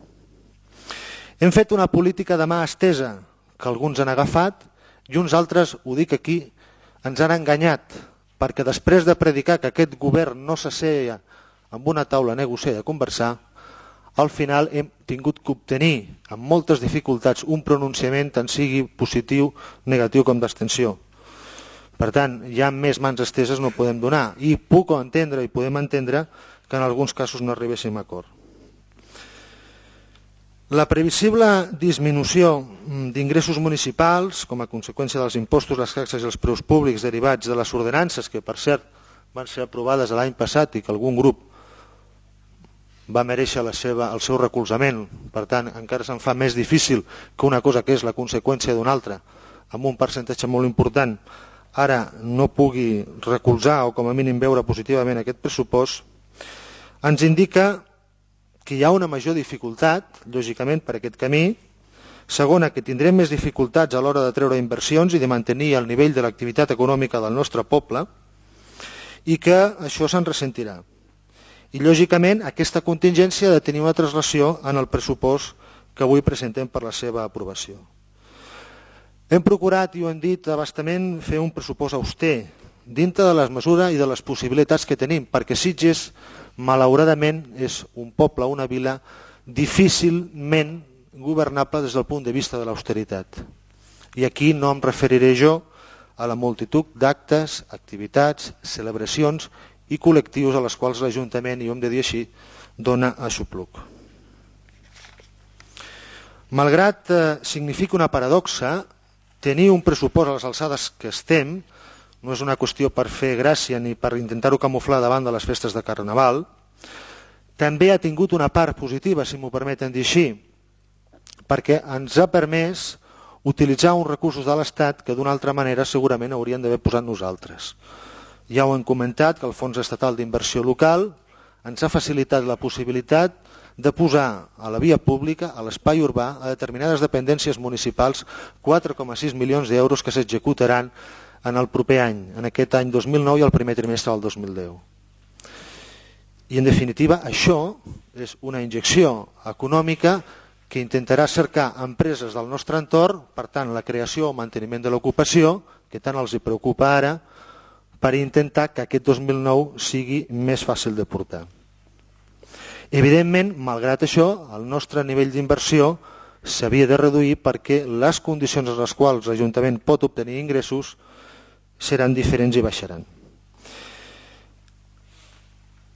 Hem fet una política de mà estesa que alguns han agafat i uns altres, ho dic aquí, ens han enganyat, perquè després de predicar que aquest govern no s'asseia amb una taula a negociar i a conversar, al final hem tingut que obtenir amb moltes dificultats un pronunciament tant sigui positiu, negatiu com d'abstenció. Per tant, ja amb més mans esteses no podem donar i puc entendre i podem entendre que en alguns casos no arribéssim a acord. La previsible disminució d'ingressos municipals com a conseqüència dels impostos, les taxes i els preus públics derivats de les ordenances, que per cert van ser aprovades l'any passat i que algun grup va mereixer la seva, el seu recolzament, per tant encara se'n fa més difícil que una cosa que és la conseqüència d'una altra, amb un percentatge molt important, ara no pugui recolzar o com a mínim veure positivament aquest pressupost, ens indica que hi ha una major dificultat, lògicament, per aquest camí. Segona, que tindrem més dificultats a l'hora de treure inversions i de mantenir el nivell de l'activitat econòmica del nostre poble i que això se'n ressentirà. I, lògicament, aquesta contingència ha de tenir una translació en el pressupost que avui presentem per la seva aprovació. Hem procurat, i ho hem dit abastament, fer un pressupost auster, dintre de les mesures i de les possibilitats que tenim, perquè Sitges, malauradament, és un poble, una vila, difícilment governable des del punt de vista de l'austeritat. I aquí no em referiré jo a la multitud d'actes, activitats, celebracions i col·lectius a les quals l'Ajuntament, i ho hem de dir així, dona aixopluc. Malgrat eh, significa una paradoxa, tenir un pressupost a les alçades que estem no és una qüestió per fer gràcia ni per intentar-ho camuflar davant de les festes de Carnaval, també ha tingut una part positiva, si m'ho permeten dir així, perquè ens ha permès utilitzar uns recursos de l'Estat que d'una altra manera segurament hauríem d'haver posat nosaltres. Ja ho hem comentat, que el Fons Estatal d'Inversió Local ens ha facilitat la possibilitat de posar a la via pública, a l'espai urbà, a determinades dependències municipals, quatre coma sis milions d'euros que s'executaran en el proper any, en aquest any dos mil nou i el primer trimestre del dos mil deu. I, en definitiva, això és una injecció econòmica que intentarà cercar empreses del nostre entorn, per tant, la creació o manteniment de l'ocupació, que tant els hi preocupa ara, per intentar que aquest dos mil nou sigui més fàcil de portar. Evidentment, malgrat això, el nostre nivell d'inversió s'havia de reduir perquè les condicions en les quals l'Ajuntament pot obtenir ingressos seran diferents i baixaran.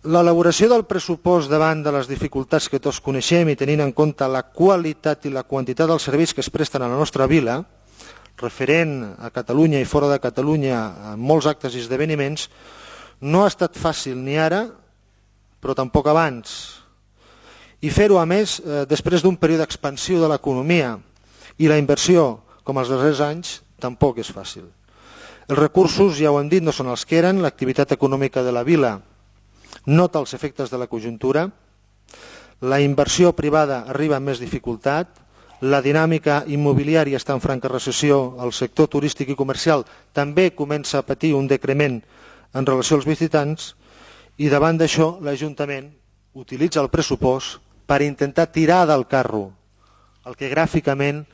L'elaboració del pressupost davant de les dificultats que tots coneixem i tenint en compte la qualitat i la quantitat dels serveis que es presten a la nostra vila, referent a Catalunya i fora de Catalunya en molts actes i esdeveniments, no ha estat fàcil ni ara, però tampoc abans. I fer-ho, a més, després d'un període d'expansió de l'economia i la inversió, com els darrers anys, tampoc és fàcil. Els recursos, ja ho hem dit, no són els que eren, l'activitat econòmica de la vila nota els efectes de la conjuntura, la inversió privada arriba amb més dificultat, la dinàmica immobiliària està en franca recessió, el sector turístic i comercial també comença a patir un decrement en relació als visitants i davant d'això l'Ajuntament utilitza el pressupost per intentar tirar del carro el que gràficament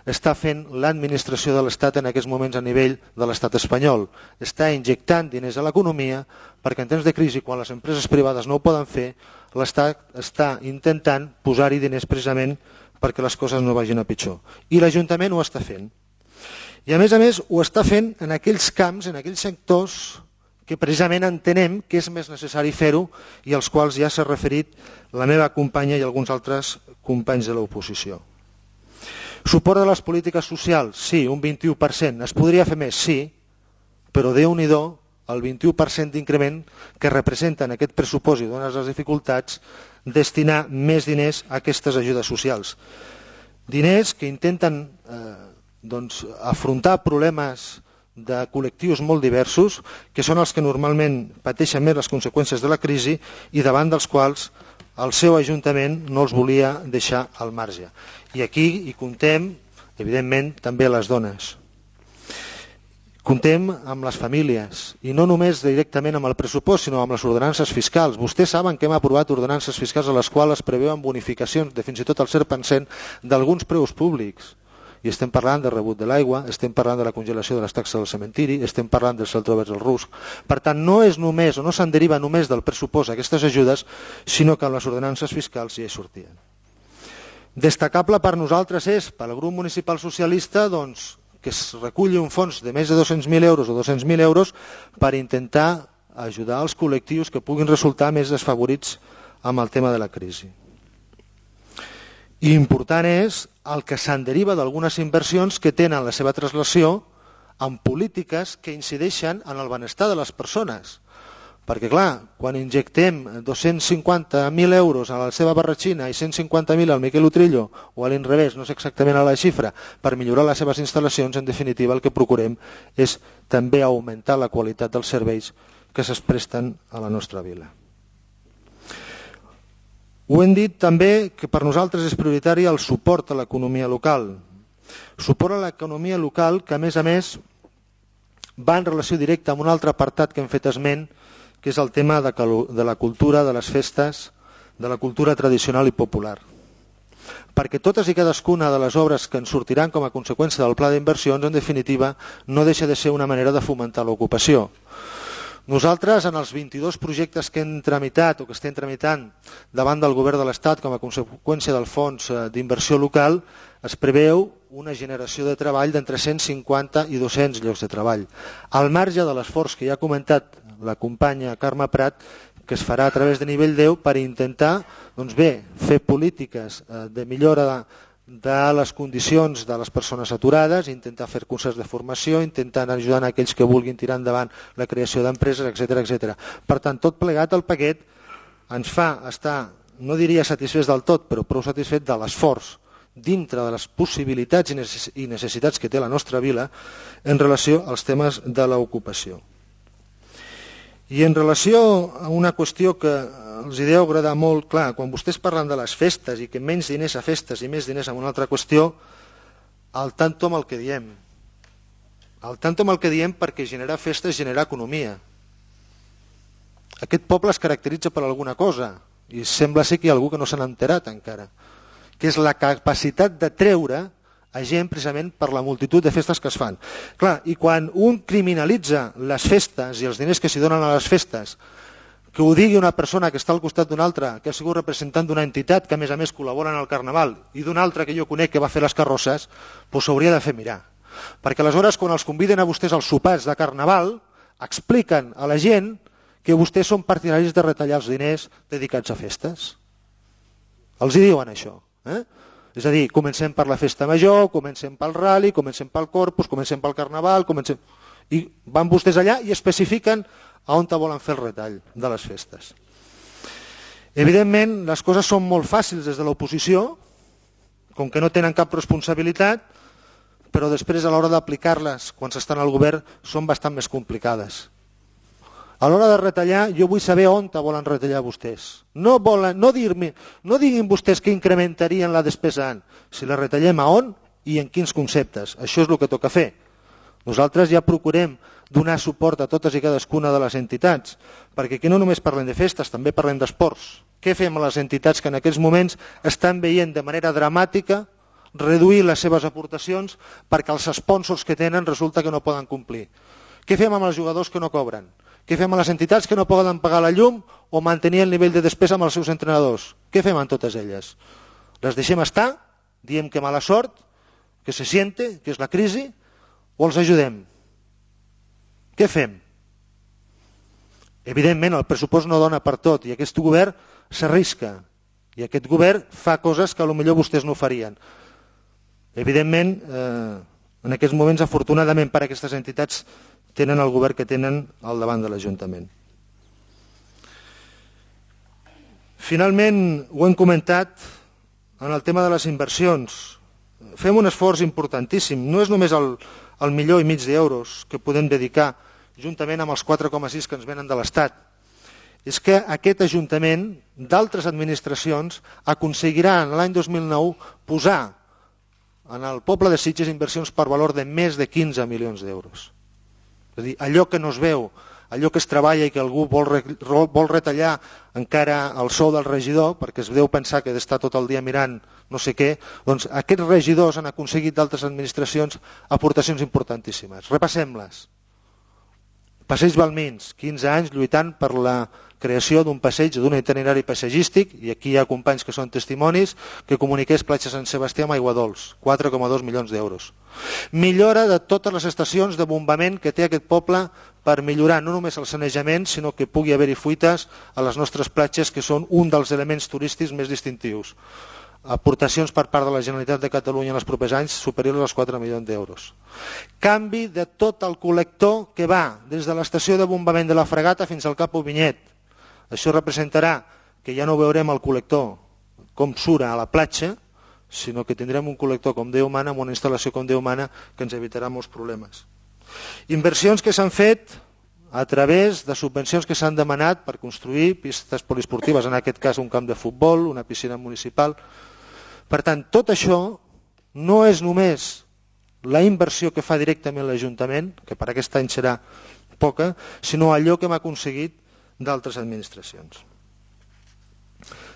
està fent l'administració de l'Estat en aquests moments a nivell de l'Estat espanyol. Està injectant diners a l'economia perquè en temps de crisi, quan les empreses privades no ho poden fer, l'Estat està intentant posar-hi diners precisament perquè les coses no vagin a pitjor. I l'Ajuntament ho està fent. I a més a més ho està fent en aquells camps, en aquells sectors que precisament entenem que és més necessari fer-ho i als quals ja s'ha referit la meva companya i alguns altres companys de l'oposició. Suport de les polítiques socials, sí, un vint-i-u per cent. Es podria fer més, sí, però Déu-n'hi-do el vint-i-u per cent d'increment que representen aquest pressupost i dones les dificultats, destinar més diners a aquestes ajudes socials. Diners que intenten eh, doncs, afrontar problemes de col·lectius molt diversos, que són els que normalment pateixen més les conseqüències de la crisi i davant dels quals el seu Ajuntament no els volia deixar al marge. I aquí hi comptem, evidentment, també les dones. Comptem amb les famílies, i no només directament amb el pressupost, sinó amb les ordenances fiscals. Vostès saben que hem aprovat ordenances fiscals a les quals es preveuen bonificacions de fins i tot el cent per cent d'alguns preus públics. I estem parlant del rebut de l'aigua, estem parlant de la congelació de les taxes del cementiri, estem parlant dels celtrobers del rusc. Per tant, no és només, o no se'n deriva només del pressupost aquestes ajudes, sinó que amb les ordenances fiscals ja hi sortien. Destacable per nosaltres és, pel grup municipal socialista, doncs, que es reculli un fons de més de dos-cents mil euros o dos-cents mil euros per intentar ajudar els col·lectius que puguin resultar més desfavorits amb el tema de la crisi. I important és el que se'n deriva d'algunes inversions que tenen la seva translació en polítiques que incideixen en el benestar de les persones. Perquè, clar, quan injectem dos-cents cinquanta mil euros a la seva barratxina i cent cinquanta mil al Miquel Utrillo, o a l'inrevés, no sé exactament a la xifra, per millorar les seves instal·lacions, en definitiva el que procurem és també augmentar la qualitat dels serveis que es presten a la nostra vila. Ho hem dit també que per nosaltres és prioritari el suport a l'economia local. Suport a l'economia local que, a més a més, va en relació directa amb un altre apartat que hem fet esment, que és el tema de la cultura, de les festes, de la cultura tradicional i popular. Perquè totes i cadascuna de les obres que ens sortiran com a conseqüència del pla d'inversions, en definitiva, no deixa de ser una manera de fomentar l'ocupació. Nosaltres, en els vint-i-dos projectes que hem tramitat o que estem tramitant davant del Govern de l'Estat com a conseqüència del Fons d'Inversió Local, es preveu una generació de treball d'entre cent cinquanta i dos-cents llocs de treball. Al marge de l'esforç que ja ha comentat la companya Carme Prat, que es farà a través de nivell deu per intentar doncs bé, fer polítiques de millora de, de les condicions de les persones aturades, intentar fer cursos de formació, intentant ajudar a aquells que vulguin tirar endavant la creació d'empreses, etcètera, etcètera. Per tant, tot plegat el paquet ens fa estar, no diria satisfets del tot, però prou satisfets de l'esforç dintre de les possibilitats i necessitats que té la nostra vila en relació als temes de l'ocupació. I en relació a una qüestió que els deu agradar molt, clar, quan vostès parlen de les festes i que menys diners a festes i més diners a una altra qüestió, al tanto amb el que diem. Al tanto amb el que diem perquè generar festes és generar economia. Aquest poble es caracteritza per alguna cosa i sembla ser que hi ha algú que no se n'ha enterat encara, que és la capacitat de treure a gent precisament per la multitud de festes que es fan. Clar, i quan un criminalitza les festes i els diners que s'hi donen a les festes, que ho digui una persona que està al costat d'una altra, que ha sigut representant d'una entitat que a més a més col·labora en el Carnaval, i d'una altra que jo conec que va fer les carrosses, doncs s'hauria de fer mirar. Perquè aleshores quan els conviden a vostès als sopars de Carnaval, expliquen a la gent que vostès són partidaris de retallar els diners dedicats a festes. Els hi diuen això, eh? És a dir, comencem per la festa major, comencem pel rally, comencem pel Corpus, comencem pel Carnaval, comencem... i van vostès allà i especifiquen a on volen fer el retall de les festes. Evidentment, les coses són molt fàcils des de l'oposició, com que no tenen cap responsabilitat, però després a l'hora d'aplicar-les, quan s'estan al govern, són bastant més complicades. A l'hora de retallar, jo vull saber on volen retallar vostès. No, volen, no, dir-me, no diguin vostès que incrementarien la despesa en, si la retallem a on i en quins conceptes. Això és el que toca fer. Nosaltres ja procurem donar suport a totes i cadascuna de les entitats, perquè aquí no només parlem de festes, també parlem d'esports. Què fem a les entitats que en aquests moments estan veient de manera dramàtica reduir les seves aportacions perquè els sponsors que tenen resulta que no poden complir? Què fem amb els jugadors que no cobren? Què fem amb les entitats que no poden pagar la llum o mantenir el nivell de despesa amb els seus entrenadors? Què fem amb totes elles? Les deixem estar? Diem que mala sort? Que se siente? Que és la crisi? O els ajudem? Què fem? Evidentment, el pressupost no dona per tot i aquest govern s'arrisca i aquest govern fa coses que potser vostès no farien. Evidentment, eh, en aquests moments, afortunadament per a aquestes entitats, tenen el govern que tenen al davant de l'Ajuntament. Finalment, ho hem comentat en el tema de les inversions. Fem un esforç importantíssim. No és només el, el milió i mig d'euros que podem dedicar juntament amb els quatre coma sis que ens venen de l'Estat. És que aquest Ajuntament d'altres administracions aconseguirà en l'any dos mil nou posar en el poble de Sitges inversions per valor de més de quinze milions d'euros. És a dir, allò que no es veu, allò que es treballa i que algú vol, re, vol retallar encara el sou del regidor, perquè es deu pensar que d'estar tot el dia mirant no sé què, doncs aquests regidors han aconseguit d'altres administracions aportacions importantíssimes. Repassem-les. Passeig Balmins, quinze anys lluitant per la creació d'un passeig, d'un itinerari paisatgístic, i aquí hi ha companys que són testimonis, que comuniqués Platja Sant Sebastià amb Aiguadols, quatre coma dos milions d'euros. Millora de totes les estacions de bombament que té aquest poble per millorar no només el sanejament, sinó que pugui haver-hi fuites a les nostres platges, que són un dels elements turístics més distintius. Aportacions per part de la Generalitat de Catalunya en els propers anys superiors als quatre milions d'euros. Canvi de tot el col·lector que va des de l'estació de bombament de la Fregata fins al Cap Ovinyet. Això representarà que ja no veurem el col·lector com surt a la platja, sinó que tindrem un col·lector com Déu mana, amb una instal·lació com Déu mana, que ens evitarà molts problemes. Inversions que s'han fet a través de subvencions que s'han demanat per construir pistes poliesportives, en aquest cas un camp de futbol, una piscina municipal. Per tant, tot això no és només la inversió que fa directament l'Ajuntament, que per aquest any serà poca, sinó allò que hem aconseguit d'altres administracions.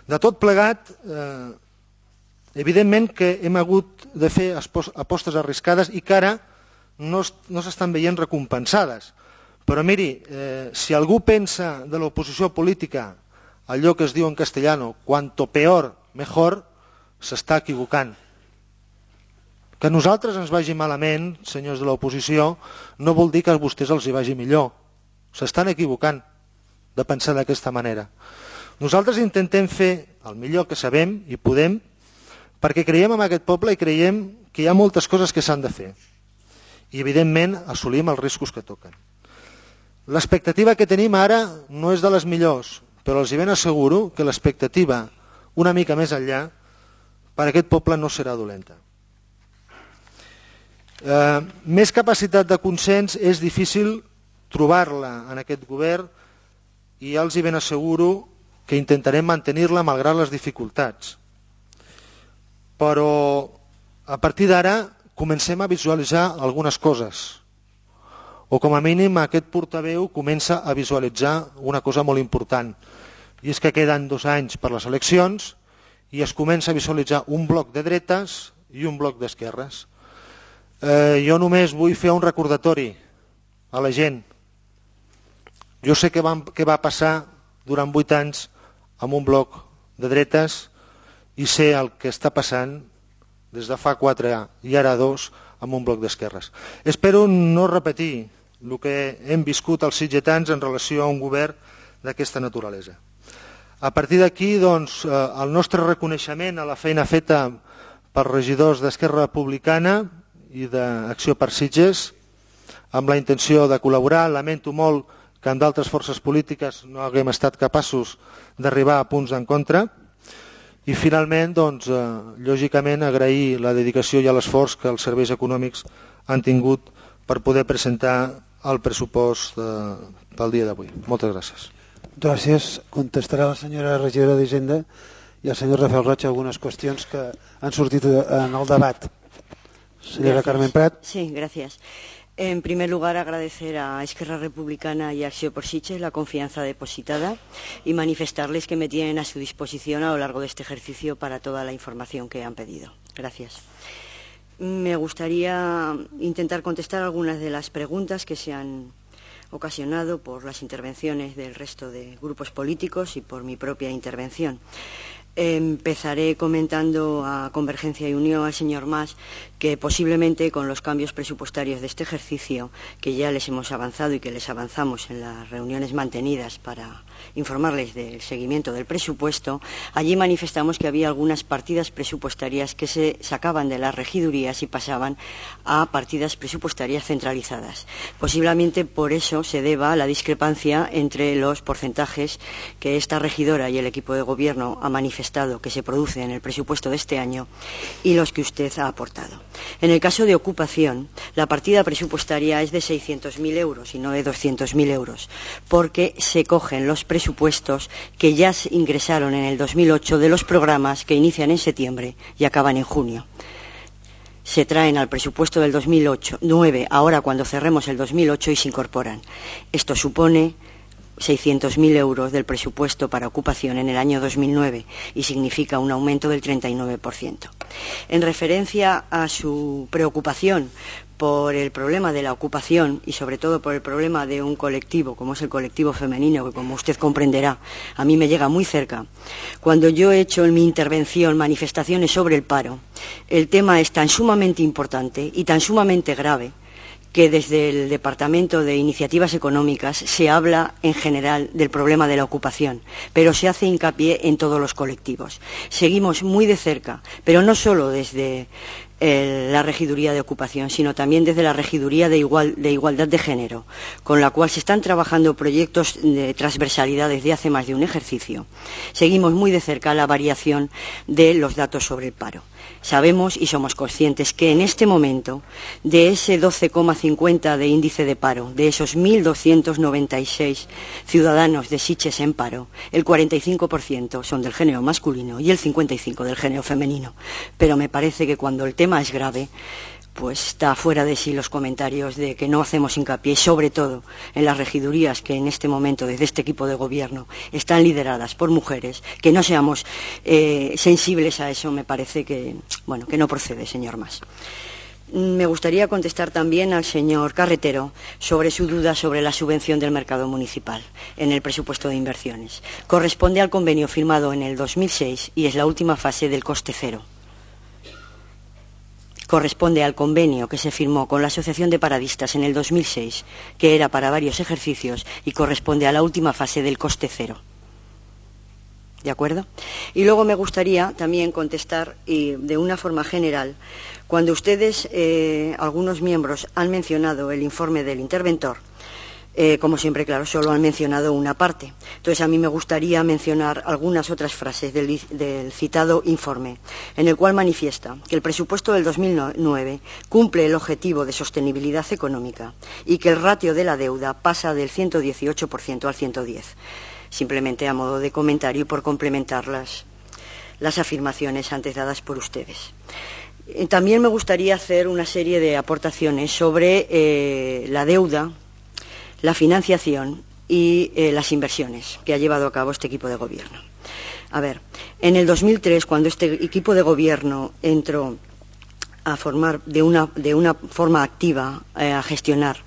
De tot plegat, eh, evidentment que hem hagut de fer apostes arriscades i que ara no, no s'estan veient recompensades. Però miri, eh, si algú pensa de l'oposició política allò que es diu en castellano, cuanto peor, mejor, s'està equivocant. Que a nosaltres ens vagi malament, senyors de l'oposició, no vol dir que a vostès els hi vagi millor. S'estan equivocant de pensar d'aquesta manera. Nosaltres intentem fer el millor que sabem i podem perquè creiem en aquest poble i creiem que hi ha moltes coses que s'han de fer. I evidentment assolim els riscos que toquen. L'expectativa que tenim ara no és de les millors, però els hi ben asseguro que l'expectativa una mica més enllà per a aquest poble no serà dolenta. Eh, més capacitat de consens és difícil trobar-la en aquest govern i ja els hi ben asseguro que intentarem mantenir-la malgrat les dificultats. Però a partir d'ara comencem a visualitzar algunes coses, o com a mínim aquest portaveu comença a visualitzar una cosa molt important, i és que queden dos anys per les eleccions i es comença a visualitzar un bloc de dretes i un bloc d'esquerres. Eh, jo només vull fer un recordatori a la gent. Jo sé què va, què va passar durant vuit anys amb un bloc de dretes i sé el que està passant des de fa quatre i ara dos amb un bloc d'esquerres. Espero no repetir el que hem viscut els sitgetans en relació a un govern d'aquesta naturalesa. A partir d'aquí, doncs, el nostre reconeixement a la feina feta per regidors d'Esquerra Republicana i d'Acció per Sitges, amb la intenció de col·laborar. Lamento molt que amb d'altres forces polítiques no haguem estat capaços d'arribar a punts en contra. I finalment, doncs, eh, lògicament, agrair la dedicació i l'esforç que els serveis econòmics han tingut per poder presentar el pressupost eh, pel dia d'avui. Moltes gràcies. Gràcies. Contestarà la senyora regidora d'Hisenda i el senyor Rafael Roig algunes qüestions que han sortit en el debat. Señora Carmen Prat. Sí, gracias. En primer lugar, agradecer a Esquerra Republicana y a Acció por Sitges la confianza depositada y manifestarles que me tienen a su disposición a lo largo de este ejercicio para toda la información que han pedido. Gracias. Me gustaría intentar contestar algunas de las preguntas que se han ocasionado por las intervenciones del resto de grupos políticos y por mi propia intervención. Empezaré comentando a Convergencia y Unión, al señor Mas, que posiblemente con los cambios presupuestarios de este ejercicio, que ya les hemos avanzado y que les avanzamos en las reuniones mantenidas para informarles del seguimiento del presupuesto, allí manifestamos que había algunas partidas presupuestarias que se sacaban de las regidurías y pasaban a partidas presupuestarias centralizadas. Posiblemente por eso se deba a la discrepancia entre los porcentajes que esta regidora y el equipo de gobierno ha manifestado que se produce en el presupuesto de este año y los que usted ha aportado. En el caso de ocupación, la partida presupuestaria es de seiscientos mil euros y no de doscientos mil euros, porque se cogen los presupuestos que ya se ingresaron en el dos mil ocho de los programas que inician en septiembre y acaban en junio. Se traen al presupuesto del dos mil nueve, ahora cuando cerremos el dos mil ocho, y se incorporan. Esto supone seiscientos mil euros del presupuesto para ocupación en el año dos mil nueve y significa un aumento del treinta y nueve por ciento. En referencia a su preocupación por el problema de la ocupación y sobre todo por el problema de un colectivo como es el colectivo femenino, que como usted comprenderá a mí me llega muy cerca, cuando yo he hecho en mi intervención manifestaciones sobre el paro, el tema es tan sumamente importante y tan sumamente grave que desde el Departamento de Iniciativas Económicas se habla en general del problema de la ocupación, pero se hace hincapié en todos los colectivos. Seguimos muy de cerca, pero no solo desde eh, la Regiduría de Ocupación, sino también desde la Regiduría de, Igual, de Igualdad de Género, con la cual se están trabajando proyectos de transversalidad desde hace más de un ejercicio. Seguimos muy de cerca la variación de los datos sobre el paro. Sabemos y somos conscientes que en este momento, de ese doce coma cincuenta de índice de paro, de esos mil doscientos noventa y seis ciudadanos de Sitges en paro, el cuarenta y cinco por ciento son del género masculino y el cincuenta y cinco por ciento del género femenino. Pero me parece que cuando el tema es grave, pues está fuera de sí los comentarios de que no hacemos hincapié, sobre todo en las regidurías que en este momento, desde este equipo de gobierno, están lideradas por mujeres, que no seamos eh, sensibles a eso, me parece que, bueno, que no procede, señor Mas. Me gustaría contestar también al señor Carretero sobre su duda sobre la subvención del mercado municipal en el presupuesto de inversiones. Corresponde al convenio firmado en el dos mil seis y es la última fase del coste cero. Corresponde al convenio que se firmó con la Asociación de Paradistas en el dos mil seis, que era para varios ejercicios, y corresponde a la última fase del coste cero. ¿De acuerdo? Y luego me gustaría también contestar, y de una forma general, cuando ustedes, eh, algunos miembros, han mencionado el informe del interventor, Eh, como siempre, claro, solo han mencionado una parte. Entonces, a mí me gustaría mencionar algunas otras frases del, del citado informe, en el cual manifiesta que el presupuesto del dos mil nueve cumple el objetivo de sostenibilidad económica y que el ratio de la deuda pasa del ciento dieciocho por ciento al ciento diez por ciento. Simplemente a modo de comentario y por complementar las, las afirmaciones antes dadas por ustedes. Eh, también me gustaría hacer una serie de aportaciones sobre eh, la deuda, la financiación y eh, las inversiones que ha llevado a cabo este equipo de gobierno. A ver, en el dos mil tres, cuando este equipo de gobierno entró a formar de una, de una forma activa, eh, a gestionar,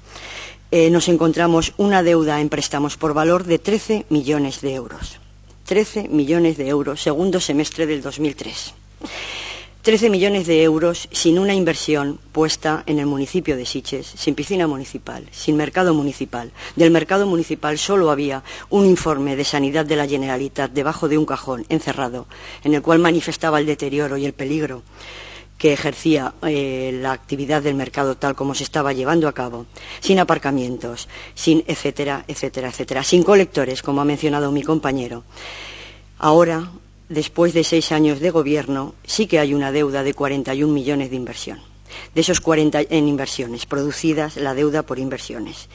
eh, nos encontramos una deuda en préstamos por valor de trece millones de euros. trece millones de euros, segundo semestre del dos mil tres. trece millones de euros sin una inversión puesta en el municipio de Sitges, sin piscina municipal, sin mercado municipal. Del mercado municipal solo había un informe de sanidad de la Generalitat debajo de un cajón encerrado, en el cual manifestaba el deterioro y el peligro que ejercía eh, la actividad del mercado tal como se estaba llevando a cabo, sin aparcamientos, sin etcétera, etcétera, etcétera, sin colectores, como ha mencionado mi compañero. Ahora, después de seis años de gobierno, sí que hay una deuda de cuarenta y un millones de inversión. De esos cuarenta en inversiones producidas, la deuda por inversiones,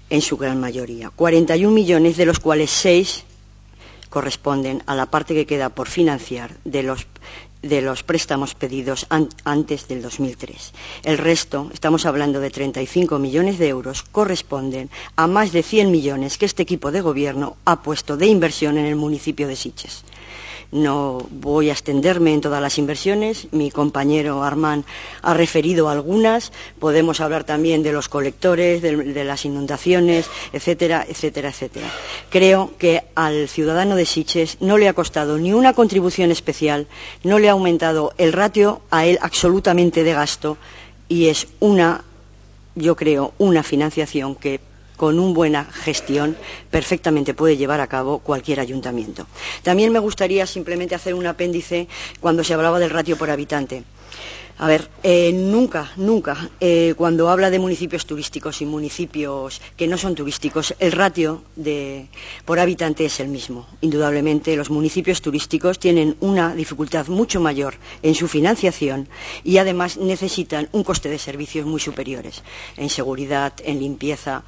en su gran mayoría. cuarenta y un millones, de los cuales seis corresponden a la parte que queda por financiar de los, de los préstamos pedidos an, antes del dos mil tres. El resto, estamos hablando de treinta y cinco millones de euros, corresponden a más de cien millones que este equipo de gobierno ha puesto de inversión en el municipio de Sitges. No voy a extenderme en todas las inversiones, mi compañero Armand ha referido algunas, podemos hablar también de los colectores, de, de las inundaciones, etcétera, etcétera, etcétera. Creo que al ciudadano de Sitges no le ha costado ni una contribución especial, no le ha aumentado el ratio a él absolutamente de gasto y es una, yo creo, una financiación que con una buena gestión perfectamente puede llevar a cabo cualquier ayuntamiento. También me gustaría simplemente hacer un apéndice cuando se hablaba del ratio por habitante. A ver, eh, nunca, nunca, eh, cuando habla de municipios turísticos y municipios que no son turísticos, el ratio de, por habitante es el mismo. Indudablemente, los municipios turísticos tienen una dificultad mucho mayor en su financiación y además necesitan un coste de servicios muy superiores en seguridad, en limpieza,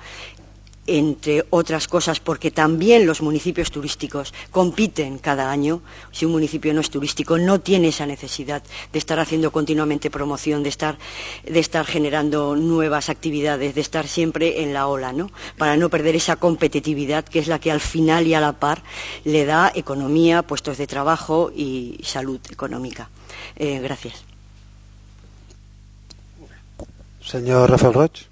entre otras cosas, porque también los municipios turísticos compiten cada año. Si un municipio no es turístico, no tiene esa necesidad de estar haciendo continuamente promoción, de estar, de estar generando nuevas actividades, de estar siempre en la ola, ¿no? Para no perder esa competitividad que es la que al final y a la par le da economía, puestos de trabajo y salud económica. Eh, gracias. Senyor Rafael Roig.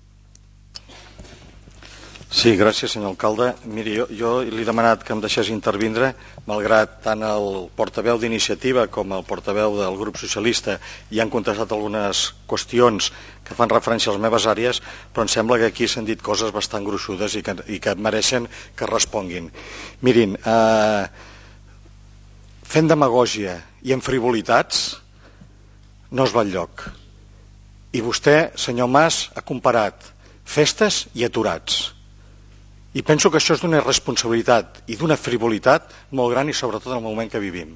Sí, gràcies, senyor alcalde. Miri, jo, jo li he demanat que em deixés intervindre, malgrat tant el portaveu d'iniciativa com el portaveu del grup socialista hi han contestat algunes qüestions que fan referència a les meves àrees, però em sembla que aquí s'han dit coses bastant gruixudes i que, i que mereixen que responguin. Mirin, eh, fent demagògia i en frivolitats no es va enlloc. I vostè, senyor Mas, ha comparat festes i aturats. I penso que això és d'una irresponsabilitat i d'una frivolitat molt gran i sobretot en el moment que vivim,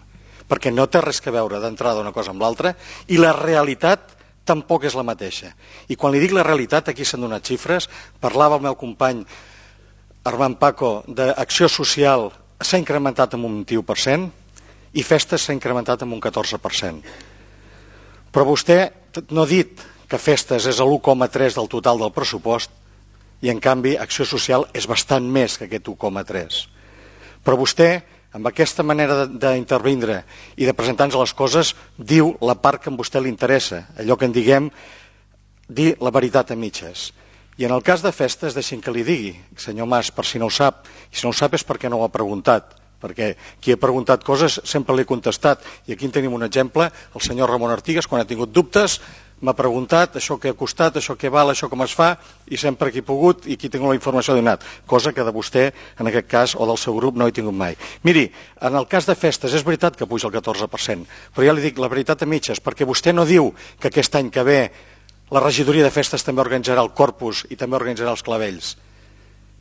perquè no té res que veure d'entrada una cosa amb l'altra i la realitat tampoc és la mateixa. I quan li dic la realitat, aquí s'han donat xifres, parlava el meu company Armand Paco d'acció social s'ha incrementat en un vint-i-u per cent i festes s'ha incrementat en un catorze per cent. Però vostè no ha dit que festes és l'u coma tres del total del pressupost i en canvi acció social és bastant més que aquest u coma tres. Però vostè, amb aquesta manera d'intervindre i de presentar-nos les coses, diu la part que a vostè li interessa, allò que en diguem dir la veritat a mitges. I en el cas de festes, deixin que li digui, senyor Mas, per si no ho sap, i si no ho sap és perquè no ho ha preguntat, perquè qui ha preguntat coses sempre l'he contestat, i aquí en tenim un exemple, el senyor Ramon Artigas, quan ha tingut dubtes, m'ha preguntat això que ha costat, això que val, això com es fa, i sempre que he pogut i qui tinc la informació ha donat, cosa que de vostè, en aquest cas, o del seu grup, no he tingut mai. Miri, en el cas de festes, és veritat que puja el catorze per cent, però ja li dic la veritat a mitges, perquè vostè no diu que aquest any que ve la regidoria de festes també organitzarà el Corpus i també organitzarà els clavells.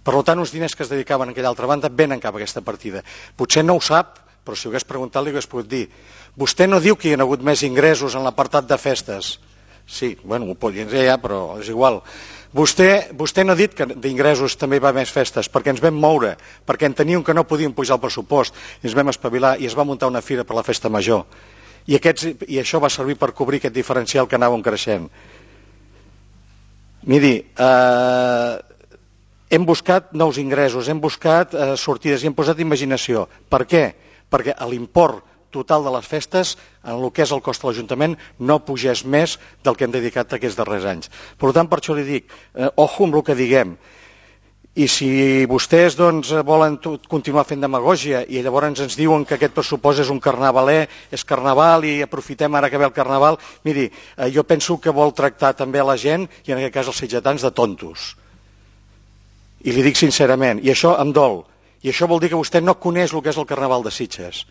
Per tant, uns diners que es dedicaven a aquella altra banda venen cap a aquesta partida. Potser no ho sap, però si ho hagués preguntat li hagués pogut dir. Vostè no diu que hi ha hagut més ingressos en l'apartat de festes. Sí, bueno, ho podien dir ja, però és igual. Vostè, vostè no ha dit que d'ingressos també hi va més festes, perquè ens vam moure, perquè enteníem que no podíem pujar el pressupost, i ens vam espavilar i es va muntar una fira per la festa major. I, aquests, i això va servir per cobrir aquest diferencial que anàvem creixent. Miri, eh, hem buscat nous ingressos, hem buscat eh, sortides i hem posat imaginació. Per què? Perquè l'import total de les festes, en el que és el cost de l'Ajuntament, no pugés més del que hem dedicat aquests darrers anys. Per tant, per això li dic, eh, ojo amb el que diguem. I si vostès doncs, volen continuar fent demagògia i llavors ens diuen que aquest pressupost és un carnavaler, és carnaval i aprofitem ara que ve el carnaval, miri, eh, jo penso que vol tractar també a la gent, i en aquest cas els sitgetans, de tontos. I li dic sincerament, i això em dol, i això vol dir que vostè no coneix el que és el carnaval de Sitges.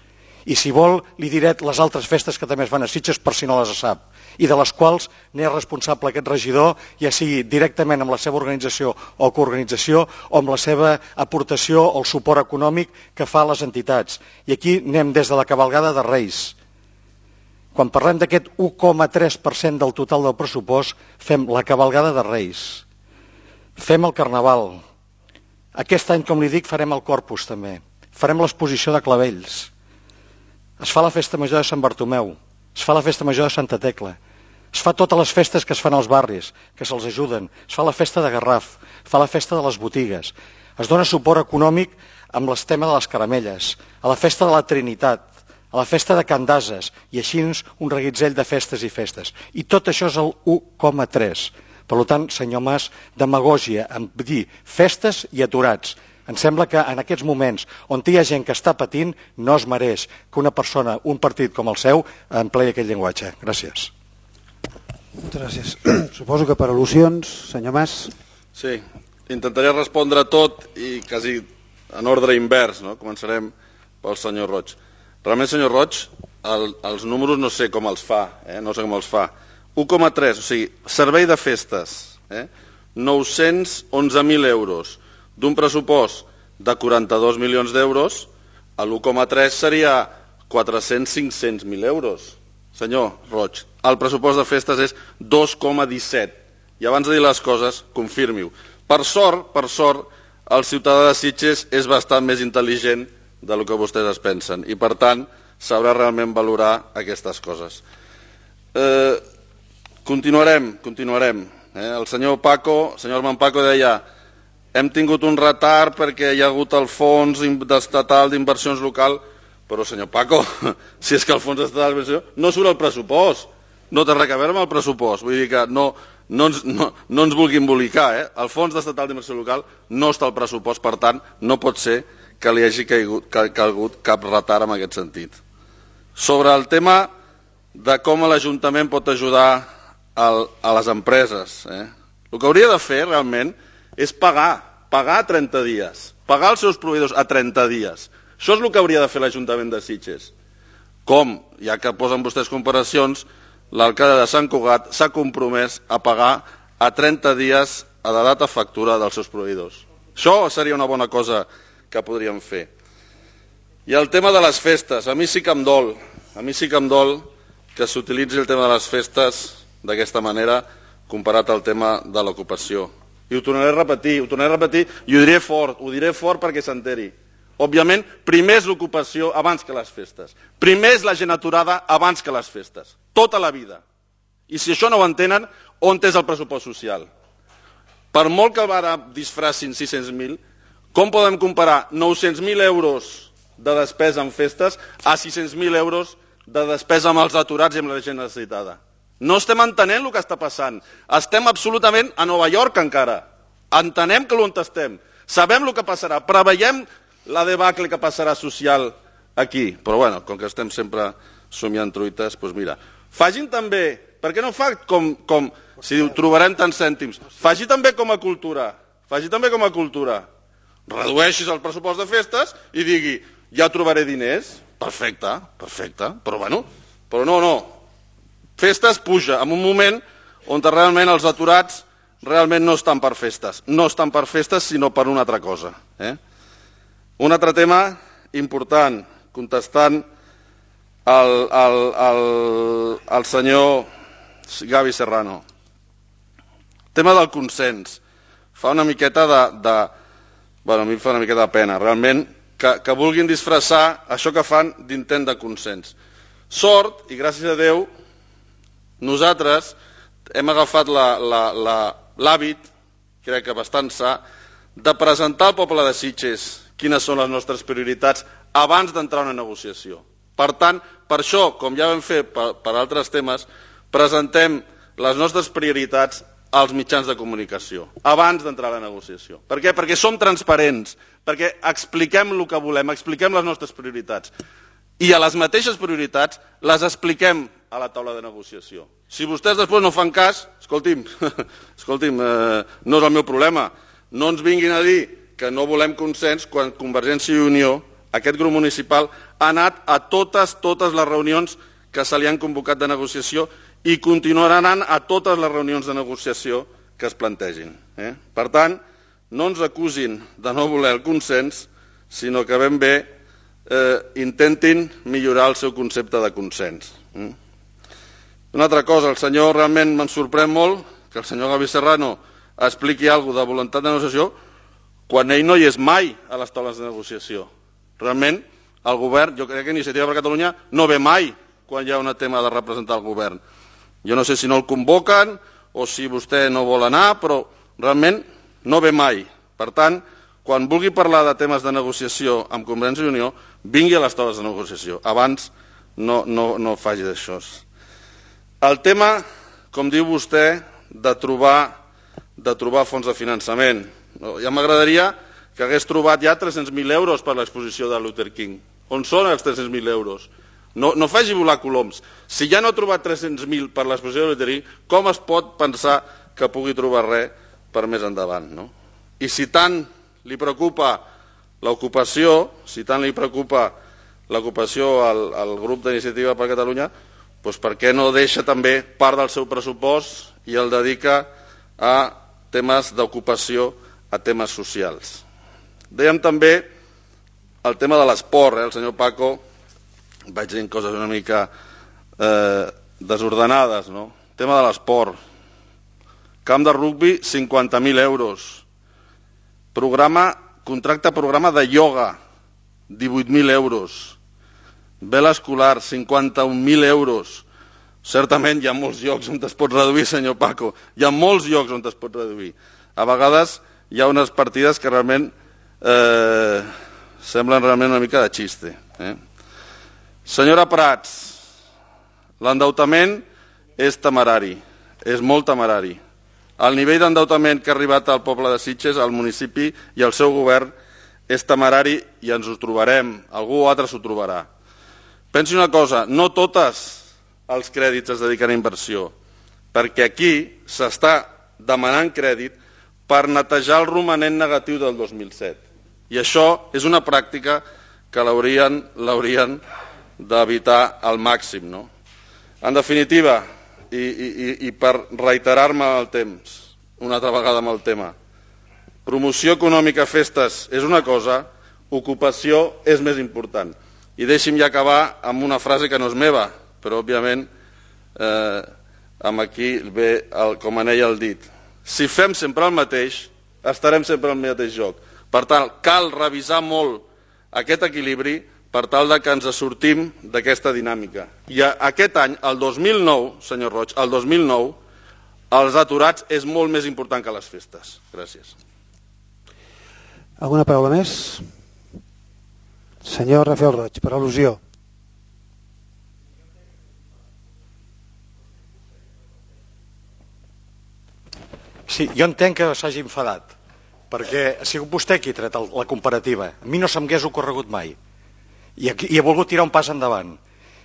I si vol, li diré les altres festes que també es fan a Sitges per si no les sap, i de les quals n'és responsable aquest regidor, ja sigui directament amb la seva organització o coorganització, o amb la seva aportació o el suport econòmic que fa a les entitats. I aquí anem des de la cavalgada de Reis. Quan parlem d'aquest u coma tres per cent del total del pressupost, fem la cavalgada de Reis, fem el carnaval. Aquest any, com li dic, farem el Corpus també, farem l'exposició de clavells. Es fa la festa major de Sant Bartomeu, es fa la festa major de Santa Tecla, es fa totes les festes que es fan als barris, que se'ls ajuden, es fa la festa de Garraf, es fa la festa de les botigues, es dona suport econòmic amb el tema de les caramelles, a la festa de la Trinitat, a la festa de Can d'Ases, i així un reguitzell de festes i festes. I tot això és el u coma tres. Per tant, senyor Mas, demagògia en dir festes i aturats. Em sembla que en aquests moments on hi ha gent que està patint no es mereix que una persona, un partit com el seu, empleï aquest llenguatge. Gràcies. Moltes gràcies. Suposo que per al·lusions, senyor Mas. Sí, intentaré respondre tot i quasi en ordre invers, no? Començarem pel senyor Roig. Realment, senyor Roig, el, els números no sé com els fa, eh? no sé com els fa. u coma tres, o sigui, servei de festes, eh? nou-cents onze mil euros, d'un pressupost de quaranta-dos milions d'euros, l'u coma tres seria quatre-cents cinc-cents mil euros. Senyor Roig, el pressupost de festes és dos coma disset. I abans de dir les coses, confirmi-ho. Per sort, per sort, el ciutadà de Sitges és bastant més intel·ligent del que vostès es pensen i, per tant, sabrà realment valorar aquestes coses. Eh, continuarem, continuarem. Eh? El senyor Paco, el senyor Armand Paco deia hem tingut un retard perquè hi ha hagut el fons estatal d'inversions local, però senyor Paco, si és que el fons estatal d'inversions no surt al pressupost, no té res a veure amb el pressupost, vull dir que no, no, ens, no, no ens vulgui embolicar, eh? El fons estatal d'inversió local no està al pressupost, per tant, no pot ser que li hagi caigut, calgut cap retard en aquest sentit. Sobre el tema de com l'Ajuntament pot ajudar el, a les empreses, eh? El que hauria de fer realment és pagar, pagar a trenta dies, pagar els seus proveïdors a trenta dies. Això és el que hauria de fer l'Ajuntament de Sitges. Com, ja que posen vostès comparacions, l'alcalde de Sant Cugat s'ha compromès a pagar a trenta dies a la data factura dels seus proveïdors. Això seria una bona cosa que podríem fer. I el tema de les festes, a mi sí que em dol, a mi sí que em dol que s'utilitzi el tema de les festes d'aquesta manera comparat al tema de l'ocupació. I ho tornaré a repetir, ho tornaré a repetir i ho diré fort, ho diré fort perquè s'enteri. Òbviament, primer és l'ocupació abans que les festes. Primer és la gent aturada abans que les festes. Tota la vida. I si això no ho entenen, on és el pressupost social? Per molt que ara disfracin sis-cents mil, com podem comparar nou-cents mil euros de despesa en festes a sis-cents mil euros de despesa amb els aturats i amb la gent necessitada? No estem entenent el que està passant. Estem absolutament a Nova York encara. Entenem que l'on estem. Sabem el que passarà. Preveiem la debacle que passarà social aquí. Però bueno, com que estem sempre somiant truites, doncs mira. Facin també, per què no fa com, com si diu, trobarem tants cèntims, faci també com a cultura, faci també com a cultura. Redueixis el pressupost de festes i digui, ja trobaré diners, perfecte, perfecte, però bueno, però no, no. Festes puja en un moment on realment els aturats realment no estan per festes. No estan per festes, sinó per una altra cosa. Eh? Un altre tema important, contestant al, al, al, al senyor Gavi Serrano. Tema del consens. Fa una miqueta de... de bueno, a mi fa una miqueta de pena, realment, que, que vulguin disfressar això que fan d'intent de consens. Sort, i gràcies a Déu, nosaltres hem agafat l'hàbit, crec que bastant sa, de presentar al poble de Sitges quines són les nostres prioritats abans d'entrar a una negociació. Per tant, per això, com ja vam fer per, per altres temes, presentem les nostres prioritats als mitjans de comunicació, abans d'entrar a la negociació. Per què? Perquè som transparents, perquè expliquem el que volem, expliquem les nostres prioritats. I a les mateixes prioritats les expliquem a la taula de negociació. Si vostès després no fan cas, escolti'm, escolti'm eh, no és el meu problema. No ens vinguin a dir que no volem consens quan Convergència i Unió, aquest grup municipal, ha anat a totes, totes les reunions que se li han convocat de negociació i continuaran anant a totes les reunions de negociació que es plantegin. Eh? Per tant, no ens acusin de no voler el consens, sinó que ben bé eh, intentin millorar el seu concepte de consens. Mm? Una altra cosa, el senyor realment me'n sorprèn molt que el senyor Gavi Serrano expliqui alguna cosa de voluntat de negociació quan ell no hi és mai a les taules de negociació. Realment, el govern, jo crec que Iniciativa per Catalunya no ve mai quan hi ha un tema de representar el govern. Jo no sé si no el convoquen o si vostè no vol anar, però realment no ve mai. Per tant, quan vulgui parlar de temes de negociació amb Convergència i Unió, vingui a les taules de negociació, abans no, no, no faci d'això. El tema, com diu vostè, de trobar, de trobar fons de finançament. Ja m'agradaria que hagués trobat ja tres-cents mil euros per l'exposició de Luther King. On són els tres-cents mil euros? No, no faci volar coloms. Si ja no ha trobat tres-cents mil per l'exposició de Luther King, com es pot pensar que pugui trobar res per més endavant? No? I si tant li preocupa l'ocupació, si tant li preocupa l'ocupació al, al grup d'Iniciativa per Catalunya, doncs per què no deixa també part del seu pressupost i el dedica a temes d'ocupació, a temes socials. Dèiem també el tema de l'esport, eh? El senyor Paco vaig dient coses una mica eh, desordenades, no? El tema de l'esport. Camp de rugbi, cinquanta mil euros. Programa, contracte programa de ioga, divuit mil euros. Vela escolar, cinquanta-un mil euros. Certament hi ha molts llocs on es pot reduir, senyor Paco. Hi ha molts llocs on es pot reduir. A vegades hi ha unes partides que realment eh, semblen realment una mica de xiste. Eh? Senyora Prats, l'endeutament és temerari, és molt temerari. El nivell d'endeutament que ha arribat al poble de Sitges, al municipi i al seu govern és temerari i ens ho trobarem, algú altre s'ho trobarà. Pensi una cosa, no totes els crèdits es dediquen a inversió, perquè aquí s'està demanant crèdit per netejar el romanent negatiu del dos mil set. I això és una pràctica que l'haurien l'haurien d'evitar al màxim. No? En definitiva, i, i, i per reiterar-me el temps, una altra vegada amb el tema, promoció econòmica a festes és una cosa, ocupació és més important. I deixi'm ja acabar amb una frase que no és meva, però òbviament eh, amb aquí ve el, com en ella el dit. Si fem sempre el mateix, estarem sempre al mateix joc. Per tant, cal revisar molt aquest equilibri per tal de que ens sortim d'aquesta dinàmica. I aquest any, el dos mil nou, senyor Roig, el dos mil nou, els aturats és molt més important que les festes. Gràcies. Alguna paraula més? Senyor Rafael Roig, per al·lusió. Sí, jo entenc que s'hagi enfadat, perquè ha sigut vostè qui ha tret el, la comparativa. A mi no se'm hagués ocorregut mai. I, aquí, I ha volgut tirar un pas endavant.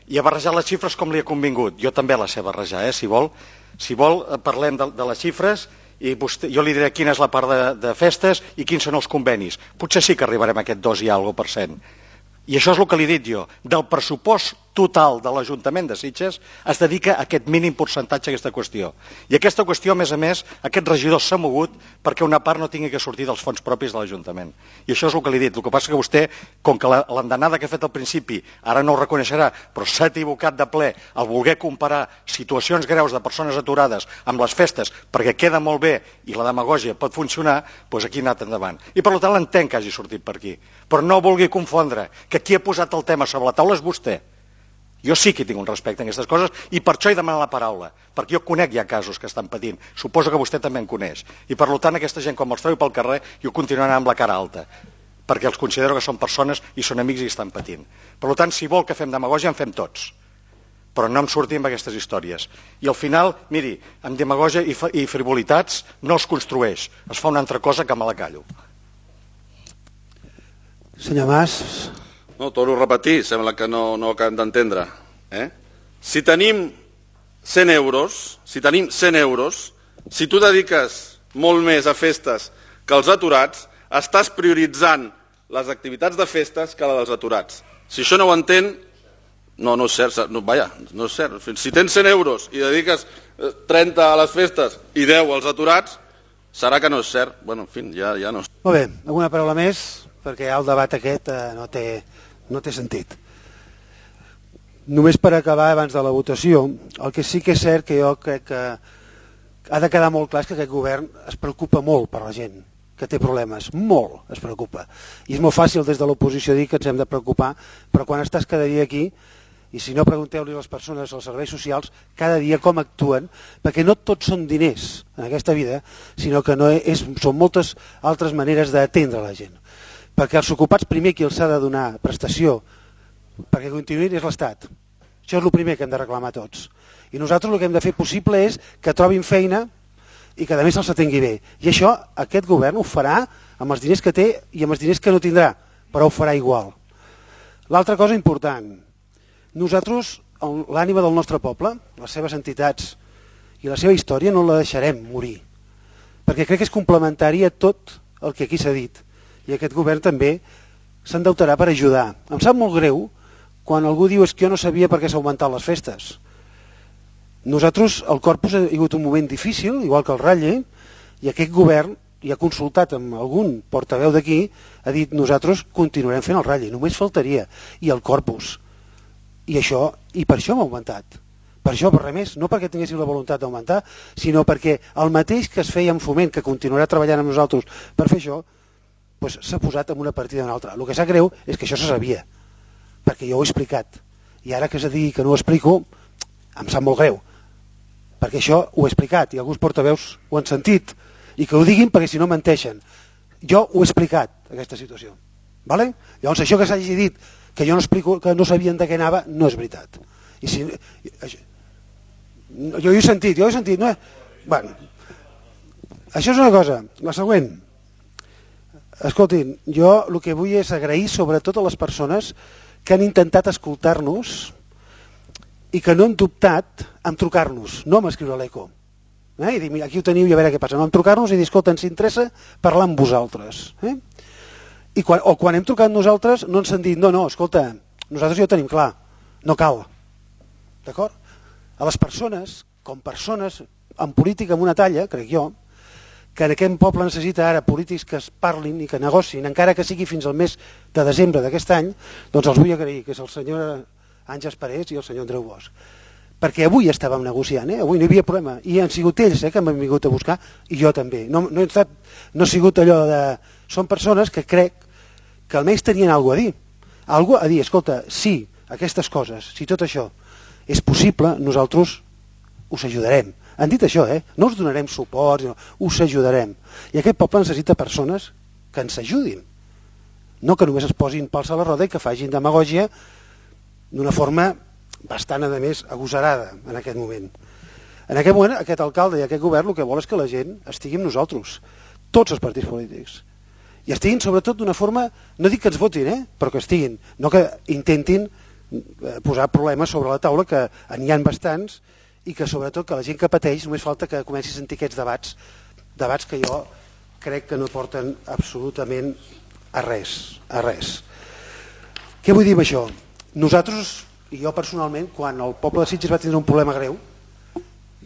I ha barrejat les xifres com li ha convingut. Jo també les sé barrejar, eh, si vol. Si vol, parlem de, de les xifres i vostè, jo li diré quina és la part de, de festes i quins són els convenis. Potser sí que arribarem a aquest dos i alguna per cent. I això és el que li he dit jo. Del pressupost total de l'Ajuntament de Sitges es dedica a aquest mínim percentatge a aquesta qüestió. I aquesta qüestió, a més a més, aquest regidor s'ha mogut perquè una part no tingui que sortir dels fons propis de l'Ajuntament. I això és el que li he dit. El que passa que vostè, com que l'andanada que ha fet al principi, ara no ho reconeixerà, però s'ha equivocat de ple al voler comparar situacions greus de persones aturades amb les festes perquè queda molt bé i la demagògia pot funcionar, doncs aquí ha anat endavant. I per tant l'entenc que hagi sortit per aquí. Però no vulgui confondre que qui ha posat el tema sobre la taula és vostè. Jo sí que tinc un respecte en aquestes coses i per això he demanat la paraula, perquè jo conec ja casos que estan patint, suposo que vostè també en coneix, i per tant aquesta gent quan els trobi pel carrer jo continuaré amb la cara alta, perquè els considero que són persones i són amics i estan patint. Per tant, si vol que fem demagògia en fem tots, però no em sortim amb aquestes històries. I al final, miri, amb demagògia i, i frivolitats no es construeix, es fa una altra cosa que me la callo. Senyor Mas... No, torno a repetir, sembla que no, no ho acabem d'entendre. Eh? Si tenim cent euros, si tenim cent euros, si tu dediques molt més a festes que els aturats, estàs prioritzant les activitats de festes que la dels aturats. Si això no ho entén, no, no és cert, no, vaja, no és cert. Si tens cent euros i dediques trenta a les festes i deu als aturats, serà que no és cert. Bueno, en fi, ja, ja no. Molt bé, alguna paraula més? Perquè ja el debat aquest eh, no té... no té sentit. Només per acabar abans de la votació, el que sí que és cert que jo crec que ha de quedar molt clar és que aquest govern es preocupa molt per la gent que té problemes, molt es preocupa. I és molt fàcil des de l'oposició dir que ens hem de preocupar, però quan estàs cada dia aquí, i si no pregunteu-li a les persones als serveis socials cada dia com actuen, perquè no tots són diners en aquesta vida, sinó que no és, són moltes altres maneres d'atendre la gent. Perquè els ocupats primer qui els ha de donar prestació perquè continuïn és l'Estat. Això és el primer que hem de reclamar tots. I nosaltres el que hem de fer possible és que trobin feina i que a més se'ls atengui bé. I això aquest govern ho farà amb els diners que té i amb els diners que no tindrà, però ho farà igual. L'altra cosa important, nosaltres, l'ànima del nostre poble, les seves entitats i la seva història no la deixarem morir, perquè crec que és complementari a tot el que aquí s'ha dit, i aquest govern també s'endeutarà per ajudar. Em sap molt greu quan algú diu és que jo no sabia per què s'ha augmentat les festes. Nosaltres, el Corpus ha hagut un moment difícil, igual que el Ratlle, i aquest govern, i ha consultat amb algun portaveu d'aquí, ha dit nosaltres continuarem fent el Ratlle, només faltaria, i el Corpus. I això, i per això hem augmentat. Per això, per res més, no perquè tinguéssim la voluntat d'augmentar, sinó perquè el mateix que es feia en Foment, que continuarà treballant amb nosaltres per fer això, doncs s'ha posat en una partida o una altra. El que sap greu és que això se sabia, perquè jo ho he explicat. I ara que s'ha dit que no ho explico, em sap molt greu, perquè això ho he explicat i alguns portaveus ho han sentit, i que ho diguin perquè si no menteixen. Jo ho he explicat, aquesta situació. Vale? Llavors això que s'hagi dit que jo no explico, que no sabien de què anava, no és veritat. I si, jo ho he sentit, jo ho he sentit. No? Bueno, això és una cosa. La següent. Escoltin, jo el que vull és agrair sobretot a les persones que han intentat escoltar-nos i que no han dubtat en trucar-nos, no en escriure a l'Eco. Eh? I dir, mira, aquí ho teniu i a veure què passa. No, en trucar-nos i dir, escolta, ens interessa parlar amb vosaltres. Eh? I quan, o quan hem trucat nosaltres no ens han dit, no, no, escolta, nosaltres ja ho tenim clar, no cal. D'acord? A les persones, com persones en política amb una talla, crec jo, que en aquest poble necessita ara polítics que es parlin i que negocin, encara que sigui fins al mes de desembre d'aquest any, doncs els vull agrair, que és el senyor Àngels Parés i el senyor Andreu Bosch. Perquè avui estàvem negociant, eh? Avui no hi havia problema, i han sigut ells eh, que m'han vingut a buscar, i jo també. No, no, he estat, no ha sigut allò de... Són persones que crec que almenys tenien alguna a dir. Algú a dir, escolta, sí, aquestes coses, si tot això és possible, nosaltres us ajudarem. Han dit això, eh? No us donarem suport, no, us ajudarem. I aquest poble necessita persones que ens ajudin. No que només es posin pals a la roda i que facin demagògia d'una forma bastant, a més, agosarada en aquest moment. En aquest moment, aquest alcalde i aquest govern el que vol és que la gent estigui amb nosaltres, tots els partits polítics. I estiguin, sobretot, d'una forma, no dic que ens votin, eh? Però que estiguin, no que intentin posar problemes sobre la taula, que n'hi ha bastants, i que, sobretot, que la gent que pateix només falta que comenci a sentir aquests debats, debats que jo crec que no porten absolutament a res, a res. Què vull dir amb això? Nosaltres... I jo personalment, quan el poble de Sitges va tindre un problema greu,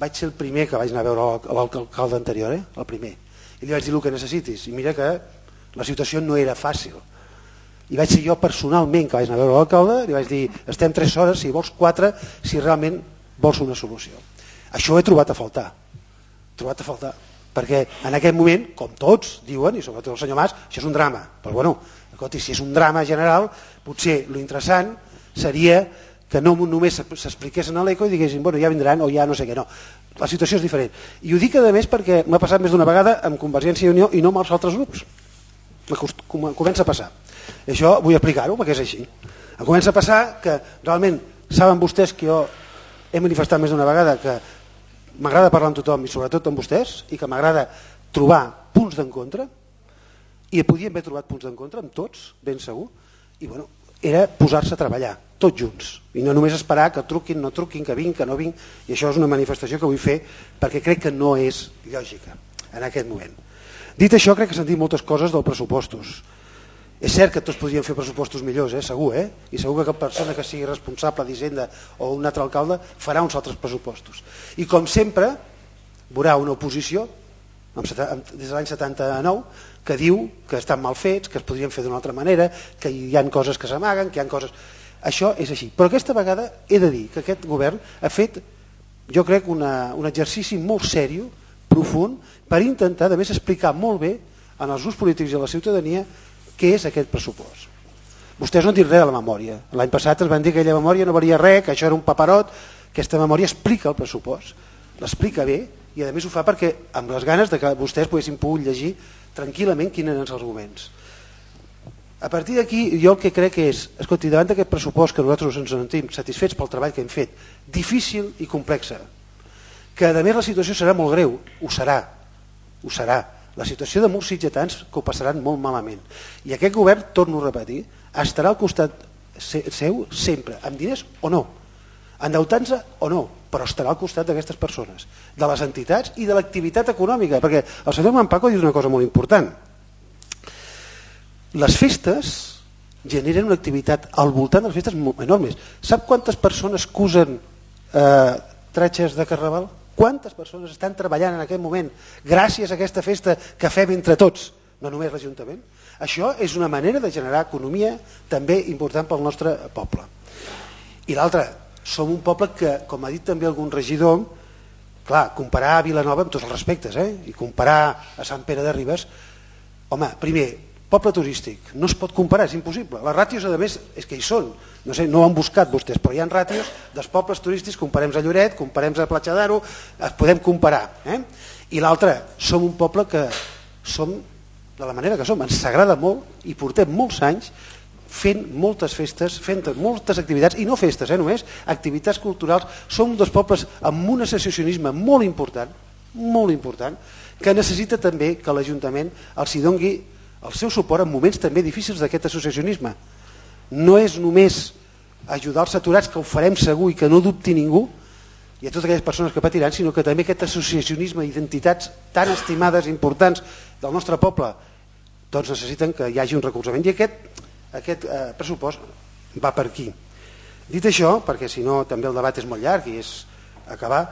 vaig ser el primer que vaig anar a veure l'alcalde anterior, eh? El primer. I li vaig dir el que necessitis. I mira que la situació no era fàcil. I vaig ser jo personalment que vaig anar a veure l'alcalde, li vaig dir, estem tres hores, si vols quatre, si realment vols una solució. Això ho he trobat a faltar. Trobat a faltar. Perquè en aquest moment, com tots diuen, i sobretot el senyor Mas, això és un drama. Però bueno, si és un drama general, potser lo interessant seria que no només s'expliquessin a l'Eco i diguessin, bueno, ja vindran o ja no sé què, no. La situació és diferent. I ho dic a més perquè m'ha passat més d'una vegada amb Convergència i Unió i no amb els altres grups. Comença a passar. I això vull explicar-ho perquè és així. Em comença a passar que realment saben vostès que jo he manifestat més d'una vegada que m'agrada parlar amb tothom i sobretot amb vostès i que m'agrada trobar punts d'encontre i podíem haver trobat punts d'encontre amb tots, ben segur, i bueno, era posar-se a treballar, tots junts, i no només esperar que truquin, no truquin, que vinc, que no vinc, i això és una manifestació que vull fer perquè crec que no és lògica en aquest moment. Dit això, crec que s'han dit moltes coses dels pressupostos. És cert que tots podríem fer pressupostos millors, eh? Segur, eh? I segur que cap persona que sigui responsable d'Hisenda o un altre alcalde farà uns altres pressupostos. I com sempre, veurà una oposició, des de l'any setanta-nou, que diu que estan mal fets, que es podrien fer d'una altra manera, que hi ha coses que s'amaguen, que hi ha coses... Això és així. Però aquesta vegada he de dir que aquest govern ha fet, jo crec, una, un exercici molt sèrio, profund, per intentar, a més, explicar molt bé en els grups polítics i a la ciutadania què és aquest pressupost. Vostès no han dit res de la memòria. L'any passat es van dir que aquella memòria no valia res, que això era un paperot. Aquesta memòria explica el pressupost, l'explica bé, i a més ho fa perquè amb les ganes de que vostès poguessin pogut llegir tranquil·lament quins eren els arguments. A partir d'aquí, jo el que crec és, escolti, davant d'aquest pressupost que nosaltres ens sentim satisfets pel treball que hem fet, difícil i complexa, que a més la situació serà molt greu, ho serà, ho serà. La situació de molts sitgetans que ho passaran molt malament. I aquest govern, torno a repetir, estarà al costat seu sempre, amb diners o no, endeutant-se o no, però estarà al costat d'aquestes persones, de les entitats i de l'activitat econòmica, perquè el senyor Manpaco diu una cosa molt important. Les festes generen una activitat al voltant de les festes enormes. Sap quantes persones cusen eh, tratges de Carnaval? Quantes persones estan treballant en aquest moment gràcies a aquesta festa que fem entre tots, no només l'Ajuntament? Això és una manera de generar economia també important pel nostre poble. I l'altre, som un poble que, com ha dit també algun regidor, clar, comparar a Vilanova amb tots els respectes, eh? I comparar a Sant Pere de Ribes, home, primer, poble turístic, no es pot comparar, és impossible. Les ràtios, a més, és que hi són. No sé, no ho han buscat vostès, però hi ha ràtios dels pobles turístics, comparem a Lloret, comparem a Platja d'Aro, es podem comparar. Eh? I l'altre, som un poble que som de la manera que som, ens agrada molt i portem molts anys fent moltes festes, fent moltes activitats, i no festes, eh, només, activitats culturals. Som un dels pobles amb un associacionisme molt important, molt important, que necessita també que l'Ajuntament els hi doni el seu suport en moments també difícils d'aquest associacionisme. No és només ajudar els aturats, que ho farem segur i que no dubti ningú, i a totes aquelles persones que patiran, sinó que també aquest associacionisme d'entitats tan estimades, importants del nostre poble, doncs necessiten que hi hagi un recolzament. I aquest, aquest eh, pressupost va per aquí. Dit això, perquè si no també el debat és molt llarg i és acabar,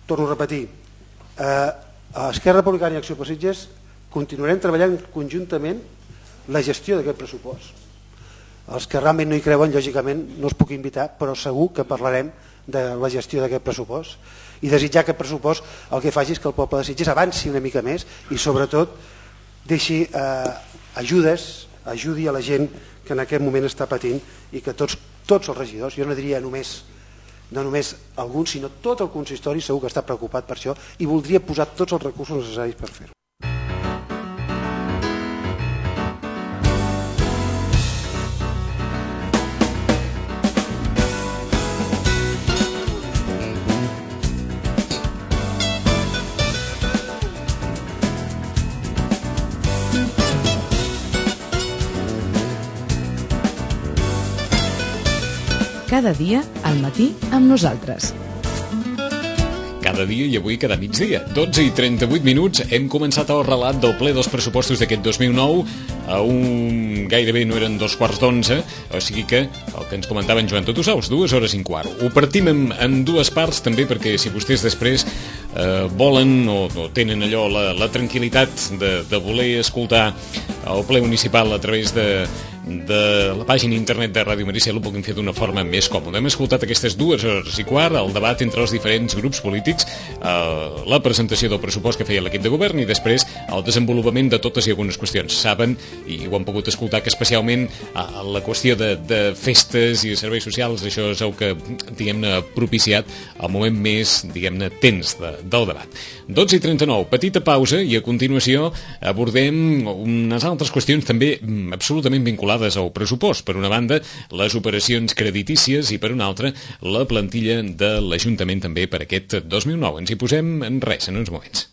torno a repetir, eh, a Esquerra Republicana i Acció per Sitges continuarem treballant conjuntament la gestió d'aquest pressupost. Els que realment no hi creuen, lògicament, no els puc invitar, però segur que parlarem de la gestió d'aquest pressupost i desitjar que aquest pressupost el que faci és que el poble de Sitges avanci una mica més i sobretot deixi eh, ajudes, ajudi a la gent que en aquest moment està patint i que tots, tots els regidors, jo no diria només no només alguns, sinó tot el consistori segur que està preocupat per això i voldria posar tots els recursos necessaris per fer-ho. Cada dia al matí amb nosaltres. Cada dia i avui cada migdia. dotze i trenta-vuit minuts. Hem començat el relat del ple dels pressupostos d'aquest dos mil nou. A un gairebé no eren dos quarts d'onze, o sigui que el que ens comentava en Joan Totosaus, dues hores i un quart. Ho partim en, en dues parts també perquè si vostès després eh, volen o, o tenen allò la, la tranquil·litat de, de voler escoltar el ple municipal a través de de la pàgina internet de Ràdio Maricel ho puguin fer d'una forma més còmoda. Hem escoltat aquestes dues hores i quart, el debat entre els diferents grups polítics, eh, la presentació del pressupost que feia l'equip de govern i després el desenvolupament de totes i algunes qüestions. Saben, i ho han pogut escoltar, que especialment eh, la qüestió de, de festes i de serveis socials, això és el que, diguem-ne, ha propiciat el moment més, diguem-ne, tens de, del debat. dotze i trenta-nou, petita pausa i a continuació abordem unes altres qüestions també absolutament vinculades al pressupost. Per una banda, les operacions creditícies i per una altra, la plantilla de l'Ajuntament també per aquest dos mil nou. Ens hi posem en res, en uns moments.